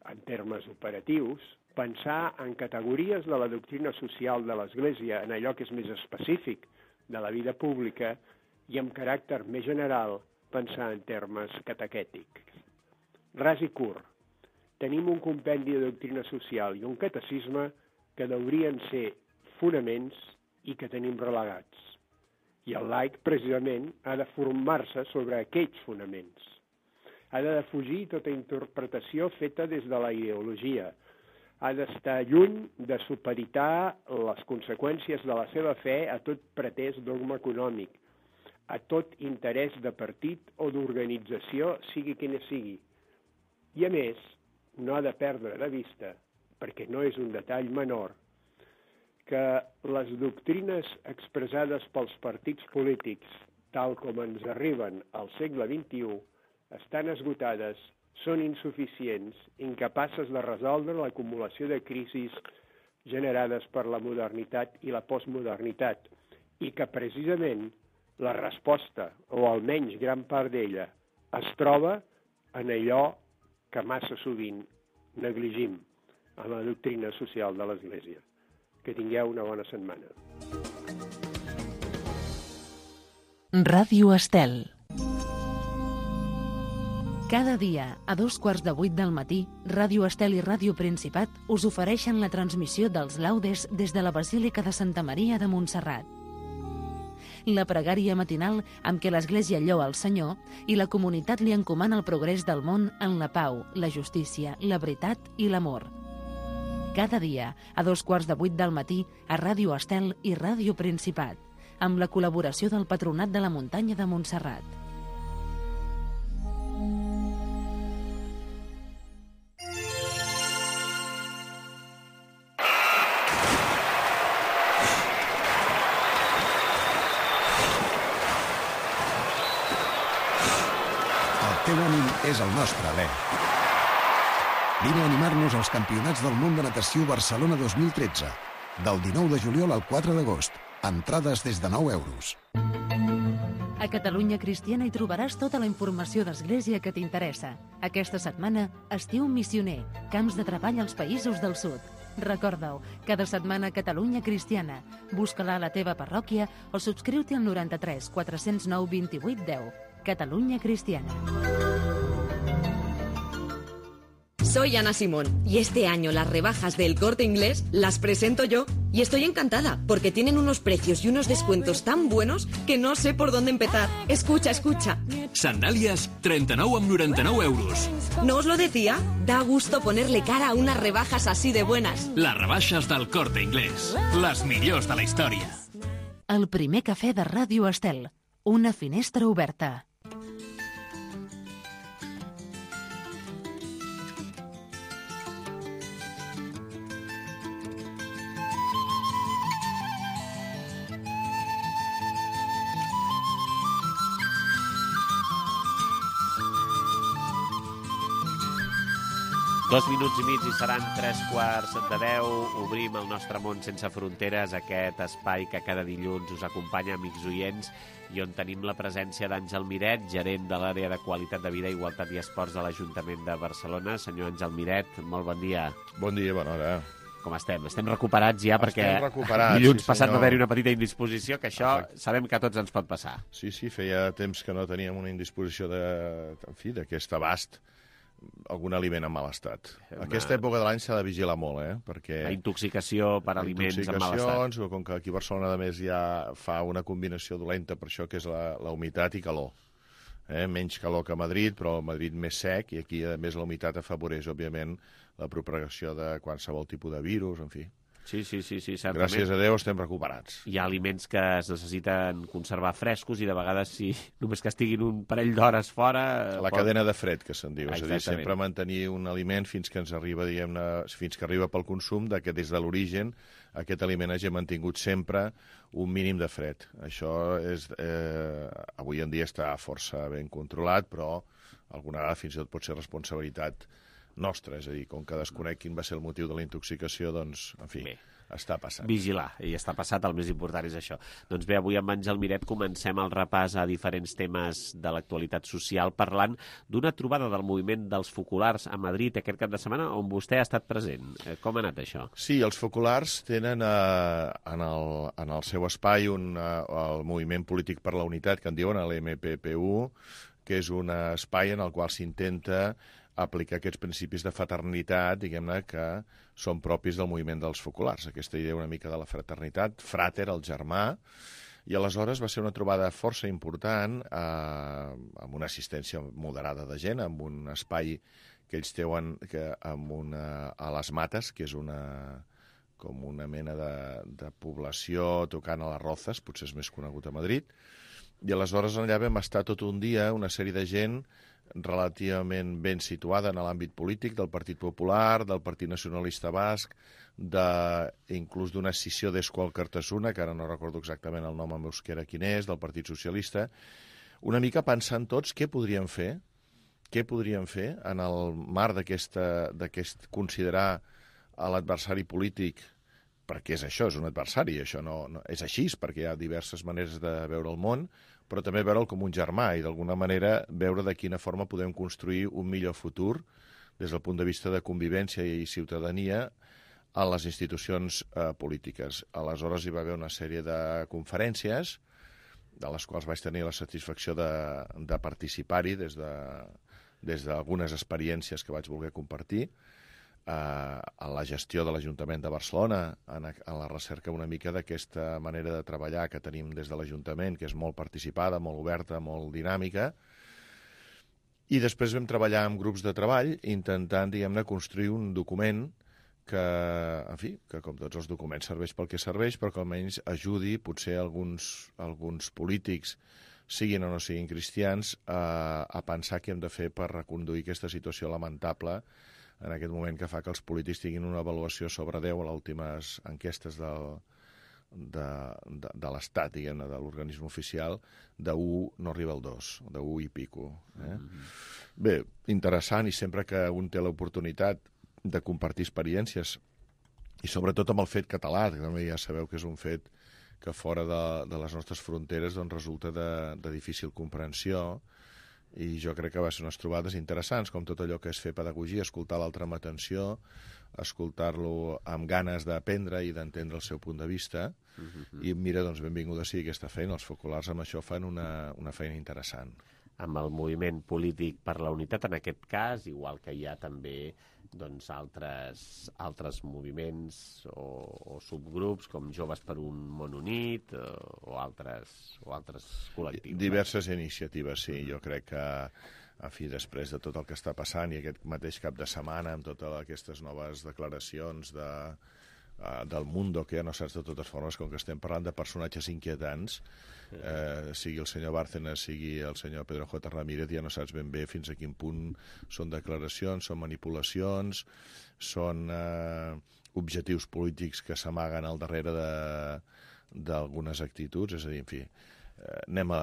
en termes operatius, pensar en categories de la doctrina social de l'Església, en allò que és més específic de la vida pública, i amb caràcter més general, pensar en termes catequètics. Ras i curt, tenim un compendi de doctrina social i un catecisme que haurien ser fonaments i que tenim relegats. I el laic, precisament, ha de formar-se sobre aquells fonaments. Ha de defugir tota interpretació feta des de la ideologia. Ha d'estar lluny de supeditar les conseqüències de la seva fe a tot pretès dogma econòmic, a tot interès de partit o d'organització, sigui quina sigui. I, a més, no ha de perdre de vista, perquè no és un detall menor, que les doctrines expressades pels partits polítics, tal com ens arriben al segle vint-i-u, estan esgotades, són insuficients, incapaces de resoldre l'acumulació de crisis generades per la modernitat i la postmodernitat, i que precisament la resposta, o almenys gran part d'ella, es troba en allò que massa sovint negligim, en la doctrina social de l'Església. Que tingueu una bona setmana. Ràdio Estel. Cada dia, a dos quarts de vuit del matí, Ràdio Estel i Ràdio Principat us ofereixen la transmissió dels laudes des de la Basílica de Santa Maria de Montserrat. La pregària matinal amb què l'Església lloa el Senyor i la comunitat li encomana el progrés del món en la pau, la justícia, la veritat i l'amor. Cada dia, a dos quarts de vuit del matí, a Ràdio Estel i Ràdio Principat, amb la col·laboració del Patronat de la Muntanya de Montserrat. El teu ànim és el nostre alè. Vine a animar-nos als Campionats del Món de Natació Barcelona dos mil tretze. Del dinou de juliol al quatre d'agost. Entrades des de nou euros. A Catalunya Cristiana hi trobaràs tota la informació d'Església que t'interessa. Aquesta setmana, Estiu Missioner, camps de treball als països del sud. Recorda-ho, cada setmana Catalunya Cristiana. Busca-la a la teva parròquia o subscriu-te al noranta-tres quatre cents nou vint-i-vuit deu. Catalunya Cristiana. Soy Ana Simón y este año las rebajas del Corte Inglés las presento yo y estoy encantada porque tienen unos precios y unos descuentos tan buenos que no sé por dónde empezar. Escucha, escucha. Sandalias, trenta-nou amb noranta-nou euros. ¿No os lo decía? Da gusto ponerle cara a unas rebajas así de buenas. Les rebaixes del Corte Inglés. Les millors de la història. El primer cafè de Ràdio Estel. Una finestra oberta. Dos minuts i mig i seran tres quarts de deu. Obrim el nostre món sense fronteres, aquest espai que cada dilluns us acompanya, amics oients, i on tenim la presència d'Àngel Miret, gerent de l'àrea de qualitat de vida, igualtat i esports de l'Ajuntament de Barcelona. Senyor Àngel Miret, molt bon dia. Bon dia, bona hora. Com estem? Estem recuperats ja, estem perquè recuperats, dilluns sí, passat senyor. va haver-hi una petita indisposició, que això Exacte. Sabem que a tots ens pot passar. Sí, sí, feia temps que no teníem una indisposició de, en fi, d'aquest abast algun aliment en mal estat. Una... Aquesta època de l'any s'ha de vigilar molt, eh? Perquè... La intoxicació per aliments en mal estat. O com que aquí a Barcelona, a més, ja fa una combinació dolenta per això, que és la, la humitat i calor. Eh? Menys calor que a Madrid, però a Madrid més sec, i aquí, a més, la humitat afavoreix, òbviament, la propagació de qualsevol tipus de virus, en fi. Sí, sí, sí, sí, certament. Gràcies a Déu estem recuperats. Hi ha aliments que es necessiten conservar frescos i de vegades, si només que estiguin un parell d'hores fora... La pot... cadena de fred, que se'n diu. Ah, és a dir, sempre mantenir un aliment fins que ens arriba, diguem-ne, fins que arriba pel consum, de que des de l'origen aquest aliment hagi mantingut sempre un mínim de fred. Això és, eh, avui en dia està força ben controlat, però alguna vegada fins i tot pot ser responsabilitat nostra, és a dir, com que desconec quin va ser el motiu de la intoxicació, doncs, en fi, bé, està passant. Vigilar, i està passat, el més important és això. Doncs bé, avui amb Àngel Miret comencem el repàs a diferents temes de l'actualitat social, parlant d'una trobada del moviment dels focolars a Madrid aquest cap de setmana, on vostè ha estat present. Com ha anat això? Sí, els focolars tenen eh, en, el, en el seu espai un, eh, el moviment polític per la unitat, que en diuen l'M P P U, que és un espai en el qual s'intenta aplicar aquests principis de fraternitat, diguem-ne, que són propis del moviment dels focolars. Aquesta idea una mica de la fraternitat, frater, el germà, i aleshores va ser una trobada força important, eh, amb una assistència moderada de gent, amb un espai que ells teuen que, amb una, a les Mates, que és una, com una mena de, de població tocant a les Rozas, potser és més conegut a Madrid, i aleshores allà vam estar tot un dia, una sèrie de gent relativament ben situada en l'àmbit polític del Partit Popular, del Partit Nacionalista Basc, de, inclús d'una escissió d'Esqual Cartasuna, que ara no recordo exactament el nom en euskera quin és, del Partit Socialista, una mica pensant tots què podríem fer, què podríem fer en el marc d'aquest considerar l'adversari polític, perquè és això, és un adversari, això no, no és així, perquè hi ha diverses maneres de veure el món, però també veure'l com un germà i d'alguna manera veure de quina forma podem construir un millor futur des del punt de vista de convivència i ciutadania a les institucions eh, polítiques. Aleshores hi va haver una sèrie de conferències de les quals vaig tenir la satisfacció de, de participar-hi des de, des d'algunes experiències que vaig voler compartir, a la gestió de l'Ajuntament de Barcelona, en la recerca una mica d'aquesta manera de treballar que tenim des de l'Ajuntament, que és molt participada, molt oberta, molt dinàmica. I després vam treballar amb grups de treball intentant, diguem-ne, construir un document que, en fi, que com tots els documents serveix pel que serveix, però que almenys ajudi potser alguns, alguns polítics, siguin o no siguin cristians, a, a pensar què hem de fer per reconduir aquesta situació lamentable en aquest moment que fa que els polítics tinguin una avaluació sobre deu a les últimes enquestes del, de, de, de l'Estat, diguem-ne, de l'organisme oficial, de u no arriba al dos, de u i pico. Eh? Mm-hmm. Bé, interessant, i sempre que un té l'oportunitat de compartir experiències, i sobretot amb el fet català, que també ja sabeu que és un fet que fora de, de les nostres fronteres doncs, resulta de, de difícil comprensió, i jo crec que va ser unes trobades interessants, com tot allò que és fer pedagogia, escoltar l'altre amb atenció, escoltar-lo amb ganes d'aprendre i d'entendre el seu punt de vista, uh-huh. I mira, doncs benvinguda sigui aquesta feina, els focolars amb això fan una, una feina interessant. Amb el moviment polític per la unitat, en aquest cas, igual que hi ha també doncs, altres, altres moviments o, o subgrups, com Joves per un món unit o, o, altres, o altres col·lectius. Diverses eh? iniciatives, sí. Jo crec que, en fi, després de tot el que està passant i aquest mateix cap de setmana, amb totes aquestes noves declaracions de, uh, del Mundo, que ja no saps de totes formes, com que estem parlant de personatges inquietants, Eh, sigui el senyor Bárcenas, sigui el senyor Pedro J. Ramírez, ja no saps ben bé fins a quin punt són declaracions, són manipulacions, són eh, objectius polítics que s'amaguen al darrere d'algunes actituds, és a dir, en fi, eh, anem a,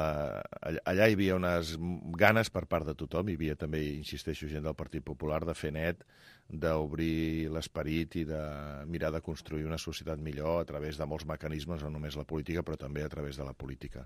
allà hi havia unes ganes per part de tothom, hi havia també, insisteixo, gent del Partit Popular de fer net, d'obrir l'esperit i de mirar de construir una societat millor a través de molts mecanismes, no només la política, però també a través de la política.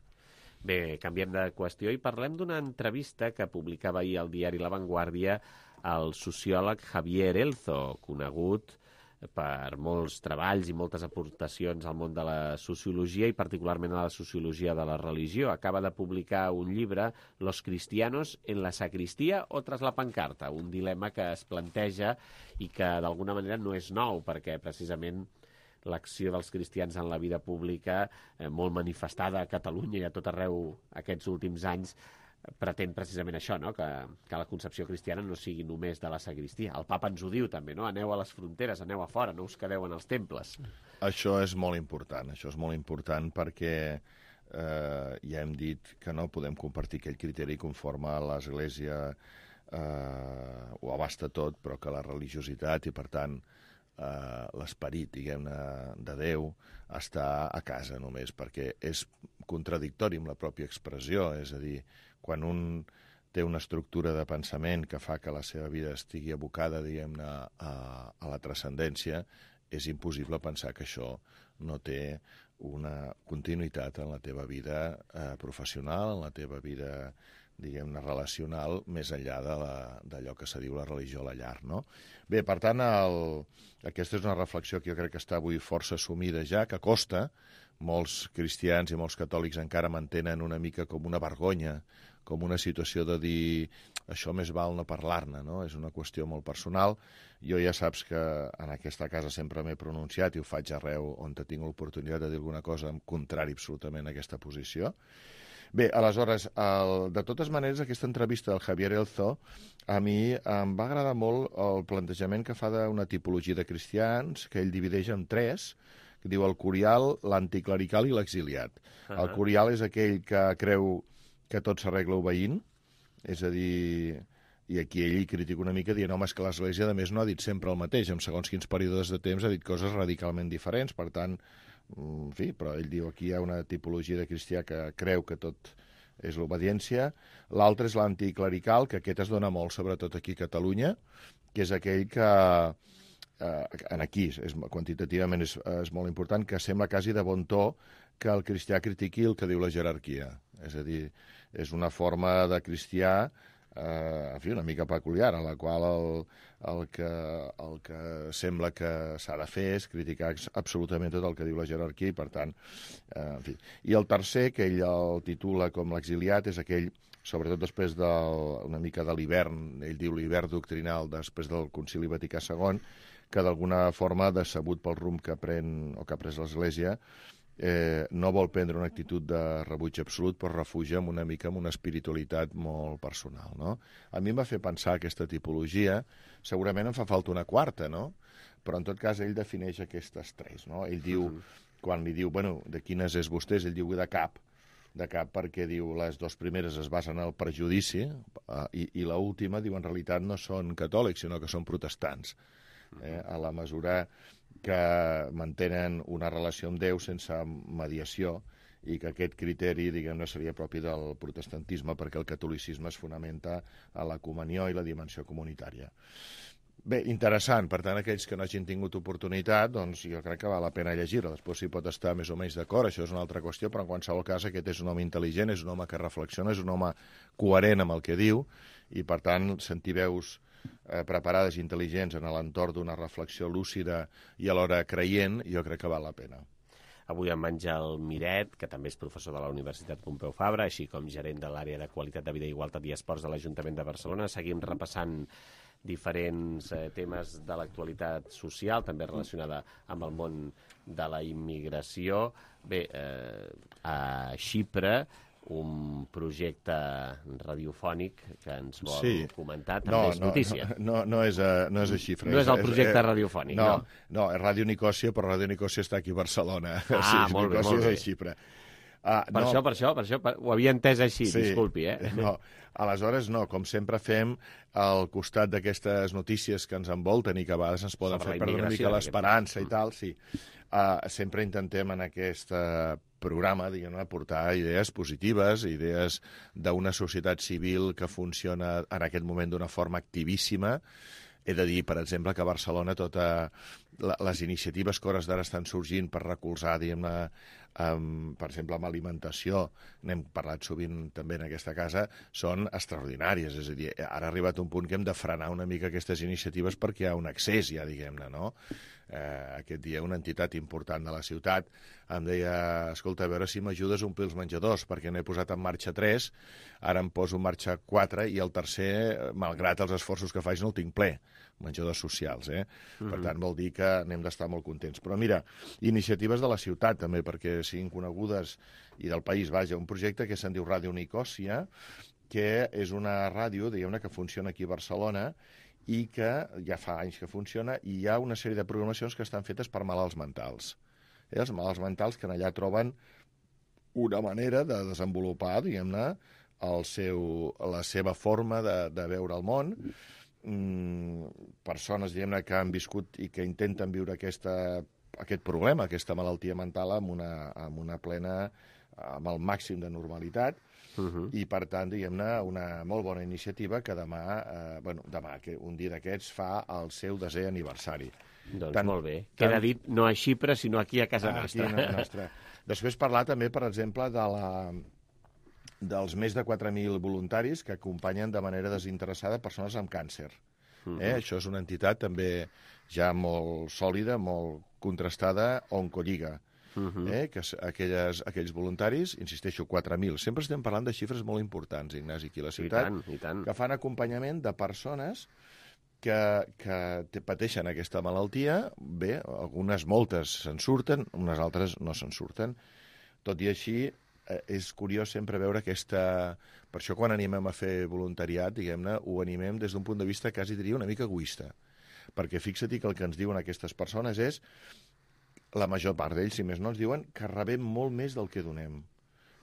Bé, canviem de qüestió i parlem d'una entrevista que publicava ahir al diari La Vanguardia el sociòleg Javier Elzo, conegut per molts treballs i moltes aportacions al món de la sociologia i particularment a la sociologia de la religió. Acaba de publicar un llibre, Los cristianos en la sacristia o tras la pancarta, un dilema que es planteja i que d'alguna manera no és nou, perquè precisament l'acció dels cristians en la vida pública, eh, molt manifestada a Catalunya i a tot arreu aquests últims anys, pretén precisament això, no? que, que la concepció cristiana no sigui només de la sagristia. El papa ens ho diu també, no? Aneu a les fronteres, aneu a fora, no us quedeu en els temples. Això és molt important, això és molt important perquè eh, ja hem dit que no podem compartir aquell criteri conforme a l'Església eh, ho abasta tot, però que la religiositat i, per tant, eh, l'esperit, diguem-ne, de Déu està a casa només, perquè és contradictori amb la pròpia expressió, és a dir, quan un té una estructura de pensament que fa que la seva vida estigui abocada, diguem-ne, a, a la transcendència, és impossible pensar que això no té una continuïtat en la teva vida eh, professional, en la teva vida, diguem-ne, relacional, més enllà d'allò que se diu la religió a la llar, no? Bé, per tant, el, aquesta és una reflexió que jo crec que està avui força assumida ja, que costa. Molts cristians i molts catòlics encara mantenen una mica com una vergonya, com una situació de dir això més val no parlar-ne, no? És una qüestió molt personal. Jo ja saps que en aquesta casa sempre m'he pronunciat i ho faig arreu on tinc l'oportunitat de dir alguna cosa en contrari absolutament a aquesta posició. Bé, aleshores, el, de totes maneres, aquesta entrevista del Javier Elzo, a mi em va agradar molt el plantejament que fa d'una tipologia de cristians, que ell divideix en tres, que diu el curial, l'anticlerical i l'exiliat. Uh -huh. El curial és aquell que creu que tot s'arregla obeint, és a dir, i aquí ell hi critica una mica dient, home, és que l'Església, a més, no ha dit sempre el mateix, en segons quins períodes de temps ha dit coses radicalment diferents, per tant, en fi, però ell diu aquí hi ha una tipologia de cristià que creu que tot és l'obediència. L'altre és l'anticlerical, que aquest es dona molt, sobretot aquí a Catalunya, que és aquell que eh, en aquí, és, quantitativament és, és molt important, que sembla quasi de bon to que el cristià critiqui el que diu la jerarquia. És a dir, és una forma de cristià eh, en fi, una mica peculiar, en la qual el, el, que, el que sembla que s'ha de fer és criticar absolutament tot el que diu la jerarquia i, per tant, eh, en fi. I el tercer, que ell el titula com l'exiliat, és aquell, sobretot després de, una mica de l'hivern, ell diu l'hivern doctrinal després del Concili Vaticà segon, que d'alguna forma, decebut pel rumb que pren o que ha pres l'Església, eh, no vol prendre una actitud de rebuig absolut, però refugia amb una mica amb una espiritualitat molt personal, no? A mi em va fer pensar aquesta tipologia, segurament em fa falta una quarta, no? Però en tot cas ell defineix aquestes tres, no? Ell diu, uh-huh. quan li diu, bueno, de quines és vostès, ell diu de cap, de cap perquè diu les dues primeres es basen en el prejudici eh, i, i l'última diu en realitat no són catòlics, sinó que són protestants. Eh, a la mesura que mantenen una relació amb Déu sense mediació i que aquest criteri, diguem-ne, seria propi del protestantisme perquè el catolicisme es fonamenta a la comunió i la dimensió comunitària. Bé, interessant. Per tant, aquells que no hagin tingut oportunitat, doncs jo crec que val la pena llegir-la. Després s'hi pot estar més o menys d'acord, això és una altra qüestió, però en qualsevol cas aquest és un home intel·ligent, és un home que reflexiona, és un home coherent amb el que diu i, per tant, sentir veus eh, preparades i intel·ligents en l'entorn d'una reflexió lúcida i alhora creient, jo crec que val la pena. Avui amb Àngel Miret, que també és professor de la Universitat Pompeu Fabra, així com gerent de l'àrea de qualitat de vida, igualtat i esports de l'Ajuntament de Barcelona. Seguim repassant diferents eh, temes de l'actualitat social, també relacionada amb el món de la immigració. Bé, eh, a Xipre, un projecte radiofònic que ens vol sí. comentar, també no, és notícia. No, no, no, és a, no és a Xipre. No és el projecte és, radiofònic, no? No, no, és Ràdio Nicòsia, però Ràdio Nicòsia està aquí a Barcelona. Ah, sí, molt bé, molt bé. És a Xipre. Ah, per, no. això, per això, per això, per... ho havia entès així, sí, disculpi, eh? No, aleshores no, com sempre fem al costat d'aquestes notícies que ens envolten i que a vegades ens poden Sobre fer perdre una mica l'esperança i tal, sí. Uh, sempre intentem en aquest uh, programa, diguem-ne, portar idees positives, idees d'una societat civil que funciona en aquest moment d'una forma activíssima. He de dir, per exemple, que a Barcelona totes les iniciatives que hores d'ara estan sorgint per recolzar, diguem-ne, amb, per exemple, amb alimentació, n'hem parlat sovint també en aquesta casa, són extraordinàries. És a dir, ara ha arribat un punt que hem de frenar una mica aquestes iniciatives perquè hi ha un excés, ja diguem-ne, no? Eh, aquest dia una entitat important de la ciutat em deia, escolta, a veure si m'ajudes a omplir els menjadors, perquè n'he posat en marxa tres, ara em poso en marxa quatre i el tercer, malgrat els esforços que faig, no el tinc ple, menjadors socials, eh? Mm-hmm. Per tant, vol dir que n'hem d'estar molt contents. Però mira, iniciatives de la ciutat també, perquè siguin conegudes, i del país, vaja, un projecte que se'n diu Ràdio Nicòsia, que és una ràdio, diguem-ne, que funciona aquí a Barcelona, i que ja fa anys que funciona, i hi ha una sèrie de programacions que estan fetes per malalts mentals. Eh? Els malalts mentals que allà troben una manera de desenvolupar, diguem-ne, el seu, la seva forma de, de veure el món. Mm, persones, diguem-ne, que han viscut i que intenten viure aquesta, aquest problema, aquesta malaltia mental amb una, amb una plena, amb el màxim de normalitat. Uh-huh. I, per tant, diguem-ne, una molt bona iniciativa que demà, eh, bueno, demà, que un dia d'aquests fa el seu desè aniversari. Doncs tant, molt bé. Queda tant... dit no a Xipre, sinó aquí a casa ah, nostra. Aquí a nostra. Després parlar també, per exemple, de la, dels més de quatre mil voluntaris que acompanyen de manera desinteressada persones amb càncer. Uh-huh. Eh? Això és una entitat també ja molt sòlida, molt contrastada, Oncolliga. Uh-huh. eh, que aquelles, aquells voluntaris, insisteixo, quatre mil. Sempre estem parlant de xifres molt importants, Ignasi, aquí a la ciutat, I tant, i tant. que fan acompanyament de persones que, que pateixen aquesta malaltia. Bé, algunes, moltes se'n surten, unes altres no se'n surten. Tot i així, eh, és curiós sempre veure aquesta... Per això quan animem a fer voluntariat, diguem-ne, ho animem des d'un punt de vista, quasi diria, una mica egoista. Perquè fixa't que el que ens diuen aquestes persones és la major part d'ells, si més no, ens diuen que rebem molt més del que donem.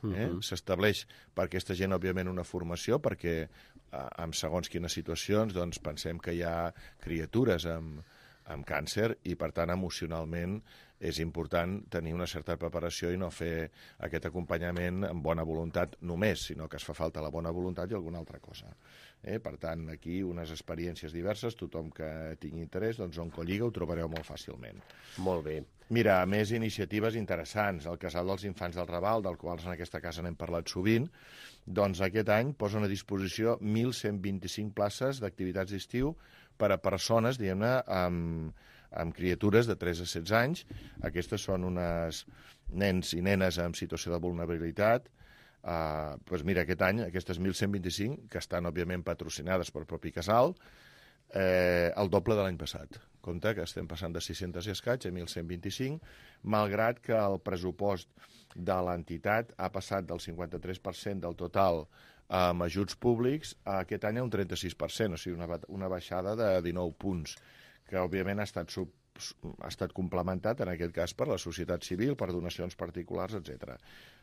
Eh? Uh-huh. S'estableix per aquesta gent, òbviament, una formació, perquè eh, en segons quines situacions doncs, pensem que hi ha criatures amb, amb càncer i, per tant, emocionalment és important tenir una certa preparació i no fer aquest acompanyament amb bona voluntat només, sinó que es fa falta la bona voluntat i alguna altra cosa. Eh? Per tant, aquí unes experiències diverses, tothom que tingui interès, doncs Oncolliga ho trobareu molt fàcilment. Molt bé. Mira, a més iniciatives interessants. El Casal dels Infants del Raval, del qual en aquesta casa n'hem parlat sovint, doncs aquest any posen a disposició mil cent vint-i-cinc places d'activitats d'estiu per a persones, diguem-ne, amb, amb criatures de tres a setze anys. Aquestes són unes nens i nenes en situació de vulnerabilitat. Uh, doncs mira, aquest any, aquestes mil cent vint-i-cinc, que estan, òbviament, patrocinades pel propi casal, eh, el doble de l'any passat. Compte que estem passant de sis-cents i escaig a mil cent vint-i-cinc, malgrat que el pressupost de l'entitat ha passat del cinquanta-tres per cent del total amb ajuts públics a aquest any a un trenta-sis per cent, o sigui, una, una baixada de dinou punts, que òbviament ha estat, sub, ha estat complementat, en aquest cas, per la societat civil, per donacions particulars, etcètera.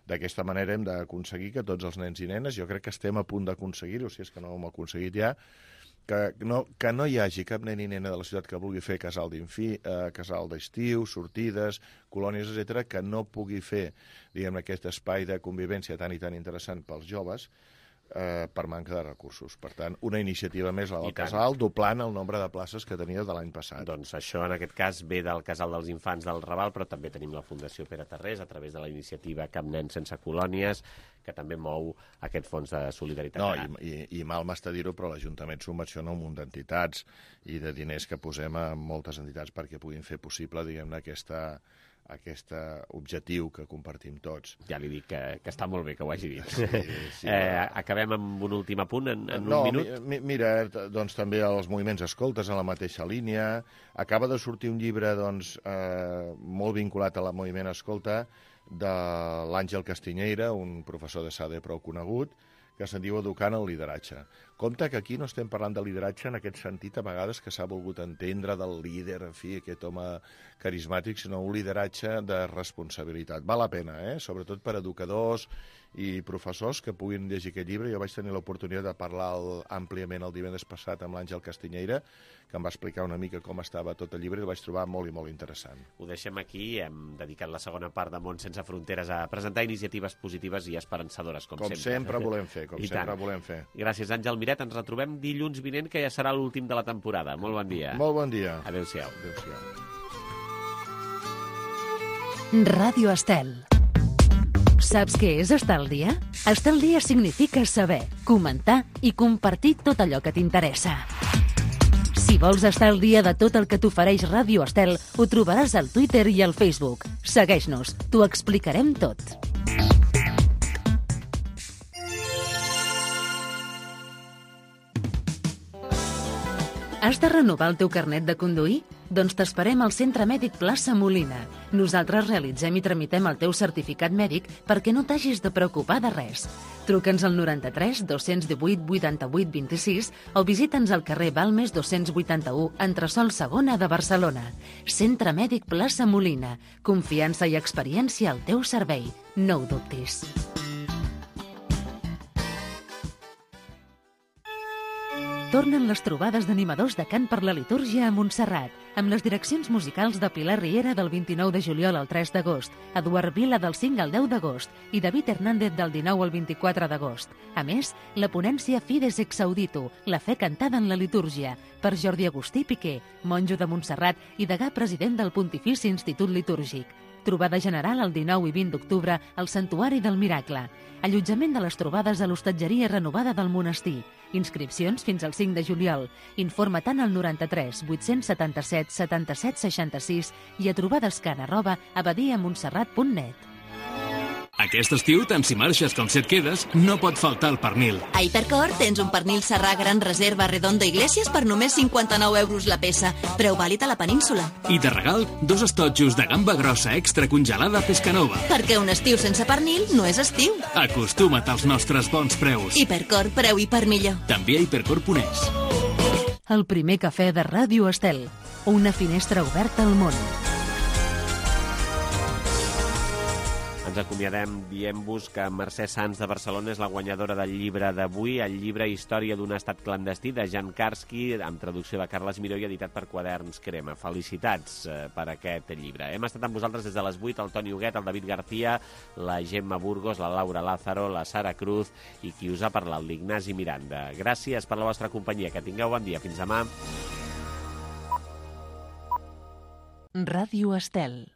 D'aquesta manera hem d'aconseguir que tots els nens i nenes, jo crec que estem a punt d'aconseguir-ho, si és que no ho hem aconseguit ja, que no, que no hi hagi cap nen i nena de la ciutat que vulgui fer casal d'infí, eh, casal d'estiu, sortides, colònies, etcètera, que no pugui fer, diguem, aquest espai de convivència tan i tan interessant pels joves, eh, per manca de recursos. Per tant, una iniciativa més, la del casal, doblant el nombre de places que tenia de l'any passat. Doncs això, en aquest cas, ve del Casal dels Infants del Raval, però també tenim la Fundació Pere Tarrés, a través de la iniciativa Cap Nen Sense Colònies, que també mou aquest fons de solidaritat. No, i, i, i mal m'està dir-ho, però l'Ajuntament subvenciona un munt d'entitats i de diners que posem a moltes entitats perquè puguin fer possible, diguem-ne, aquesta... aquest objectiu que compartim tots. Ja li dic que, que està molt bé que ho hagi dit. Sí, sí, eh, acabem amb un últim apunt en, en no, un minut? Mi, mira, doncs també els moviments escoltes en la mateixa línia. Acaba de sortir un llibre doncs, eh, molt vinculat a la moviment escolta de l'Àngel Castiñeira, un professor de S A D E prou conegut, que se'n diu Educant el lideratge. Compte que aquí no estem parlant de lideratge en aquest sentit, a vegades que s'ha volgut entendre del líder, en fi, aquest home carismàtic, sinó un lideratge de responsabilitat. Val la pena, eh? Sobretot per educadors i professors que puguin llegir aquest llibre. Jo vaig tenir l'oportunitat de parlar el, àmpliament el divendres passat amb l'Àngel Castiñeira, que em va explicar una mica com estava tot el llibre i el vaig trobar molt i molt interessant. Ho deixem aquí. Hem dedicat la segona part de Món Sense Fronteres a presentar iniciatives positives i esperançadores, com, com sempre. Com sempre volem fer, com I sempre tant. volem fer. Gràcies, Àngel Miret. Ens retrobem dilluns vinent, que ja serà l'últim de la temporada. Molt bon dia. Molt bon dia. Adéu-siau. Adéu-siau. Ràdio Estel. Saps què és estar al dia? Estar al dia significa saber, comentar i compartir tot allò que t'interessa. Si vols estar al dia de tot el que t'ofereix Ràdio Estel, ho trobaràs al Twitter i al Facebook. Segueix-nos, t'ho explicarem tot. Has de renovar el teu carnet de conduir? Doncs t'esperem al Centre Mèdic Plaça Molina. Nosaltres realitzem i tramitem el teu certificat mèdic perquè no t'hagis de preocupar de res. Truca'ns al noranta-tres dos-cents divuit vuitanta-vuit vint-i-sis o visita'ns al carrer Balmes dos-cents vuitanta-u, entresòl segona de Barcelona. Centre Mèdic Plaça Molina. Confiança i experiència al teu servei. No ho dubtis. Tornen les trobades d'animadors de cant per la litúrgia a Montserrat, amb les direccions musicals de Pilar Riera del vint-i-nou de juliol al tres d'agost, Eduard Vila del cinc al deu d'agost i David Hernández del dinou al vint-i-quatre d'agost. A més, la ponència Fides ex Audito, la fe cantada en la litúrgia, per Jordi Agustí Piqué, monjo de Montserrat i degà president del Pontifici Institut Litúrgic. Trobada general el dinou i vint d'octubre al Santuari del Miracle. Allotjament de les trobades a l'hostatgeria renovada del monestir. Inscripcions fins al cinc de juliol. Informa-te'n al noranta-tres vuit-cents setanta-set setanta-set seixanta-sis i a trobadescan arroba abadiamontserrat punt net. Aquest estiu, tant si marxes com si et quedes, no pot faltar el pernil. A Hipercor tens un pernil serrà gran reserva Redondo Iglesias per només cinquanta-nou euros la peça, preu vàlid a la península. I de regal, dos estotxos de gamba grossa extra congelada Pescanova. Perquè un estiu sense pernil no és estiu. Acostuma't als nostres bons preus. Hipercor, preu i per millor. També a hipercor punt es. El primer cafè de Ràdio Estel. Una finestra oberta al món. Ens acomiadem dient-vos que Mercè Sans de Barcelona és la guanyadora del llibre d'avui, el llibre Història d'un estat clandestí de Jan Karski, amb traducció de Carles Miró i editat per Quaderns Crema. Felicitats eh, per aquest llibre. Hem estat amb vosaltres des de les vuit, el Toni Huguet, el David García, la Gemma Burgos, la Laura Lázaro, la Sara Cruz i qui us ha parlat, l'Ignasi Miranda. Gràcies per la vostra companyia. Que tingueu bon dia. Fins demà. Ràdio Estel.